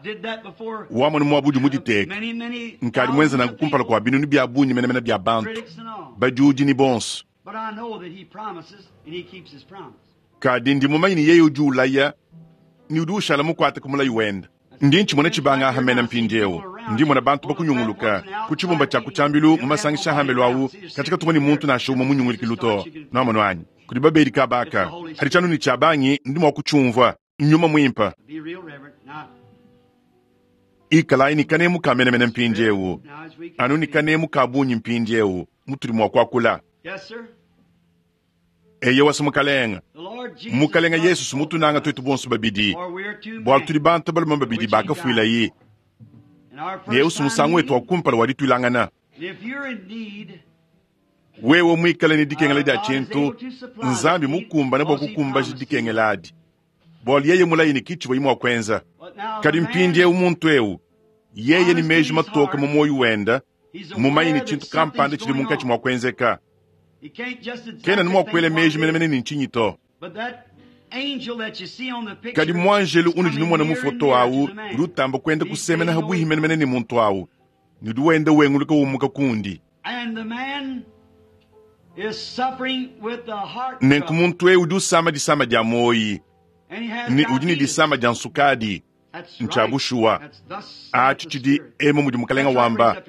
wamone mwabudi muditeka nkali mwenza nangu kumpala kwa binunu bya bunyi menemene bya bantu badiudi ni bonso. Kadi ndi mumanyi ni yeye udi ulaya ni udi ushala mukwate kumulayi wenda. Ndi nchimona chibanga hamena mpindiewu ndi mona bantu bakunyunguluka ku chibumba cha kuchambilu mu masangisha hambelu awu katika tumoni muntu nasha umwe munyungulukilu to nwamano anyi kudi babedi kabaka hadi chanu ni chabangi ndi mwa kuchumva nyuma mwimpa ikalayi ni kanemu kamenemene mpindiewu anu ni kanemu kabunyi mpindiewu mutuli mwa kwakula. Eye wasi mukalenga mukalenga Yesu sumutunanga twetu bonso babidi bwalo tuli bantu balume babidi bakafuilayi ne sumusangu wetu wakumpala walitwilangana. Wewe mwikale ni dikengela dia tshintu Nzambi mukumbane bwa kukumbaja dikengela adi bwalo yeye mulayi ni kichi bwa kwenza. Kadi mpindie umuntu eu yeye ni meji matoka mu moyo wenda mumanyi ni tshintu kampanda tshili munkatshi mwa kwenzeka. Kena ni mwakwele meji menemene ni nchinyi to. Kadi mwanjelu unu jinu mwana mufoto awu udi utamba kwenda kusemena habwihi menemene ni muntu awu ni udi wenda wenguluka wumuka kundi. Nenku muntu eu udi usama disama dia moyi ni udi ni disama dia nsukadi nchabushuwa achi tshidi emu mudi mukalenga wamba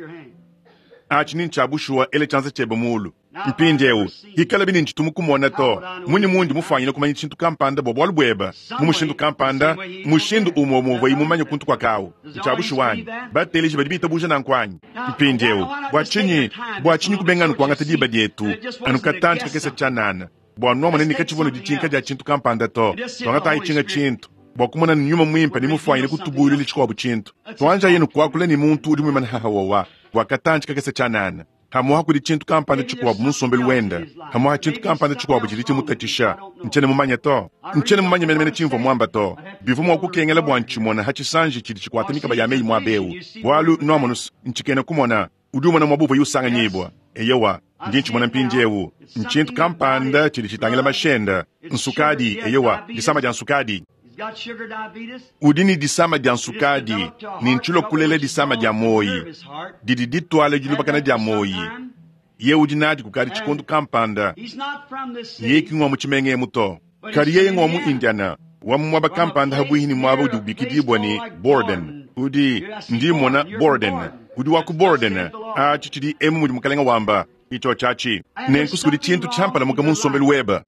achi ni nchabushuwa ele chanza chebe mulu. Mpindiewu ikala bini ntshitumu kumona to muni mundi mufanyile kumanya tshintu kampanda bwa bwalu bweba mu mushindu kampanda mushindu umwe umwe imumanya kuntu kwa kawu nchabushuwanyi bateleji badi bitabuja nankwanyi. Mpindiewu bwa tshinyi bwa tshinyi kubenganu kwangata diba dietu anu katanji kakesa tshanana bwa nwamone ni katshivono ditshinka dia tshintu kampanda to twangata itshinga tshintu bwa kumona ni nyuma mwimpa ni mufanyile kutubulile tshikwabu tshintu twanja yenu kwakula ni muntu udi mwimana hahawawa bwa katanji kakesa tshanana. Hamuha kuli tshintu kampanda tshikwabu munsombelu wenda hamuha tshintu kampanda tshikwabu tshili tshimutatshisha ntshene mumanya to ntshene mumanya menemene tshimvua mwamba to bivu mwa kukengela bwa ntshimona ha tshisanji tshidi tshikwata mikaba ya meyi mwabeu bwalu nwamonusu ntshikena kumona udi umona mwabuva yusanganyibwa eyewa ndi ntshimona mpindiewu ntshintu kampanda tshidi tshitangila mashenda nsukadi eyewa disama dia nsukadi. Udi ni disama dia nsukadi ni ntshilo kulela disama dia moyi didi ditwala dilubakana dia moyi ye udi nadi kukadi tshikondu kampanda ye kingwa mu tshimenge muto kadi yeye ngwa mu Indiana wa mu mwaba kampanda habwihi ni mwaba udi ubikidibwa ni Borden udi ndi mona Borden udi wa ku Borden achi tshidi emu mudi mukalenga wamba icho chachi nenkusi kudi tshintu tshampala muka munsombelu weba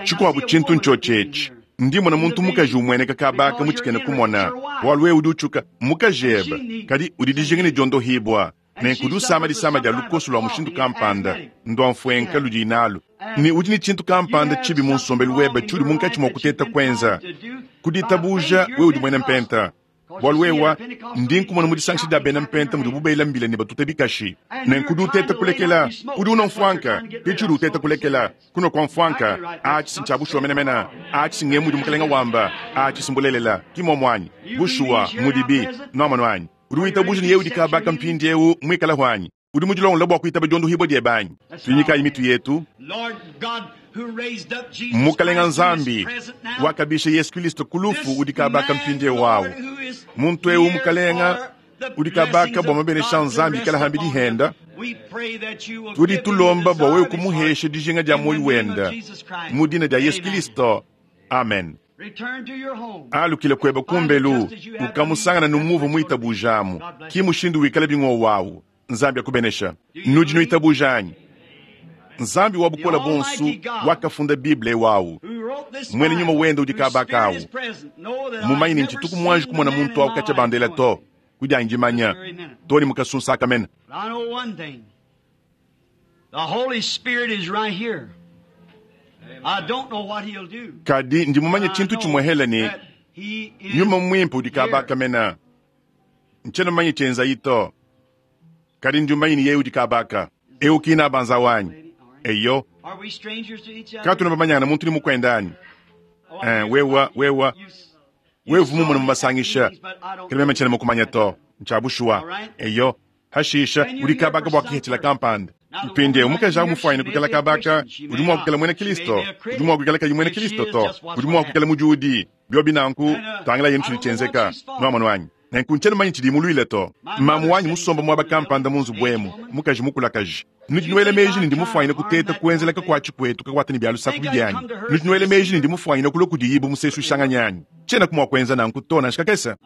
tshikwabu tshintu ntshotshetshi ndi mona muntu mukaji umweneka kabaka mutshikene kumona bwalu wewe udi utshuka mukajeba kadi udi dijinga ne diondohibwa nenku udi usama disama dia lukoso lwa mushindu kampanda ndwa mfuenka ludi inalu ni udi ni tshintu kampanda tshibi munsombelu weba tshiudi munkatshi mwa kuteta kwenza kuditabuja wewe udi mwene mpenta bwalu wewa ndi nkumona mudisangisha dia bena mpenta mudi bubela mbila ne batuta bikashi nenku udi uteta kulekela udi una mfuanka pitshi udi uteta kulekela kuno kwa mfuanka achi sinchabushuwa menemena achi singemu mudi mukalenga wamba achi simbulelela kimomwanyi bushuwa mudibi nwamano anyi udi witabuja ni yewe udi kabaka mpindi ewu mwikala hwanyi udi mudilongola bwa kuitaba diondohibwa diebanyi tunyikayi mitu yetu. Mukalenga Nzambi wakabisha Yesu Kristo kulufu udi kabaka mpindie wawu muntu ewu mukalenga udi kabaka bwa mabenesha Nzambi kala hambi dihenda tudi tulomba bwa wewe kumuhesha dijinga dia moyo wenda mu dina dia Yesu Kristo, amen. Alukile kweba kumbelu ukamusangana numuvu mwitabujamu kimushindu wikala bing'o wawu Nzambi akubenesha nudi nuitabujanyi. Nzambi wa bukola bonsu wakafunda Biblia wawu mwene nyuma wenda udi kabakawu mumanyi ni ntshituku mwanji kumona muntu awu katsha bandela to kudi anjimanya toni mukasunsa mena. The Holy Spirit is right here. Kadi ndi mumanye tshintu tshimwe ne nyuma mwimpe udi kabaka mena. Nchena mumanye tshienza ito. Kadi ndi mumanye ni yeye udi kabaka. Eu kina banza wanyi. Eyo. Katuna bamanyana muntu ni mukwendani. Eh, wewa wewa wevu mumwe mumasangisha. Kile meme nchena mukumanya to. Nchabushwa. Eyo. Hashisha udi kabaka bwa kihechila kampanda. Mpinde umukaji amufwaine kukala kabaka udi mwa kukala mwene Kristo udi mwa kukala kayi mwene Kristo to udi mwa kukala mujudi byobi nanku tangila yenu tshidi tshenzeka nwamwana wanyi nenku nchena manyi tshidi mulwile to mamu wanyi musomba mwaba kampanda munzu bwemu mukaji mukulakaji nudi nwele meji ndi mufwaine kuteta kuenzeleka kwa chikwetu kakwata ni byalu saku byanyi nudi nwele meji ndi mufwaine kulo kudiyibu musesu shanganyanyi chena kumwa kwenza nanku to nashikakesa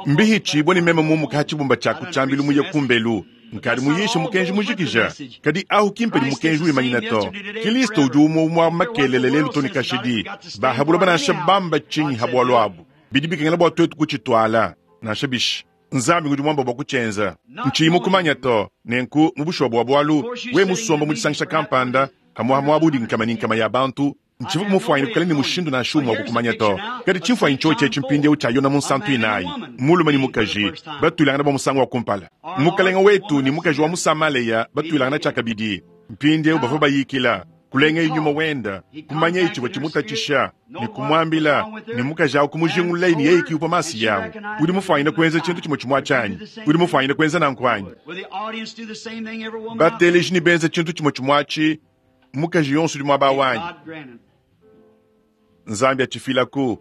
mbihi chibwe ni meme mumu ka chibumba cha kuchambila muye kumbelu nkadi muyishe mukenji mujikija kadi ahu kimpe ni mukenji wimanyina to Kristo udi umwe mwa makelele lelu toni kashidi bahabula banasha bamba chinyi habwalwabu bidi bikengela bwa twetu kuchitwala nasha bishi nzambi ngudi mwamba bwa kuchenza nchimu kumanya to nenku mubushwa bwa bwalu we musomba mudisangisha kampanda hamwa hamwa nkama ni nkama ya bantu nchivu mufwaine kukala ni mushindu na shumwa kukumanya to kadi chimfwaine choche chimpinde uchayona munsantu inayi mulume ni mukaji batwilangana ba musango wa kumpala mukalenga wetu ni mukaji wa musamaleya batwilangana chakabidi mpinde bava bayikila kulenga inyuma wenda kumanya ichibwa chimutachisha ni kumwambila ni mukaji awo kumujingulula ni yeye kiupa masi yawo udi mufwaine kuenza chintu chimwe chimwa chanyi udi mufwaine kuenza nankwanyi bateleji ni benza chintu chimwe chimwachi mukaji yonso udi mwaba wanyi Nzambi achifilaku.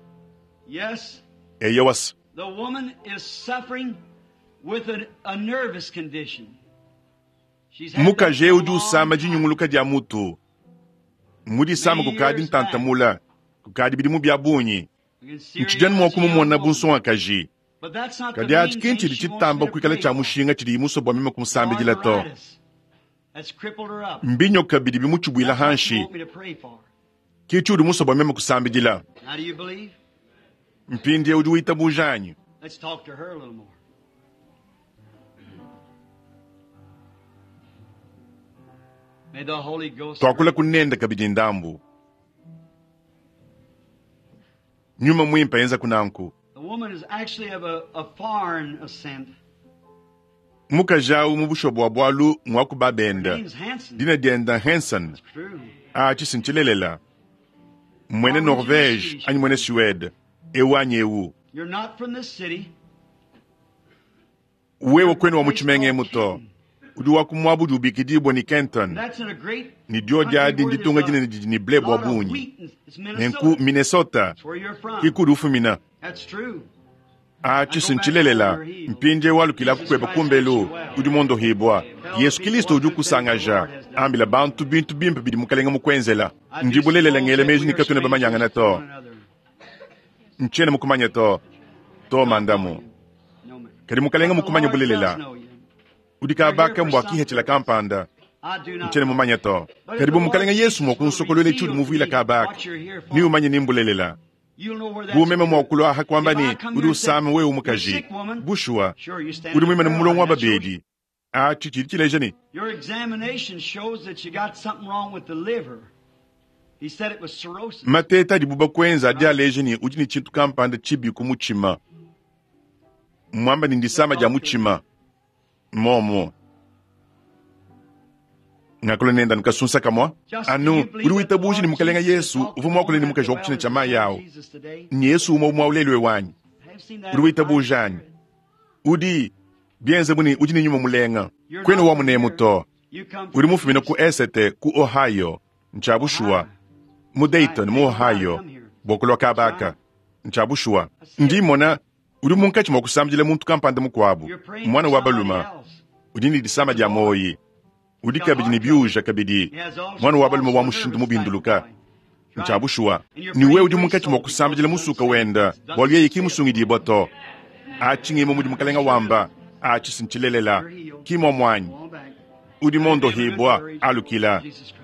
Yes. Eyo was. The woman is suffering with a, a nervous condition. She's had Mukaji that udi for a usama long jinyunguluka dia mutu. Mudi sama kukadi ntantamula. Kukadi bidimu bya bunyi. time. You can see her Nchijani mwa as a young kumumona woman. bunsongakaji. But that's not the Kadi main achi thing kinchi she wants chitamba me to kuikala pray cha for. mushinga chidi imuso bwa mime kumusambidila to. Arthritis That's crippled her up. Mbinyoka bidi bimuchubwila That's what you hanshi. want me to pray for. Kichi udi muso bwa mime kusambidila. Now do you believe? Mpindi udi wita bujanyi. Let's talk to her a little more. May the Holy Ghost Twakula kunenda kabidi ndambu. Nyuma mwimpa yenza kunanku. The woman is actually of a, a foreign ascent. Mukaji awu mu busho bwa bwalu mwaku Her babenda. name's Hanson. Dina dienda Hanson. True. A chisinchilelela. Mwene Norvege anyi mwene Suède. Ewu anyi ewu. You're not from this city. Wewe kwenu wa muchimenge muto. Udi wa kumwabudu ubikidibwa ni Kenton. That's in a great Ni dio dia country di where nditunga there's jine ni ni ble a bwa lot of bunyi. wheat. and- It's Nenku Minnesota. Minnesota. That's where you're from. Kikudi ufumina. That's true. A chisinchilelela. Mpinje walukila kukweba kumbelu. Udi mondo hibwa. Yesu Kristo udi kusangaja. Ambila bantu bintu bimpe bidi mukalenga mukwenzela. I do Ndibulelela suppose ngele that meji we ni are katuna bamanyangana strangers to to. one another. Nchene mukumanya to. To mandamu. No, ma'am. Kadi mukalenga But the mukumanya Lord bulelela. does know you. Udi kabaka mbwa kihechila kampanda. I do not Nchene know. mumanya to. But if Kadi the bu mukalenga Lord Yesu Jesus will mwakunsokolwele reveal chudi to muvuila me kabaka. what you're here Ni for, umanye ni mbulelela. you'll know where that's Bumeme mwakulwa hakwamba If I ni come udi here and say, usama wewe "You're umukaji. sick, woman," Bushwa. Sure, you stand Udi in mwimene the mulongo wa prayer line. That shows babedi. A chichili chileja ni. Your examination shows that you got something wrong with the liver. He said it was cirrhosis. Mateta adi buba kwenza adi aleja ni udi ni chintu kampanda chibi kumuchima. Mwamba ni ndisama ja muchima. Momo. Ngakolo nenda nukasunsa kamwa. Just Anu, do you udi believe that the witabuji ni Lord mukalenga Jesus Yesu, talked to uvu the mwakule woman ni at mukaji the wa kuchina well cha mayi awo. Jesus today? Ni Yesu umwe umwe ulelwe wanyi. Have you seen that Udi in the witabujanyi. Bible? Udi bienze buni udi ni nyuma mulenga. You're Kwenu not wa from munemu here. to. You come Udi from mufumina ku Esete ku Ohio, nchabushua. Mu Dayton mu Ohio, bokulwa kabaka. Nchabushua. Ndimona udi munkachi mwa kusambila muntu kampanda mukwabu. You're praying Mwana for wa somebody baluma. else. Udi ni disama dia moyi. Udi kabidi ni byuja kabidi. He has also Mwana wa baluma wa also mushindu nervous type mubinduluka. of boy. Right. Nchabushua. And you're Ni wewe praying udi for his munkachi mwa soul kusambila because musuka wenda. Bwalu yeye kimusungidibwa to. Achingimo mudi mukalenga wamba. Achisinchilelela. Kimwa mwanyi. Go on back. Udi mondo Have a good hibwa courage. alukila. Jesus Christ.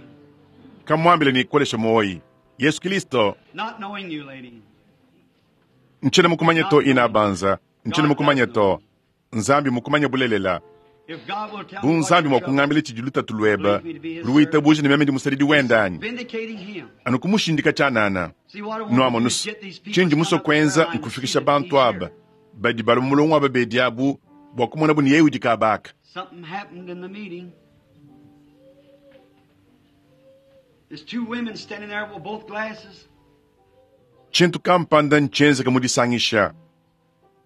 Kamwambile ni kolesha moyi. Yesu Kristo Not knowing you, lady. nchene mukumanya to ina banza. Nchene mukumanya to. Nzambi mukumanya bulelela. If God will tell Bu me what nzambi your mua trouble kungambila tshidi lutatu lweba luitabuja ne meme ndi musadidi wenda anyi vindicating him. anu kumushindika tshianana See what I want to do nwamonu is get these people tshindi to come muso up the kwenza prayer line and see nkufikisha that bantu he's aba here. badi bala mulongo aba bedi abu bua kumona bu ni yeye udi kabaka Something happened in the meeting. There's two women standing there with both glasses. tshintu kampanda ntshienzeka mu disangisha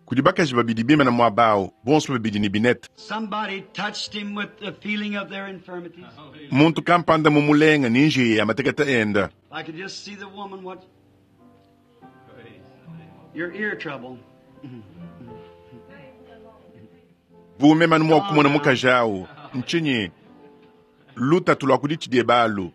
kudi bakaji babidi bimana muaba bonso babidi ne binete Somebody touched him with the feeling of their infirmities. muntu kampanda mumulenga ni njiya ya mateketa enda I could just see the woman what your ear trouble. vume manu mua kumona mukaji awu ntshinyi lutatu lua kudi tshidie balu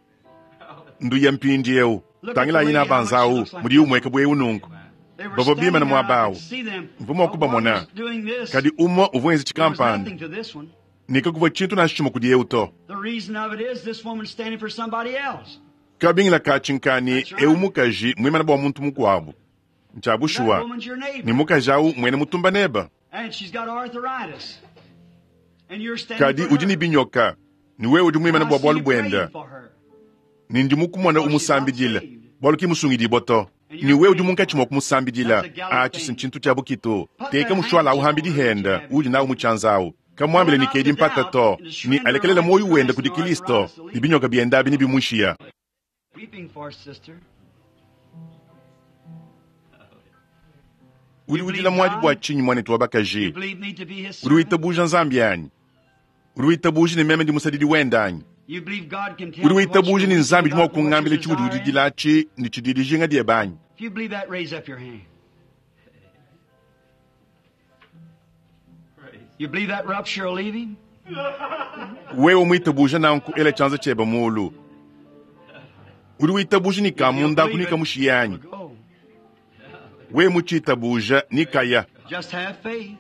nduya mpindi eu tangila yina banza awu mudi umweka bwe ununku They were Bavo standing bimana there, I muaba awu could see them. mvuma But one wakubamona was doing this. kadi umwe uvwenzi There was chikampanda nothing to this one. nikakuva tshintu na tshimo kudi eu to The reason of it is this woman's standing for somebody else. kabingila katshinkani eu mukaji mwimana bua muntu mukuabu That ntshabushuwa woman's your ni neighbor. mukaji awu mwene mutumba neba And she's got arthritis. And you're standing kadi for udi her. ni binyoka ni wewe udi mwimana I bua see bwalu you praying bwenda for her. ni ndi mukumona umusambidila bwalu kimusungidibwa to ni wewe udi munkatshi mwa kumusambidila atshi sintshintu tshia bukitu teka mushwala awu hambidi henda udi nawu mutshanza awu kamwambile ni kedi mpata to ni alekelela moyo wenda kudi kristo ni binyoka byenda abi ni bimushiya Weeping for sister. udi udila mwadi bua tshinyi mwanetu wa You bakaji believe me to be his udi servant? witabuja nzambi anyi udi witabuja ni meme ndi musadidi wenda anyi You believe God can tell udi me what witabuja you're ni nzambi weeping di mua about and what kungambila your tshiudi desire is? udidila atshi ni tshidi dijinga diebe anyi If you believe that, raise up your hand. You believe that rupture will leave him? wewe mwitabuja nanku ela tshianza tshiebe mulu udi witabuja ni If you kamunda believe kunika it, mushiya anyi it'll go. wewe muchitabuja ni kaya Just have faith.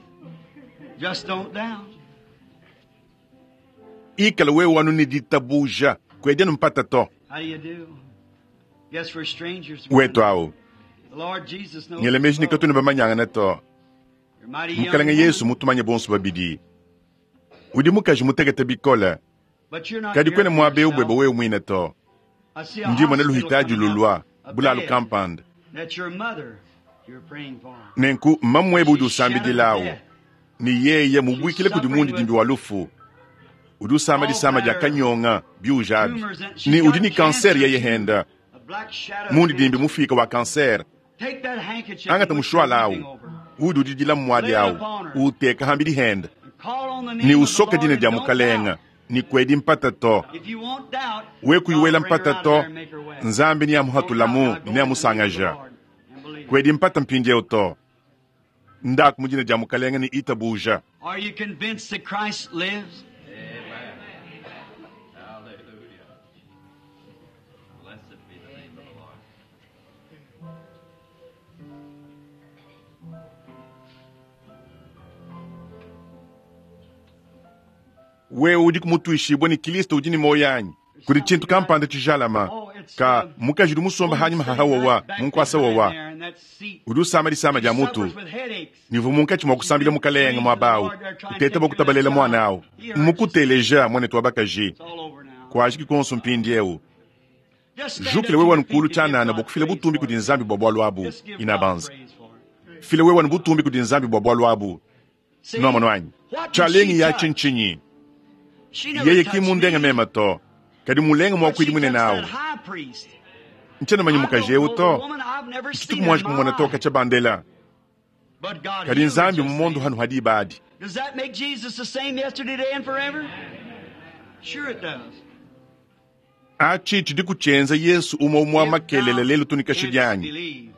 Just don't doubt. ikala wewe wanu ni ditabuja kwedianu mpata to How do you do? Guess we're strangers. wetu awu The Lord Jesus knows. ngele meji us ni both. katuni bamanyangana to You're mighty young mukalenge yesu woman, mutumanye bonso babidi udi mukaji mutekete bikole but you're not kadi here kwene for muaba eu yourself. bwebe wewe mwine to I see a ndi mwene hospital luhitaji coming up, lulwa a bulalu bed. kampanda That's your mother you're praying for. nenku mmamwebe udi She's shadowed usambidilawu death. ni yeye She's mubwikile kudi suffering mundi with dimbi wa lufu udi usamba all disama dia manner of kanyonga biujabi tumors and she's ni udi got ni kanseri cancer yeye too. henda A black shadow of mundi dimbi cancer. mufika wa kanseri Take that handkerchief angata in which you're mushwala weeping awu over udi udidila mmwadi Lay it awu upon her uteka hambidi henda and call on the ni name of the usoka Lord dina and dia don't mukalenga doubt. ni kwedi mpata to If you won't doubt, we God will kuyuwela bring her mpata out of to there and make her well. nzambi ni Don't doubt amuhatulamu now. Go ni in the name of the amusangaja Lord and believe. kwedi mpata mpindieu to ndaku mudina dia mukalenga ni itabuja Are you convinced that Christ lives? Amen. Hallelujah. Blessed be the name of the Lord. wewe udi kumutuishibwa ni kristo udi ni moyo anyi There's kuli tshintu something right. kampanda tshijalama Oh, it's ka the mukaji udi musomba woman hanyuma sitting hahawowa right back munkwasa behind wowa there in that seat. udi usamba disama She dia mutu suffers with headaches. nivu munkatshi mua She's kusambila been mukalenga praying to the muabawu Lord. They're trying to uteta take care of that bakutabalela mwana child. awu He heard you. mukuteleja mwanetu wa bakaji It's all over now. kwajiki konso mpindi eu Just stand up jukile to wewe your nkulu feet and give tshanana God bokufila praise butumbi for kudi it. nzambi bwa bwalu abu Just give God inabanza praise for it. file wewe ni butumbi kudi nzambi bwa bwalu abu See, nwamano anyi what did she tshalengi ya touch? tshintshinyi She never yeye ki touched mundenga me, mema to kadi mulenga but mwakwidi she mwine touched nawu that high priest. ntshena manyi I mukaji don't eu know the to woman. I've never ntshituku seen her in mwanji my kumona toka life. tsha bandela But God kadi healed her nzambi just mumondo then. hanu hadi ibadi Does that make Jesus the same yesterday, today, and forever? Sure it does. atshi tshidi kutshenza yesu umwe umwe wa If makelele thou lelu tunika canst shidianyi believe,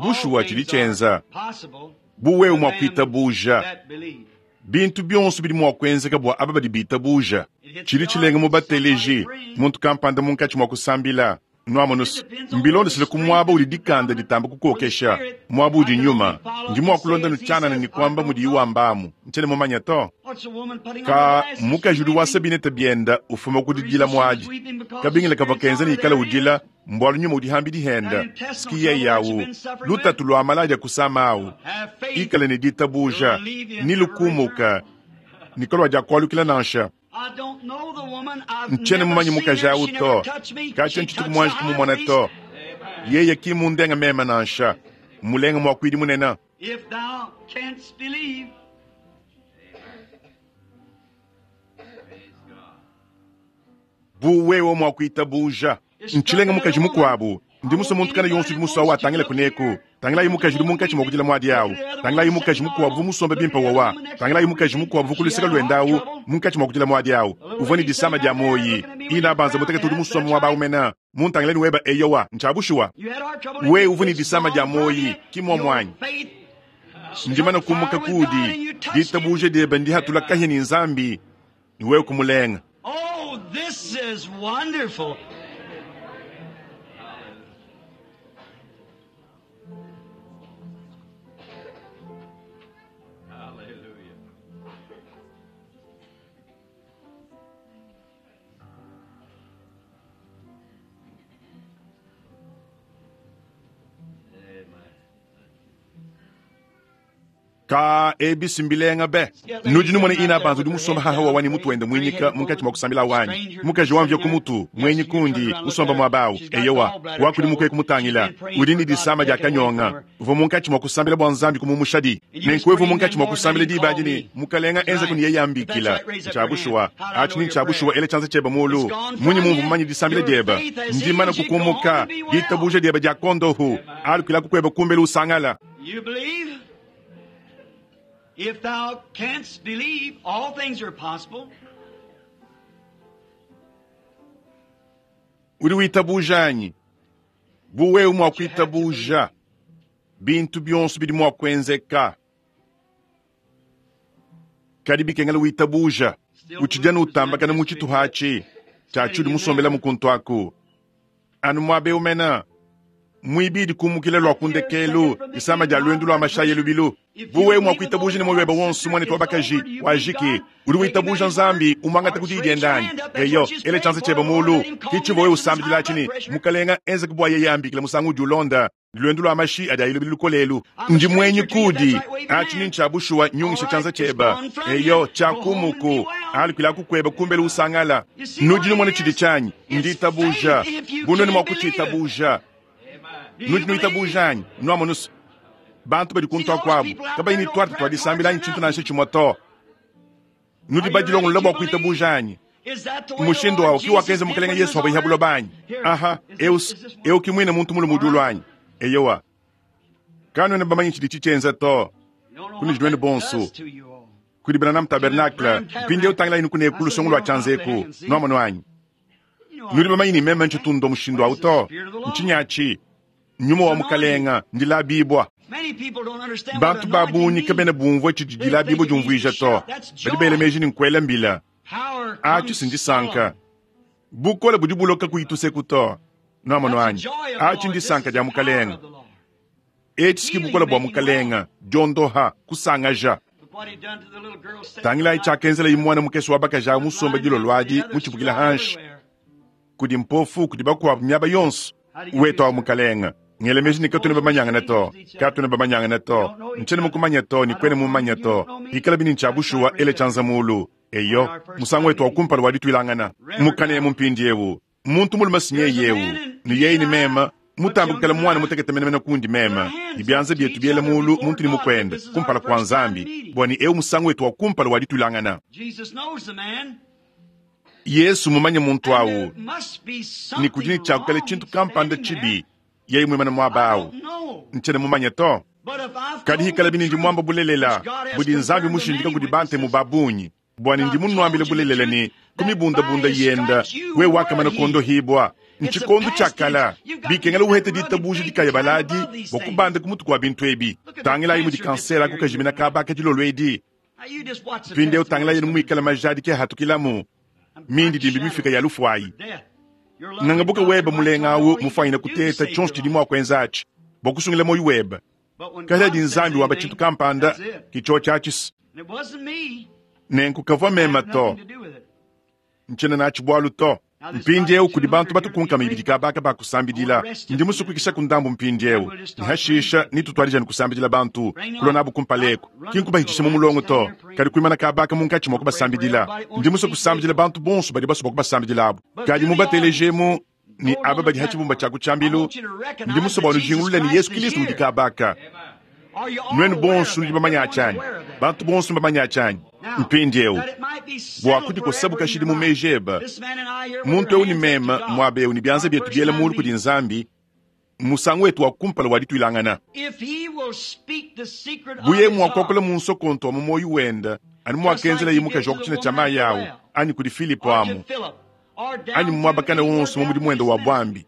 all bushuwa tshidi things are tshenza possible buwewe to mua them kuitabuja that believe. bintu bionso bidi mua kuenzeka bua aba badi bitabuja It hits tshidi the tshilenga mu audience, somebody bateleji praying. muntu kampanda munkatshi mua kusambila It nwamonusu depends on where the mbilondesele ku strength muaba is udi dikanda predominant ditamba or the kukokesha spirit. muaba I udi can nyuma only follow ndi mua and say kulonda as he nutshanana says, ni I kuamba don't mudi know. iwambamu ntshene mumanya to What's a woman putting on her ka glasses? She's mukaji udi weeping. wasabinete bienda ufuma The kudidila reason she was muadi weeping because the kabingile kava spirit's kenza out ni of ikala there it is. udila mbwalu nyuma udihambidi That henda intestinal siki trouble yeyi that you've awu been suffering with, lutatu lwa maladi akusama awu have faith ikala ni it'll ditabuja leave you and ni never lukumuka return. Nikolwa diakualukila nansha. Ntshiena mumanye mukaji awu to, katshia ntshituku muanji kumumona to. Yeye ki mundenga meme nansha, mulenga muakuidi munene. If thou canst believe, Praise God. Bu wewe muakuitabuja. Ntshilenga mukaji mukuabu, ndi musue muntu kana yonso udi musue awu atangile kuneku. Tangilayi mukaji udi munkatshi mua kudila muadi awu. Tangilayi mukaji mukuabu musombe bimpe wawa. Tangilayi mukaji mukuabu ku luseke luende awu munkatshi mua kudila muadi awu. Uvua ne disama dia moyi. Ina banza mutekete udi musombe muaba awu mena. Muntangileni weba eyowa, ntshiabushuwa. you had heart trouble. Wewe uvua ne disama dia It's gone moyi, from you. ki muomuanyi. Your faith Ndimana kumuka kudi, ditabuja diebe ndihatula kahia ni Nzambi, ni wewe kumulenga. Oh, this is wonderful. Hallelujah. Amen. Ka ebisi mbilenga be. Nudi numona ina bantu udi musomba haha wawani mutu wende mwinyika munkatshi mua kusambila wanyi. Mukaji wamvya ku mutu, mwenyi kundi, musomba muabawu. Eyowa, wakudi mukwe kumutangila. Udi ni disama dia kanyonga. Uvua munkatshi mua kusambila bua Nzambi kumumushadi. Nenku munkatshi mua kusambila diba adi ni mukalenga enza kuni yeye ambikila. Ntshiabushuwa, atshi ni ntshiabushuwa ele tshianza tshiebe mulu. Munyi mumvu mumanye disambila diebe. Ndimana kukumuka, ditabuja diebe dia kondohu. Alukila kukweba kumbela usangala. You believe? If thou canst believe, all things are possible. Udi witabuja anyi? Bu wewe mua kuitabuja, bintu bionso bidi mua kuenzeka. Kadi bikengela witabuja, utshidi anu utambakana mu tshituha atshi, tshiatshi udi musombela mukuntu aku. Anu muabe umena, muibidi kumukila lua kundekelu, disama dia luendu lua mashayi lubilu. Bu wewe mua kuitabuja ne moyo webe wonso mwane twabakaji, wajiki, udi witabuja Nzambi, umwangata kuti idiendanyi. Eyo, ele tshianza tshiebe mulu, kichivo wewe usambidila tshini, mukalenga enze kubwa yeye ambikila musangu udi ulonda, luendu lua mashi adi ayilubilu lukolelu. Ndi mwenyi kudi, atshi ni ntshiabushuwa nyungisha tshianza tshiebe. Eyo, tshiakumuku, alukila kukweba kumbela usangala. Nudi numona tshidi tshianyi, nditabuja, bunoni mua kutshitabuja. Do you Nudi believe? nuitabuja anyi, nuamonusu. Bantu badi kuntu akuabu, kabayi ni twarte twadisambilanyi tshintu nansha tshimue to. Nudi badilongolola bua kuitabuja anyi. Is that the way the Mushindu Lord awu ki Jesus wakenza did mukalenga when he Yesu was wabayiha on buloba earth? anyi. Here, Aha, is this- eus, is this one? eu ki mwine muntu mulume udi ulwanyi. Eyowa. Kanuena bamanyi tshidi tshitshienza to. You don't know Kuni what jidwene that bonso. does to you all. Kudi Branham Tabernacle, mpindieu utangila inu kuneku lusongo lua tshianzeku, nuamono anyi. You know Nudi how- bamanyi ni meme ntshitundo mushindu awu to. Ntshinyachi, nyuma wa mukalenga ndilabibwa. Many people don't understand what Bantu anointing babunyi means. kabena bumvua tshidi dilabibwa diumvuija to. Badi bela meji ni nkuela mbila. Power Atshi comes sindisanka. solemn. Bukole budi buloka kuyituseku to. Nuamono That's anyi. the joy of the Atshi Lord. This ndisanka is dia the power mukalenga. of the Lord. Etshi siki bukola bua mukalenga, diondoha, kusangaja. Look what he done to the little girl sitting Tangilayi right tshiakenzela imwana mukese wa bakaji awu musomba dilo lwadi mutshipukila hanshi. Kudi mpofu, kudi bakuabu miaba yonso. Wetu awu mukalenga. Ngele meji ni katuna bamanyangana to. Katuna bamanyangana to. Nchene mukumanya to, ni kwene mumanya to. Ikala bini ntshiabushuwa ele tshianza mulu. Eyo, musangu wetu wa kumpala wadituilangana. Mukane mumpindi ewu. Muntu mulume sinye yewu. Ni yeyi ni mema, mutambukela mwana mutekete menemene kundi mema. Ibyanza byetu byela mulu, muntu ni mukwenda. Kumpala kwa Nzambi. Bwani ewu musangu wetu wa kumpala wadituilangana. Jesus knows the man. Yesu mumanye muntu And awu. there must be Ni something kudini tshiakukala wrong tshintu kampanda standing tshibi. there. Yeyi mwimana muaba I awu. don't know. Ntshiena mumanye to. But if I've Kadi told hikala the bini ndi truth, mwamba bulelela which God has budi Nzambi confirmed to mushindika many kudi bante mu witnesses, babunyi bwani ndi munwambile bulelela ni kumibundabunda yenda we wakamana kondohibwa nchikondo tshiakala bikengela uhete ditabuja dikaya baladi bua kubanda ku mutu kua bintu ebi tangilayi mudi kansera kukajimina kabaka dilolo edi Now you just watch the mpindieu tangilayi testimonies muikala majadi ke hatukilamu I'm mindi dimbi shadow mifika ya lufuayi death. Your lovely ngangabuka doctor weba might mulenga tell you awu all he mufwanyina can do to kuteta save tshionso your tshidi life. mua kuenza atshi bua kusungila moyo weba But when kadi God adi says Nzambi wamba anything, tshintu kampanda that's it. kicho tshiatshisi And it wasn't me. nenku kavua I mema had to nothing to do with it. ntshiena natshi bualu to Mpindieu kudi bantu batukunkama ibidi kabaka bakusambidila. Ndi musukuikisha ku ndambu mpindieu. Nihashisha nitutwalija nikusambidila bantu. Kulwa nabu kumpaleko. Kinkubahitisha mu mulongo to. Kadi kuimana kabaka munkatshi mwa kubasambidila. Ndi musu kusambidila bantu bonso badi baswa kubasambidilabu. Kadi mubateleje-mu ni aba badi hachibumba cha kuchambilu. Ndi musu bwa nujingulule ni Yesu Kristo udi kabaka. Nwenu bonso nudi bamanya achanyi. Bantu bonso bamanya achanyi. Mpindieu bwa kuti kosabuka shili mu mejeba. Muntu eu ni mema mwabe eu ni byanza byetu byela mulu kudi Nzambi. Musangu wetu wa kumpala walitwilangana. Buye mwakokola mu nsokonto wa mu moyo wenda ani mwakenzela yimukaji wa kuchina cha mayi awo ani kudi Filipo amu ani mwabakana wonso mu mudimu wenda wa bwambi.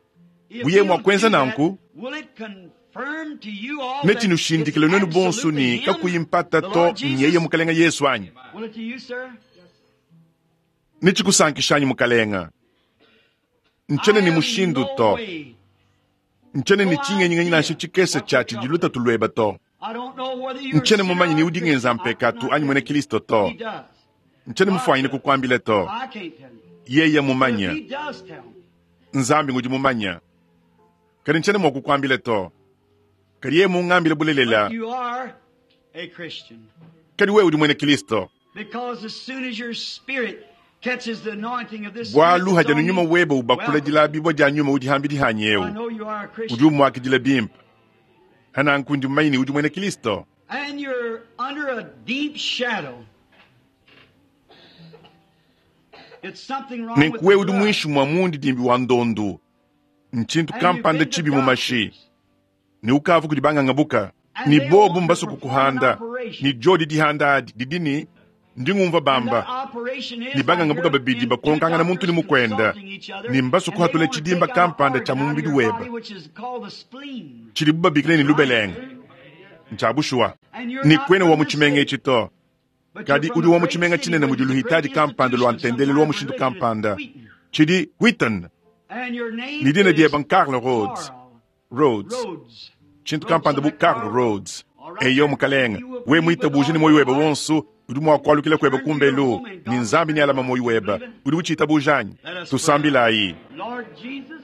Buye mwakwenza nanku netinushindikile nwenu bonso ni kakuyimpata to nyeye mukalenga Yesu anyi. Nechikusankishanyi mukalenga. Nchene ni mushindu to. Nchene ni chingenyingenyi nansha chikese cha chidiluta tulweba to. Nchene mumanyi ni udingenza mpekatu anyi mwene Kristo to. Nchene mufwanyine kukwambile to. Yeye mumanya. Nzambi ngudi mumanya. Kadi nchene mwakukwambile to. Kadi yeye mungambile bulelela. Kadi wewe udi mwene Kristo. Bwalu haja nyuma webe ubakula dilabibwa dia nyuma udi hambi dihanyeu. Udi umwakidila bimpa. Hana nkundi mumanyi udi mwene Kristo. And you're under a deep shadow. It's something wrong with Nenkuwe the udi blood. mwishi mwa mundi dimbi wa ndondu. Nchintu And you've kampanda been to chibi mu mashi. doctors. Ni ukavu kudi bangangabuka. Ni bobu mbaso kukuhanda. Ni jodi dihanda adi didini ndingumva And that bamba. operation is Ni bangangabuka like babidi you're in two bakonkangana muntu ni doctors mukwenda. consulting each other, Ni mbaso and they kuhatula want to chidimba take out kampanda organ cha out of mumbidi your weba. body, which is called the spleen. Chili bubabikile ni lubelenga. Nchabushwa. And you're Ni not kwene wa from this muchimenga city, ichi to. but Kadi you're from udi a wa great muchimenga city chinene where mudi there's a luhitaji great kampanda lwa institution of some ntendele kind lwa of mushindu religion in kampanda. Wheaton. Chidi Wheaton. And your name Ni dina is dieba Carl Rhodes. Carl Rhodes. Rhodes. Chintu Rhodes, kampanda bu like Carl Carl Rhodes. All right, Eyo sir. mukalenga. You will We believe mwita with bujini all moyo your weba heart. wonso. Udi mwakwalukila kweba Turn to your kumbelu. home and Ni God will nzambi ni alama moyo weba. Believe it. Udi uchita bujanyi. Let us pray. Tusambilayi. Lord Jesus,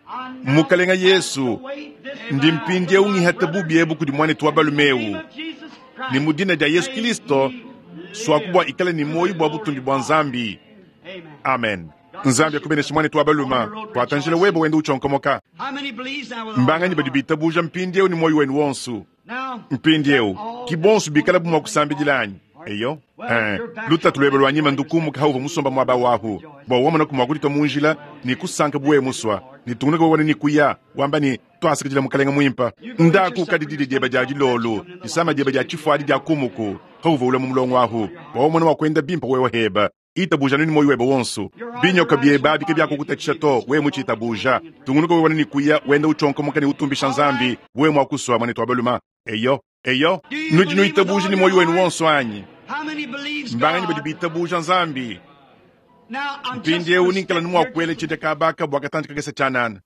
I now Mukalenga cast Yesu, away this ndi vow mpindie to my ungihata brother bubi ebu kudi mwanetu wa in the balume name eu. of Jesus Ni Christ. mudina dia Yesu May Kristo he swakubwa live ikale ni to moyo the bwa glory butumbi of bwa God. Nzambi. Amen. Amen. God bless Nzambi you, akubenesha brother. mwanetu wa On the baluma. road Kwatanjila webo rejoicing. wenda uchonkomoka. How many believes now with all Mbanganyi your badi heart? bitabuja mpindieu ni moyo wenu wonso. Now, let Mpindieu all kibonso this bikala bumwa wonderful thing kusambidilanyi. fall. Eyo. Well, Eh, you're back lutatu to lwebe lwa nyima the ndukumuka hauva musomba mwaba wahu. Bwa wamona kumwakulita munjila ni kusanka buwe muswa. Ni tungunuka wabona ni kuya wamba ni twasikijila mukalenga mwimpa. You go eat your Ndaku supper kadididi yourself dyeba dya and all that you dilolo. come in the Disama lodge dyeba dya so you can chifwadi have dya it. kumuku. Hauva ula mu mulongo wahu. Bwa wamona wakwenda bimpa wewe heba. Itabuja nini moyo weba wonso. Your Binyoka arthritis byeba will bike bother you if you byakukutatisha believe to this we with all this muchitabuja. praying and praying. Tungunuka webona ni kuya wenda uchonkomoka ni utumbisha All Nzambi. right. We mwakuswa mwanetu wa baluma. Eyo. Eyo. Do you Nudi believe with nuitabuja all ni your moyo wenu heart? wonso anyi. How many believes Mbanganyi badi God? bitabuja Nzambi. Now, I'm just Mpindieu going to ninkala step here nimwakwele just a chidya kabaka bwakatanji kagesa chanana.